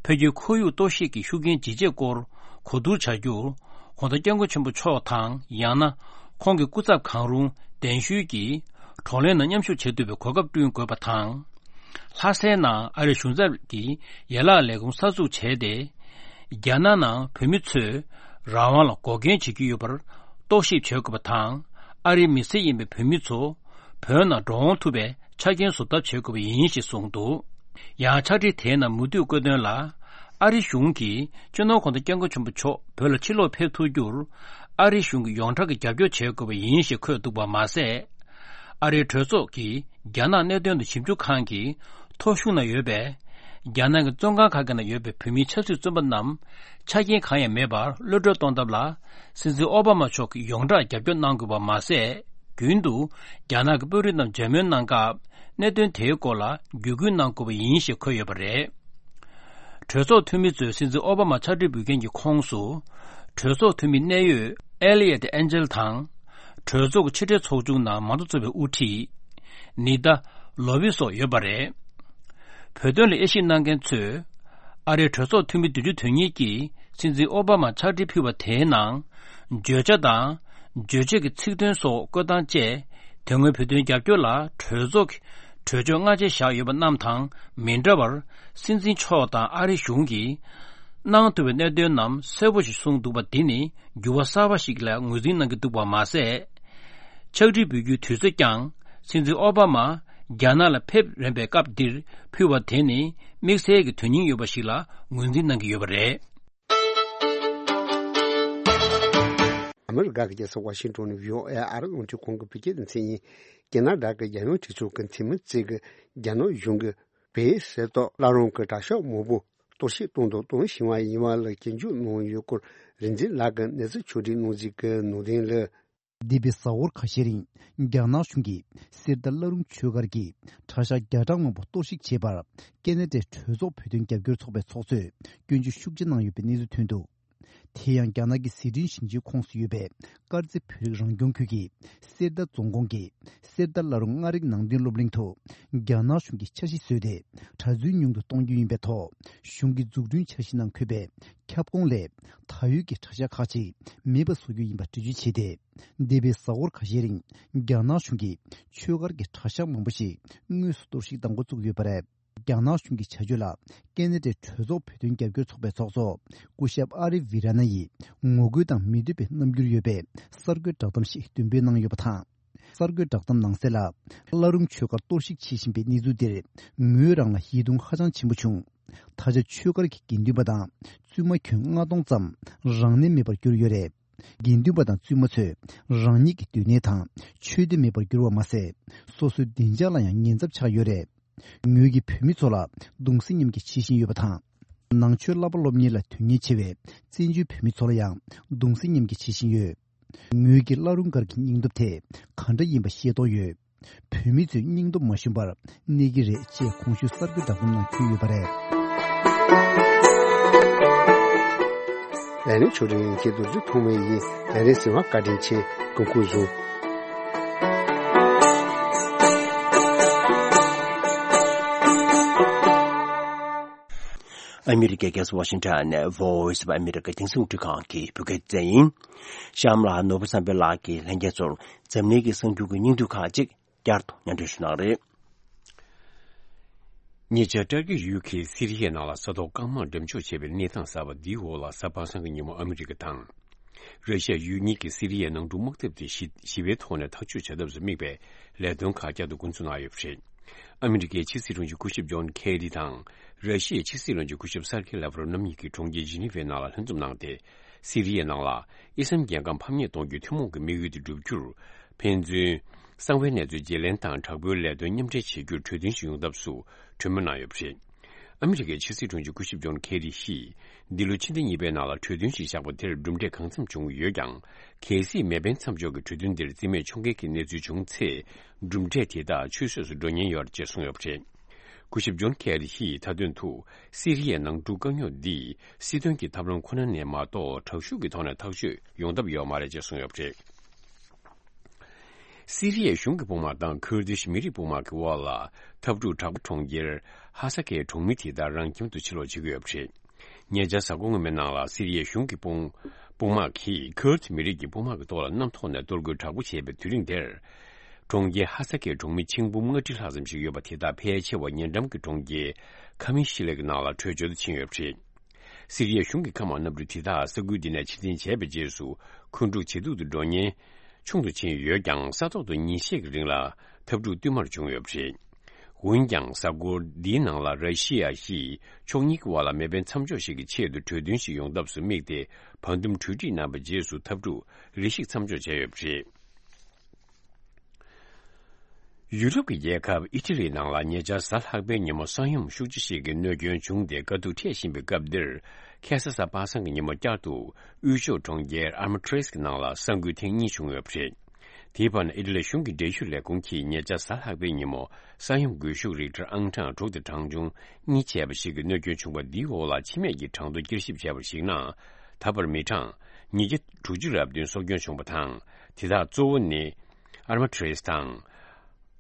བོད་ཀྱི་ཁོར་ཡུག་གཏོར་བཤིག་གི་ཤུགས་རྐྱེན་ཇི་ཆེ་སྐོར་གོ་བསྡུར་བྱ་རྒྱུར་གོང་ས་སྐྱབས་མགོན་ཆེན་པོ་མཆོག་དང་ཡང་ན་ཁོང་གི་སྐུ་ཚབ་གང་རུང་གདན་ཞུས་ཀྱིས་བགྲོ་གླེང་ནང་མཉམ་ཞུགས་བྱེད་ཐུབ་པའི་གོ་སྐབས་བསྐྲུན་དགོས་པ་དང་། ལྷ་སའི་ནང་ཨ་རིའི་གཞུང་ཚབ་ཀྱིས་ཡན་ལག་ལས་ཁུངས་གསར་འཛུགས་བྱས་ཏེ། རྒྱ་ནག་ནང་བོད་མི་ཚོས་རང་དབང་ལ་འགོག་རྐྱེན་བྱེད་ཀྱི་ཡོད་པར་རྟོག་ཞིབ་བྱེད་དགོས་པ་དང་། ཨ་རིའི་མི་སེར་ཡིན་པའི་བོད་མི་ཚོ་བོད་ནང་འགྲོ་འོང་ཐུབ་པའི་ཆ་རྐྱེན་བཟོ་ཐབས་བྱེད་དགོས་པ་ཡིན་ཞེས་གསུངས་འདུག་ཡང་ཕྱག་བྲིས་དེའི་ནང་མུ་མཐུད་བཀོད་དོན་ལ། ཨ་རི་གཞུང་གིས་སྤྱི་ནོར་གོང་ས་སྐྱབས་མགོན་ཆེན་པོ་མཆོག་བོད་ལ་ཕྱིར་ལོག་ཕེབས་ཐུབ་རྒྱུར། ཨ་རི་གཞུང་གིས་ཡོངས་གྲགས་ཀྱི་རྒྱབ་སྐྱོར་བྱེད་དགོས་པ་ཡིན་ཞེས་འཁོད་འདུག་པ་མ་ཟད། ཨ་རིའི་གྲོས་ཚོགས་ཀྱི་རྒྱ་ནག་གནད་དོན་དང་ཞིབ་འཇུག་ཁང་གི་ཐོ་གཞུང་ནང་ཡོད་པའི་རྒྱ་ནག་གི་བཙོན་ཁང་ཁག་གི་ནང་ཡོད་པའི་བོད་མིའི་ཆབ་སྲིད་བཙོན་པ་རྣམས་ཆ་རྐྱེན་གང་ཡང་མེད་པར་གློད་གྲོལ་གཏོང་ཐབས་ལ་སྲིད་འཛིན་ཨོ་བྷ་མ་མཆོག་གིས་ཡོངས་གྲགས་རྒྱབ་སྐྱོར་གནང་དགོས་པ་མ་ཟད། རྒྱུན་དུ་རྒྱ་ནག་གི་དཔོན་རིགས་རྣམས་མཇལ་མོལ་གནང་སྐབས་གནད་དོན་དེའི་སྐོར་ལ་བརྒྱུད་སྐུལ་གནང་དགོས་པ་ཡིན་ཞེས་འཁོད་ཡོད་པ་རེད། གྲོས་ཚོགས་འཐུས་མི་ཚོས་སྲིད་འཛིན་ཨོ་བྷ་མ་ཕྱག་བྲིས་འབུལ་མཁན་གྱི་ཁོངས་སུ། གྲོས་ཚོགས་འཐུས་མི་གནད་ཡོད་ཨེ་ལི་ཡེ་ཏི་ཨན་ཇེལ་དང་། གྲོས་ཚོགས་ཀྱི་ཕྱི་འབྲེལ་ཚོགས་ཆུང་ནང་མང་གཙོ་ཚོགས་པའི་དབུ་ཁྲིད་ནི་ཏཱ་ལོ་བི་སོགས་ཡོད་པ་རེད། བོད་དོན་ལ་དབྱེ་ཞིབ་གནང་མཁན་ཚོས། ཨ་རིའི་གྲོས་ཚོགས་འཐུས་མི་བདུན་ཅུ་དོན་གཉིས་ཀྱིས་སྲིད་འཛིན་ཨོ་བྷ་མར་ཕྱག་བྲིས་ཕུལ་བ་དེའི་ནང་། བརྗོད་བྱ་དང་། རྗོད་བྱེད་ཀྱི་ཚིག་དོན་སོགས་བཀོད་སྟངས་བཅས། དེ་སྔོན་བོད་དོན་རྒྱབ་སྐྱོར་ལ་གྲོས་ཚོགས་ཀྱི་གྲོས་ཆོད་སྔ་རྗེས་བཞག་ཡོད་པ་རྣམས་དང་མི་འདྲ་བར། སྲིད་འཛིན་མཆོག་དང་ཨ་རི་གཞུང་གིས་གནང་ཐུབ་པའི་གནད་དོན་རྣམས་གསལ་པོ་ཞིག་གསུངས་འདུག་པ་འདི་ནི་འགྱུར་བ་གསར་པ་ཞིག་ལ་ངོས་འཛིན་གནང་གི་འདུག་པ་མ་ཟད། ཕྱག་བྲིས་འབུལ་རྒྱུའི་དུས་ཚོད་ཀྱང་སྲིད་འཛིན་ཨོ་བྷ་མ་རྒྱ་ནག་ལ་ཕེབས་རན་པའི་སྐབས་འདིར་ཕུལ་བ་དེ་ནི་དམིགས་བསལ་གྱི་དོན་སྙིང་ཡོད་པ་ཞིག་ལ་ངོས་འཛིན་གནང་གི་ཡོད་པ་རེད། ཨ་མི་ ཨ་མི་རི་ཀ་གི་རྒྱལ་ས་ཝ་ཤིང་ཏོན་ནས་བྷི་ཨོ་ཨེ་ཨ་རི་རླུང་འཕྲིན་ཁང་གི་བོད་སྐད་སྡེ་ཚན་ཡིན། ཁེ་ན་ཌ་གི་རྒྱལ་ཡོངས་གྲོས་ཚོགས་ཀྱི་འཐུས་མི་རྩིས་ཀྱིས་རྒྱ་ནག་གཞུང་གིས་བོད་གསེར་རྟ་བླ་རུང་གི་གྲྭ་ཤག་མང་པོ་གཏོར་བཤིག་གཏོང་དང་གཏོང་བཞིན་པ་ཡིན་པ་ལ་སྐྱོན་བརྗོད་གནང་ཡོད་སྐོར་རིག་འཛིན་ལགས་ཀྱིས་གནས་ཚུལ་ཕྱོགས་སྒྲིག་གནང་གཟིགས་ཀྱི་ནང་དོན་ལ། འདས་པའི་གཟའ་འཁོར་ཁ་ཤས་རིང་རྒྱ་ནག་གཞུང་གིས་གསེར་རྟ་བླ་རུང་ཆོས་སྒར་གྱི་གྲྭ་ཤག་བརྒྱ་ཕྲག་མང་པོ་གཏོར་བཤིག་བྱས་པར་ཁེ་ན་ཌའི་གྲོས་ཚོགས་བོད་དོན་རྒྱབ་སྐྱོར་ཚོགས་པའི་ཚོགས་གཙོས་སྐྱོན་བརྗོད་ཤུགས་ཆེ་གནང་ཡོད་པའི་གནས་ཚུལ་ཐོན་འདུག་དེ་ཡང་རྒྱ་ནག་གི་ཟི་ཁྲོན་ཞིང་ཆེན་ཁོངས་སུ་ཡོད་པའི་དཀར་མཛེས་བོད་རིགས་རང་སྐྱོང་ཁུལ་གྱི་གསེར་རྟ་རྫོང་ཁོངས་ཀྱི་གསེར་རྟ་བླ་རུང་མངའ་རིས་ནང་བསྟན་སློབ་གླིང་དུ་རྒྱ་ནག་གཞུང་གིས་འཆར་གཞི་བཟོས་ཏེ་གྲྭ་བཙུན་ཉུང་དུ་གཏོང་རྒྱུ་ཡིན་པའི་ཐོག་གཞུང་གི་འཛུགས་སྐྲུན་འཆར་གཞི་ནང་འཁོད་པའི་ཁྱབ་ཁོངས་ལས་ད་ཡོད་ཀྱི་གྲྭ་ཤག་ཁག་ཅིག་མེད་པ་བཟོ་རྒྱུ་ཡིན་པ་འགྲེལ་བརྗོད་བྱས་ཏེ། འདས་པའི་གཟའ་འཁོར་ཁ་ཤས་རིང་རྒྱ་ནག་གཞུང་གིས་ཆོས་སྒར་གྱི་གྲྭ་ཤག་མང་པོ་ཞིག་དངོས་སུ་གཏོར་བཤིག་གཏང་འགོ་བཙུགས་ཡོད་པ་རེད། རྒྱ་ནག་གཞུང་གི་བྱ་སྤྱོད་ལ་ཁེ་ན་ཌའི་གྲོས་ཚོགས་བོད་དོན་རྒྱབ་སྐྱོར་ཚོགས་པའི་ཚོགས་གཙོ་སྐུ་ཞབས་ཨ་རི་ཝི་ར་ན་ཡིས་ངོ་རྒོལ་དང་མི་འདོད་པའི་རྣམ་འགྱུར་ཡོད་པའི་གསར་འགོད་བསྒྲགས་གཏམ་ཞིག་འདོན་སྤེལ་གནང་ཡོད་པ་དང་། གསར་འགོད་བསྒྲགས་གཏམ་ནང་གསལ་ལ། བླ་རུང་ཆོས་སྒར་གཏོར་བཤིག་བྱེད་བཞིན་པའི་གནས་ཚུལ་འདིར་ངོས་རང་ལ་ཡིད་གདུང་ཧ་ཅང་ཆེན་པོ་བྱུང་། ད་ཆ་ཆོས་སྒར་གྱི་དགེ་འདུན་པ་དང་བཙུན་མ་ཁྱོན་ལྔ་སྟོང་ཙམ་རང་གནས་མེད་པར་གྱུར་ཡོད་རེད། དགེ་འདུན་པ་དང་བཙུན་མ་ཚོས་རང་ཉིད་ཀྱི་སྡོད་གནས་དང་ཆོས་སྡེ་མེད་པར་གྱུར་བ་མ་ཟད། སོ་སོའི་བདེ་འཇགས་ལ་ཡང་ཉེན་ཚབས་ཆགས་ཡོད་རེད། ངོས་ཀྱིས་བོད་མི་ཚོ་ལ་གདུང་སེམས་མཉམ་སྐྱེད་བྱེད་བཞིན་ཡོད་པ་དང་། ནང་ཆོས་བསླབ་པ་སློབ་གཉེར་ལ་དོན་གཉེར་ཆེ་བའི་བཙན་བྱོལ་བོད་མི་ཚོ་ལ་ཡང་གདུང་སེམས་མཉམ་སྐྱེད་བྱེད་བཞིན་ཡོད། ངོས་ཀྱིས་བླ་རུང་སྒར་གྱི་སྙིང་སྟོབས་དེ་ག་འདྲ་ཡིན་པ་ཤེས་རྟོགས་ཡོད། བོད་མི་ཚོས་སྙིང་སྟོབས་མ་ཞུམ་པར་གནས་ཀྱི་རེད་ཅེས་གོང་ཞུས་གསར་འགོད་བསྒྲགས་གཏམ་ནང་འཁོད་ཡོད་པ་རེད། ལས་རིམ་ཆོས་སྒྲིག་ཡན་ཆད་རྡོ་རྗེ་ཐོགས་མེད་ཡིན། ལས་རིམ་གསན་པར་བཀའ་དྲིན་ཆེ། སྐུ་ཁམས་བཟང་། ཨ་མི་རི་ཀའི་རྒྱལ་ས་ཝ་ཤིང་ཊོན་ནས་Voice of America རྒྱང་སྲིང་རླུང་འཕྲིན་ཁང་གི་བོད་སྐད་སྡེ་ཚན་ཡིན། གཤམ་ལ་ནོར་བུ་བསམ་འཕེལ་ལགས་ཀྱིས་ལྷན་རྒྱས་ཚོར་འཛམ་གླིང་གི་གསར་འགྱུར་གྱི་སྙིང་བསྡུས་ཁག་ཅིག་བསྐྱར་དུ་སྙན་སྒྲོན་ཞུ་གནང་རེད། ཉེ་ཆར་ཏུར་ཀི་ཡུལ་གྱི་སི་རི་ཡའི་ནང་ལ་ས་ཐོག་རྐང་དམག་འགྲེམས་འཇོག་བྱས་པའི་གནས་སྟངས་གསར་པ་འདིའི་འོག་ལ་གཟའ་པ་སངས་ཀྱི་ཉིན་མོ་ཨ་མི་རི་ཀ་དང་། ར་ཤི་ཡ་ཡུལ་གཉིས་ཀྱིས་སི་རི་ཡའི་ནང་འཁྲུག་དམག་འཐབ་དེ་ཞི་ཞི་བའི་ཐོག་ནས་ཐག་གཅོད་བྱ་ཐབས་སུ་དམིགས་པའི་ལས་དོན་ཁག་བསྐྱར་དུ་འགོ་འཛུགས་གནང་ཡོད་པ་རེད། ཨ་མི་རི་ཀའི་ཕྱི་སྲིད་དྲུང་ཆེ་སྐུ་ཞབས་ཇོན་ཁེ་རི་དང་། ར་ཤི་ཡའི་ཕྱི་སྲིད་བློན་ཆེན་སྐུ་ཞབས་སར་ཁེ་ལབ་རོབ་རྣམ་གཉིས་ཀྱིས་གྲོང་ཁྱེར་ཇི་ནི་ཝའི་ནང་ལ་ལྷན་འཛོམས་གནང་སྟེ། སི་རི་ཡའི་ནང་ལ་ཨི་སམ་རྒྱལ་ཁམས་ཕམ་ཉེས་གཏོང་རྒྱུའི་ཐུན་མོང་གི་དམིགས་ཡུལ་དེ་བསྒྲུབ་རྒྱུར། ཕན་ཚུན་གསང་བའི་གནས་ཚུལ་བརྗེ་ལེན་དང་དྲག་པོའི་ལས་དོན་མཉམ་འབྲེལ་བྱེད་རྒྱུར་གྲོས་མཐུན་ཞིག་ཡོང་ཐབས་སུ་གྲོས་མོལ་གནང་ཡོད་པ་རེད། ཨ་མི་རི་ཀའི་ཕྱི་སྲིད་དྲུང་ཆེ་སྐུ་ཞབས་ཇོན་ཁེ་རི་ཡིས། འདི་ལོ་ཕྱི་ཟླ་གཉིས་པའི་ནང་ལ་གྲོས་མཐུན་ཞིག་བཞག་པ་དེར་གྲུབ་འབྲས་གང་འཚམ་བྱུང་ཡོད་ཀྱང་། གལ་སྲིད་མེ་འཕེན་མཚམས་འཇོག་གི་གྲོས་མཐུན་དེར་རྩིས་མེད་ཕྱོགས་འགལ་གྱི་གནས་ཚུལ་བྱུང་ཚེ། གྲུབ་འབྲས་དེ་དག་ཆུད་ཟོས་སུ་འགྲོ་ཉེན་ཡོད་ཅེས་གསུངས་ཡོད་པ་རེད། སྐུ་ཞབས་ཇོན་ཁེ་རི་ཡིས་མཐའ་དོན་དུ། སི་རི་ཡའི་ནང་འཁྲུག་དཀའ་རྙོག་འདི། སྲིད་དོན་གྱི་ཐབས་ལམ་ཁོ་ན་ནས་མ་གཏོགས་དྲག་ཤུགས་ཀྱི་ཐོག་ནས་ཐག་གཅོད་ཡོང་ཐབས་ཡོད་མ་རེད་ཅེས་གསུངས་ཡོད་པ་རེད། སི་རི་ཡའི་གཞུང་གི་དཔུང་དམག་དང་ཁུར་དིཤ་མི་རིགས་དཔུང་དམག་གི་དབར་ལ། འཐབ་འཁྲུག་དྲག་པོ་གྲོང་ཁྱེར་ཧ་ས་ཁའི་གྲོང་མི་དེ་དག་རང་ཁྱིམ་དུ་ཕྱིར་ལོག་བྱེད་ཀྱི་ཡོད་པ་རེད། ཉེ་ཆར་གཟའ་འཁོར་སྔོན་མའི་ནང་ལ་སི་རི་ཡའི་གཞུང་གི་དཔུང་དཔུང་དམག་གིས་ཁུར་དི་མི་རིགས་ཀྱི་དཔུང་དམག་གི་ཐོག་ལ་གནམ་ཐོག་ནས་གཏོར་རྒོལ་དྲག་པོ་བྱས་པའི་དུས་རིང་དེར། གྲོང་ཁྱེར་ཧ་ས་ཁའི་གྲོང་མི་ཆིག་འབུམ་ལྔ་ཁྲི་ལྷག་ཙམ་ཞིག་ཡོད་པ་དེ་དག་ཕལ་ཆེ་བ་ཉེ་འགྲམ་གྱི་གྲོང་ཁྱེར་ཁ་མི་ཤི་ལེ་གི་ནང་ལ་བྲོས་བྱོལ་དུ་ཕྱིན་ཡོད་པ་རེད། སི་རི་ཡའི་གཞུང་གི་མཁའ་དམག་གནམ་གྲུ་དེ་དག་ས་ཁུལ་འདི་ནས་ཕྱིར་འཐེན་བྱས་པའི་རྗེས་སུ། འཁོན་འཁྲུག་ཇེ་སྡུག་ཏུ་འགྲོ་ཉེན་ཆུང་དུ་ཕྱིན་ཡོད་ཀྱང་། ས་ཐོག་ཏུ་ཉིན་ཤས་ཀྱི་རིང་ལ་འཐབ་འཁྲུག་བསྟུད་མར་བྱུང་ཡོད་པ་རེད། འོན་ཀྱང་། གཟའ་འཁོར་འདིའི་ནང་ལ་ར་ཤི་ཡ་ཡིས་ཕྱོགས་གཉིས་ཀྱི་དབར་ལ་མེ་འཕེན་མཚམས་འཇོག་ཞིག་གི་ཆེད་དུ་གྲོས་མཐུན་ཞིག་ཡོང་ཐབས་སུ་དམིགས་ཏེ། བར་འདུམ་གྲོས་འགྲིག་གནང་བའི་རྗེས་སུ་འཐབ་འཁྲུག་རེ་ཞིག་མཚམས་འཇོག་བྱས་ཡོད་པ་རེད། ཡུ་རོབ་ཀྱི་རྒྱལ་ཁབ་ཨི་ཊ་ལིའི་ནང་ལ་ཉེ་ཆར་གཟའ་ལྷག་པའི་ཉིན་མོ་ས་ཡོམ་ཤུགས་ཆེ་ཞིག་གི་གནོད་སྐྱོན་བྱུང་སྟེ། དཀའ་སྡུག་འཕྲད་བཞིན་པའི་སྐབས་འདིར། ཁ་སང་གཟའ་པ་སངས་ཀྱི་ཉིན་མོ་བསྐྱར་དུ་དབུས་ཕྱོགས་གྲོང་ཁྱེར་ཨར་མ་ཊེ་སི་ཀྱི་ནང་ལ་ས་འགུལ་ཐེངས་གཉིས་བྱུང་ཡོད་པ་རེད། དེའི་བར་ན་ཨི་ཊ་ལིའི་གཞུང་གི་འབྲེལ་ཡོད་ལས་ཁུངས་ཀྱིས་ཉེ་ཆར་གཟའ་ལྷག་པའི་ཉིན་མོ་ས་ཡོམ་འགུལ་ཤུགས་རིག་ཊར་ཨང་གྲངས་དྲུག་དང་གྲངས་ཆུང་གཉིས་བྱས་པ་ཞིག་གི་གནོད་སྐྱོན་བྱུང་བ་འདིའི་འོག་ལ་འཆི་རྨས་ཀྱི་གྲངས་ཐོ་བསྐྱར་ཞིབ་བྱས་པར་གཞིགས་ན། ད་བར་མི་གྲངས་ཉིས་བརྒྱ་དྲུག་ཅུ་རེ་བདུན་སྲོག་སྐྱོན་བྱུང་བ་དང་། དེ་དག་གཙོ་བོ་ནི། ཨར་མ་ཊེ་སི་དང་།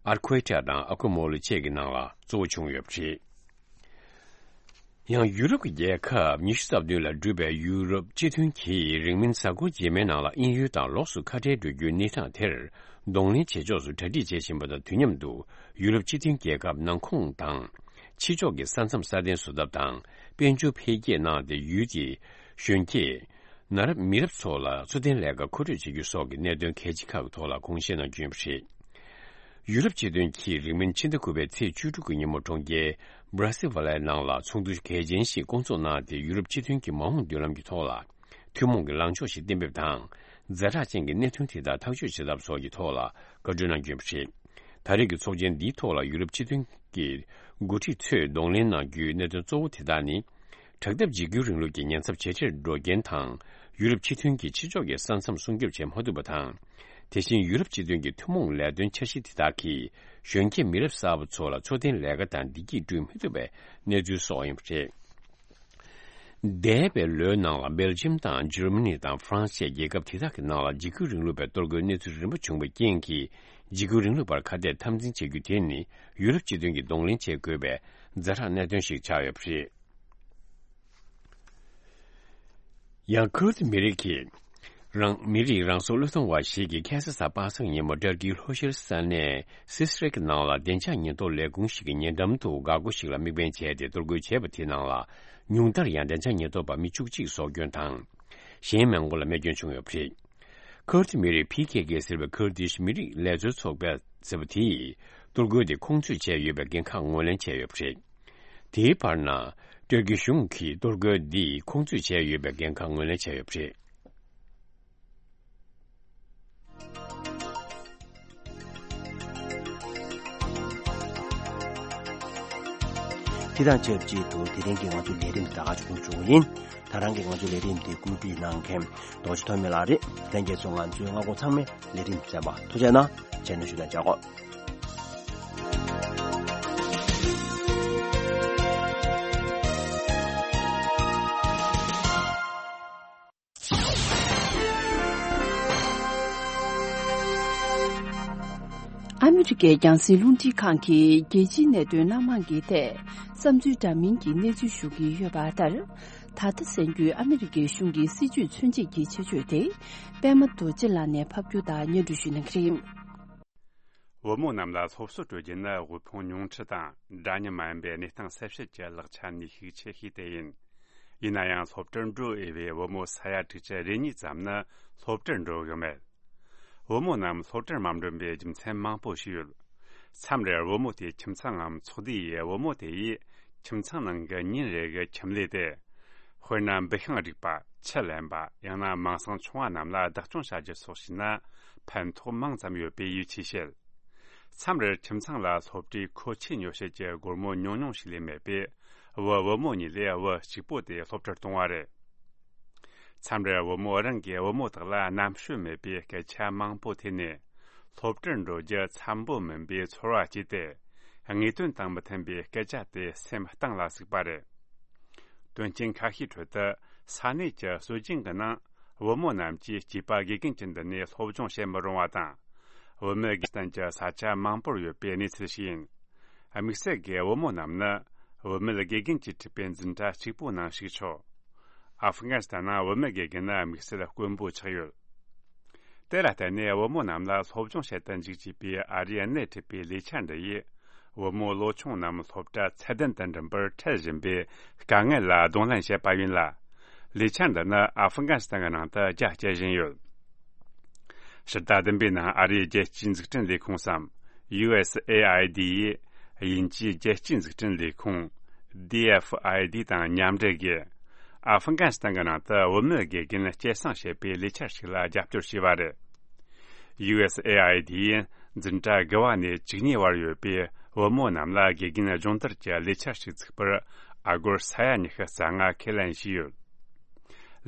ཨར་ཁོའེ་ཊ་དང་ཨ་ཁོ་མོ་ལོ་བཅས་ཀྱི་ནང་ལ་གཙོ་བོ་བྱུང་ཡོད་པ་རེད། ཡང་ཡུ་རོབ་ཀྱི་རྒྱལ་ཁབ་ཉི་ཤུ་རྩ་བདུན་ལས་གྲུབ་པའི་ཡུ་རོབ་སྤྱི་མཐུན་གྱིས་རིང་མིན་གཟའ་འཁོར་རྗེས་མའི་ནང་ལ་དབྱིན་ཡུལ་དང་ལོགས་སུ་ཁ་བྲལ་འགྲོ་རྒྱུའི་གནས་སྟངས་དེར་གདོང་ལེན་བྱེད་ཕྱོགས་སུ་གྲ་སྒྲིག་བྱེད་བཞིན་པ་དང་། དུས་མཉམ་དུ་ཡུ་རོབ་སྤྱི་མཐུན་རྒྱལ་ཁབ་ནང་ཁོངས་དང་ཕྱི་ཕྱོགས་ཀྱི་ས་མཚམས་སྲ་བརྟན་བཟོ་ཐབས་དང་། དཔལ་འབྱོར་འཕེལ་རྒྱས་གནང་སྟེ། ཡུལ་གྱི་གཞོན་སྐྱེས། ན་རབས་མི་རབས་ཚོ་ལ་འཚོ་རྟེན་ལས་ཀ་མཁོ་སྤྲོད་བྱེད་རྒྱུ་སོགས་ཀྱི་གནད་དོན་གལ་ཆེ་ཁག་གི་ཐོག་ལ་དགོངས་བཞེས་གནང་རྒྱུ་ཡིན་པ་རེད། ཡུ་རོབ་སྤྱི་མཐུན་གྱིས་རིང་མིན་ཕྱི་ཟླ་དགུ་པའི་ཚེས་བཅུ་དྲུག་གི་ཉིན་མོ་གྲོང་ཁྱེར་སྦྲ་སེ་ཝ་ལའི་ནང་ལ་ཚོགས་འདུ་གལ་ཆེན་ཞིག་བསྐོང་ཚོགས་གནང་སྟེ། ཡུ་རོབ་སྤྱི་མཐུན་གྱི་མ་འོངས་མདུན་ལམ་གྱི་ཐོག་ལ་ཐུན་མོང་གི་ལངས་ཕྱོགས་ཤིག་གཏན་འབེབས་དང་། ཛ་དྲག་ཅན་གྱི་གནད་དོན་དེ་དག་ཐག་གཅོད་བྱེད་ཐབས་སོགས་ཀྱི་ཐོག་ལ་བཀའ་འཁྲོལ་གནང་རྒྱུ་ཡིན་པ་རེད། ད་རེས་ཀྱི་ཚོགས་ཆེན་འདིའི་ཐོག་ལ་ཡུ་རོབ་སྤྱི་མཐུན་གྱི་འགོ་ཁྲིད་ཚོས་གདོང་ལེན་གནང་རྒྱུའི་གནད་དོན་གཙོ་བོ་དེ་དག་ནི། དྲག་འཐབ་འཇིགས་སྐུལ་རིང་ལུགས་ཀྱི་ཉེན་ཚབས་ཇེ་ཆེར་འགྲོ་རྐྱེན་དང་། ཡུ་རོབ་སྤྱི་མཐུན་གྱི་ཕྱི་ཕྱོགས་ཀྱི་ས་མཚམས་སྲུང་སྐྱོབ་བྱེད་མ་ཐུབ་པ་དང་། དེ་བཞིན་ཡུ་རོབ་སྤྱི་མཐུན་གྱི་ཐུན་མོང་ལས་དོན་འཆར་གཞི་དེ་དག་གིས་གཞོན་སྐྱེས་མི་རབས་གསར་པ་ཚོ་ལ་འཚོ་རྟེན་ལས་ཀ་དང་བདེ་སྐྱིད་བསྐྲུན་མི་ཐུབ་པའི་གནས་ཚུལ་སོགས་ཡིན་པ་རེད། འདས་པའི་ལོའི་ནང་ལ་སྦེལ་ཇམ་དང་འཇར་མ་ནི་དང་ཧྥ་རན་སི་བཅས་རྒྱལ་ཁབ་དེ་དག་གི་ནང་ལ་འཇིགས་སྐུལ་རིང་ལུགས་པའི་གཏོར་རྒོལ་གནས་ཚུལ་རིམ་པ་བྱུང་བའི་རྐྱེན་གྱིས། འཇིགས་སྐུལ་རིང་ལུགས་པར་ཁ་གཏད་འཐབ་འཛིང་བྱེད་རྒྱུ་དེ་ནི་ཡུ་རོབ་སྤྱི་མཐུན་གྱིས་གདོང་ལེན་བྱེད་དགོས་པའི་ཛ་དྲག་གནད་དོན་ཞིག་ཆགས་ཡོད་པ་རེད། ཡང་ཁུར་དི་མི་རིགས་ཀྱིས་རང་མི་རིགས་རང་སྲུང་བློས་གཏོང་བ་ཞིག་གིས་ཁ་སང་གཟའ་པ་སངས་ཉིན་མོ་ཏུར་ཀིའི་ལྷོ་ཤར་ས་གནས་སི་སི་རེག་ནང་ལ་བདེ་འཇགས་ཉེན་རྟོག་ལས་ཁུངས་ཤིག་གི་ཉེ་འགྲམ་དུ་འགག་སྒོ་ཞིག་ལ་དམིགས་འབེན་བྱས་ཏེ་གཏོར་རྒོལ་བྱས་པ་དེའི་ནང་ལ་ཉུང་མཐར་ཡང་བདེ་འཇགས་ཉེན་རྟོག་པ་མི་བཅུ་གཅིག་སྲོག་སྐྱོན་དང་། གཞན་མང་པོ་ལ་རྨས་སྐྱོན་བྱུང་ཡོད་པ་རེད། ཁུར་དི་མི་རིགས་ཕི་ཁེ་ཁེ་ཟེར་བའི་ཁུར་དིཤ་མི་རིགས་ལས་རྩོལ་ཚོགས་པ་ཟེར་བ་དེས་གཏོར་རྒོལ་དེ་ཁོང་ཚོས་བྱས་ཡོད་པའི་འགན་ཁག་ངོས་ལེན་བྱས་ཡོད་པ་རེད། དེའི་བར་ན། ཏུར་ཀི་གཞུང་གིས་གཏོར་རྒོལ་འདི་ཁོང་ཚོས་བྱས་ཡོད་པའི་འགན་ཁག་ངོས་ལེན་བྱས་ཡོད་པ་རེད། དེ་དང་ཆབས་ཅིག་ཏུ་དེ་རིང་གི་ང་ཚོའི་ལས་རིམ་ད་ག་ཆུང་ཆུང་ཡིན། ད་རང་གི་ང་ཚོའི་ལས་རིམ་དེ་བཀོད་སྒྲིག་གནང་མཁན་རྡོ་རྗེ་ཐོན་མི་ལགས་རེད། ལྷན་རྒྱས་ཚོ་ང་ཚོའི་མངའ་ཁོངས་ཚང་མའི་ལས་རིམ་གསན་པ་ཐུགས་རྗེ་གནང་། བྱས་ན་ཞུ་དང་བྱ་དགོས། ཨ་མི་རི་ཀའི་རྒྱང་སྲིང་རླུང་འཕྲིན་ཁང་གིས་རྒྱལ་སྤྱིའི་གནད་དོན་སྣ་མང་གི་ཐད་བསམ་ཚུལ་འདྲ་མིན་གྱི་གནས་ཚུལ་ཞུ་གི་ཡོད་པ་ལྟར། ད་ལྟ་གསན་རྒྱུའི་ཨ་མི་རི་ཀའི་གཞུང་གི་སྲིད་བྱུས་མཚོན་བྱེད་ཀྱི་ཆེད་བརྗོད་དེ་པད་མ་རྡོ་རྗེ་ལགས་ནས་ཕབ་སྒྱུར་དང་སྙན་སྒྲོན་ཞུ་གནང་གི་རེད། བུ་མོ་རྣམས་ལ་སློབ་གསོ་སྤྲོད་རྒྱུ་ནི་དབུལ་ཕོངས་ཉུང་འཕྲི་དང་འདྲ་མཉམ་མ་ཡིན་པའི་གནས་སྟངས་གསལ་བཤད་ཀྱི་ལེགས་ཆ་ནུས་ཤུགས་ཆེ་ཤོས་དེ་ཡིན། ཡིན་ན་ཡང་སློབ་གྲྭར་འགྲོ་འོས་པའི་བུ་མོ་ས་ཡ་དྲུག་ཅུ་རེ་གཉིས་ཙམ་ནི་སློབ་གྲྭར་འགྲོ་གི་མེད། བུ་མོ་རྣམས་སློབ་གྲྭར་མ་འགྲོ་བའི་རྒྱུ་མཚན་མང་པོ་ཞིག་ཡོད། མཚམས་རེར་བུ་མོ་དེའི་ཁྱིམ་ཚང་ངམ་ཚོགས་སྡེ་ཡིས་བུ་མོ་དེ་ཡིས་ཁྱིམ་ཚང་ནང་གི་ཉིན་རེ་གི་ཁྱིམ་ལས་དེ། དཔེར་ན་འབུ་ཤིང་རིག་པ། ཆུ་ལེན་པ། ཡང་ན་མིང་སྲིང་ཆུང་བ་རྣམས་ལ་བདག་སྐྱོང་བྱ་རྒྱུ་སོགས་བྱས་ན་ཕན་ཐོགས་མང་ཙམ་ཡོད་པའི་ཡིད་ཆེས་བྱེད། མཚམས་རེར་ཁྱིམ་ཚང་ལ་སློབ་གྲྭའི་མཁོ་ཆས་ཉོ་བྱེད་ཀྱི་སྒོར་མོ་ཉུང་ཉུང་ཞིག་ལས་མེད་པས། བུ་བུ་མོ་གཉིས་ལས་བུ་གཅིག་པོ་དེ་སློབ་གྲྭར་གཏོང་བ་རེད། མཚམས་རེར་བུ་མོ་རང་གིས་བུ་མོ་དག་ལ་རྣམ་དཔྱོད་མེད་པའི་སྐད་ཆ་མང་པོ་ཐོས་ནས། སློབ་གྲྭར་འགྲོ་རྒྱུ་འཚམ་པོ་མིན་པའི་ཚོར་བ་སྐྱེས་ཏེ། དངོས་དོན་དང་མི་མཐུན་པའི་སྐད་ཆ་དེ་སེམས་གཏིང་ལ་ཟུག་པ་རེད། དོན་རྐྱེན་ཁ་ཤས་ཁྲོད་དུ་ས་གནས་ཀྱི་སྲོལ་རྒྱུན་གྱི་ནང་བུ་མོ་རྣམས་ཀྱིས་སྐྱེས་པ་དགེ་རྒན་གྱི་མདུན་ནས་སློབ་སྦྱོང་བྱེད་མི་རུང་བ་དང་། བུད་མེད་དགེ་རྒན་གྱི་ས་ཆ་མང་པོར་ཡོད་པའི་གནས་ཚུལ་ཞིག་ཡིན། དམིགས་བསལ་གྱི་བུ་མོ་རྣམས་ནི་བུད་མེད་དགེ་རྒན་གྱིས་ཁྲིད་པའི་འཛིན་གྲྭ་གཅིག་པུའི་ནང་ཞུགས་ཆོག་ཨ་ཧྥི་གྷ་ནི་སི་ཐན་ནང་བུད་མེད་དགེ་རྒན་ནི་དམིགས་བསལ་དཀོན་པོ་ཆགས་ཡོད། དེ་ལ་བརྟེན་ནས་བུ་མོ་རྣམས་ལ་སློབ་སྦྱོང་བྱེད་དུ་འཇུག་ཅེས་པའི་ཨ་རིའི་སྣེ་ཁྲིད་པའི་ལས་འཆར་འདི་ཡིས། བུ་མོ་ལོ་ཆུང་རྣམས་སློབ་གྲྭ་ཚད་ལྡན་དུ་འགྲིམ་པར་ཁྲལ་བཞིན་པའི་དཀའ་ངལ་ལ་གདོང་ལེན་བྱས་པ་ཡིན་ལ། ལས་འཆར་འདི་ནི་ཨ་ཧྥི་གྷ་ནི་སི་ཐན་གྱི་ནང་དུ་རྒྱ་སྐྱེད་བཞིན་ཡོད། ཕྱི་ཟླ་བདུན་པའི་ནང་ཨ་རིའི་རྒྱལ་སྤྱིའི་འཛུགས་སྐྲུན་ལས་ཁུངས་སམ། ཡུ་ཨེས་ཨེ་ཨའི་ཌི་ཡིས་དབྱིན་ཇིའི་རྒྱལ་སྤྱིའི་འཛུགས་སྐྲུན་ལས་ཁུངས། ཌི་ཨེཕ་ཨའི་ཌི་དང་མཉམ་འབྲེལ་གྱིས། ཨ་ཧྥི་གྷ་ནི་སི་ཐན་གྱི་ནང་དུ་བུད་མེད་དགེ་རྒན་སྐྱེད་སྲིང་བྱེད་པའི་ལས་འཆར་ཞིག་ལ་རྒྱབ་སྐྱོར་བྱས་པ་རེད། ཡུ་ཨེས་ཨེ་ཨའི་ཌི་ཡིས་འཛིན་གྲྭ་དགུ་བ་ནས་བཅུ་གཉིས་བར་ཡོད་པའི་བུ་མོ་རྣམས་ལ་དགེ་རྒན་སྦྱོང་བརྡར་གྱི་ལས་འཆར་ཞིག་བཙུགས་པར་ཨ་སྒོར་ས་ཡ་ཉི་ཤུ་རྩ་ལྔ་ཁས་ལེན་བྱས་ཡོད།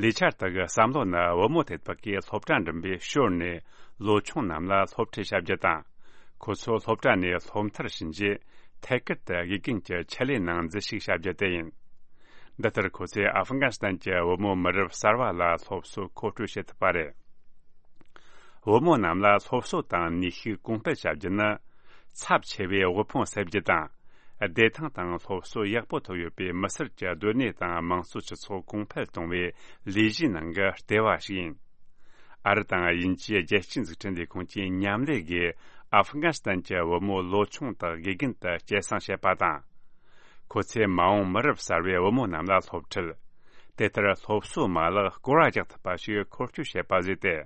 ལས་འཆར་དག་གི་བསམ་བློ་ནི་བུ་མོ་དེ་དག་གིས་སློབ་གྲྭ་འགྲིམ་པའི་ཞོར་ནས་ལོ་ཆུང་རྣམས་ལ་སློབ་ཁྲིད་བྱ་རྒྱུ་དང་། ཁོ་ཚོ་སློབ་གྲྭ་ནས་སློབ་མཐར་ཕྱིན་རྗེས་ཐད་ཀར་དུ་དགེ་རྒན་གྱི་ཆེད་ལས་ནང་འཛུལ་ཞུགས་བྱ་རྒྱུ་དེ་ཡིན། འདི་ལྟར་ཁོ་ཚོས་ཨ་ཧྥི་གྷ་ནི་སི་ཐན་གྱི་བུ་མོ་མི་རབས་གསར་བ་ལ་སློབ་གསོ་མཁོ་སྤྲོད་བྱེད་ཐུབ་པ་རེད། བུ་མོ་རྣམས་ལ་སློབ་གསོ་དང་ནུས་ཤུགས་གོང་སྤེལ་བྱ་རྒྱུ་ནི། ཚབས་ཆེ་བའི་དབུལ་ཕོངས་སེལ་རྒྱུ་དང་། བདེ་ཐང་དང་སློབ་གསོ་ཡག་པོ་ཐོབ་ཡོད་པའི་མི་སེར་གྱི་སྡོད་གནས་དང་དམངས་གཙོ་སྤྱི་ཚོགས་གོང་འཕེལ་གཏོང་བའི་ལས་གཞིའི་ནང་གི་ལྟེ་བ་ཞིག་ཡིན། ཨ་རི་དང་དབྱིན་ཇིའི་རྒྱལ་སྤྱིའི་འཛུགས་སྐྲུན་ལས་ཁུངས་ཀྱིས་མཉམ་ལས་ཀྱིས་ཨ་ཧྥི་གྷ་ནི་སི་ཐན་གྱི་བུ་མོ་ལོ་ཆུང་དག་དགེ་རྒན་དུ་སྐྱེད་སྲིང་བྱེད་པ་དང་། ཁོ་ཚོས་མ་འོངས་མི་རབས་གསར་བའི་བུ་མོ་རྣམས་ལ་སློབ་ཁྲིད། དེ་ལྟར་སློབ་གསོའི་མ་ལག་སྐོར་བ་རྒྱག་ཐུབ་པ་ཞིག་འཁོར་སྐྱོད་བྱེད་པ་བཟོས་ཏེ།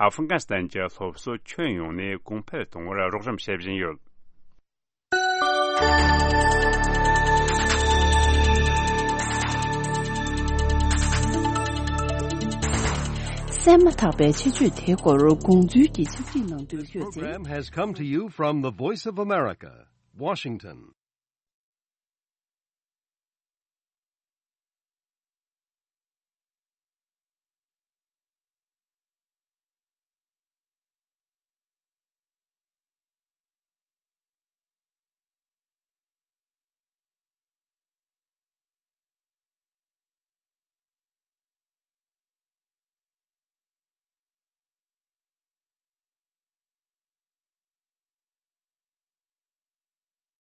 ཨ་ཧྥི་གྷ་ནི་སི་ཐན་གྱི་སློབ་གསོ་ཁྱོན་ཡོངས་ནས་གོང་འཕེལ་གཏོང་བར་རོགས་རམ་བྱེད་བཞིན་ཡོད། གསན་མ་ཐག་པའི་ཆེད་བརྗོད་དེའི་སྐོར་དགོངས་ཚུལ་གྱི་ཕྱག་བྲིས་གནང་དོན་བཀོད་དེ། This program has come to you from the Voice of America, Washington.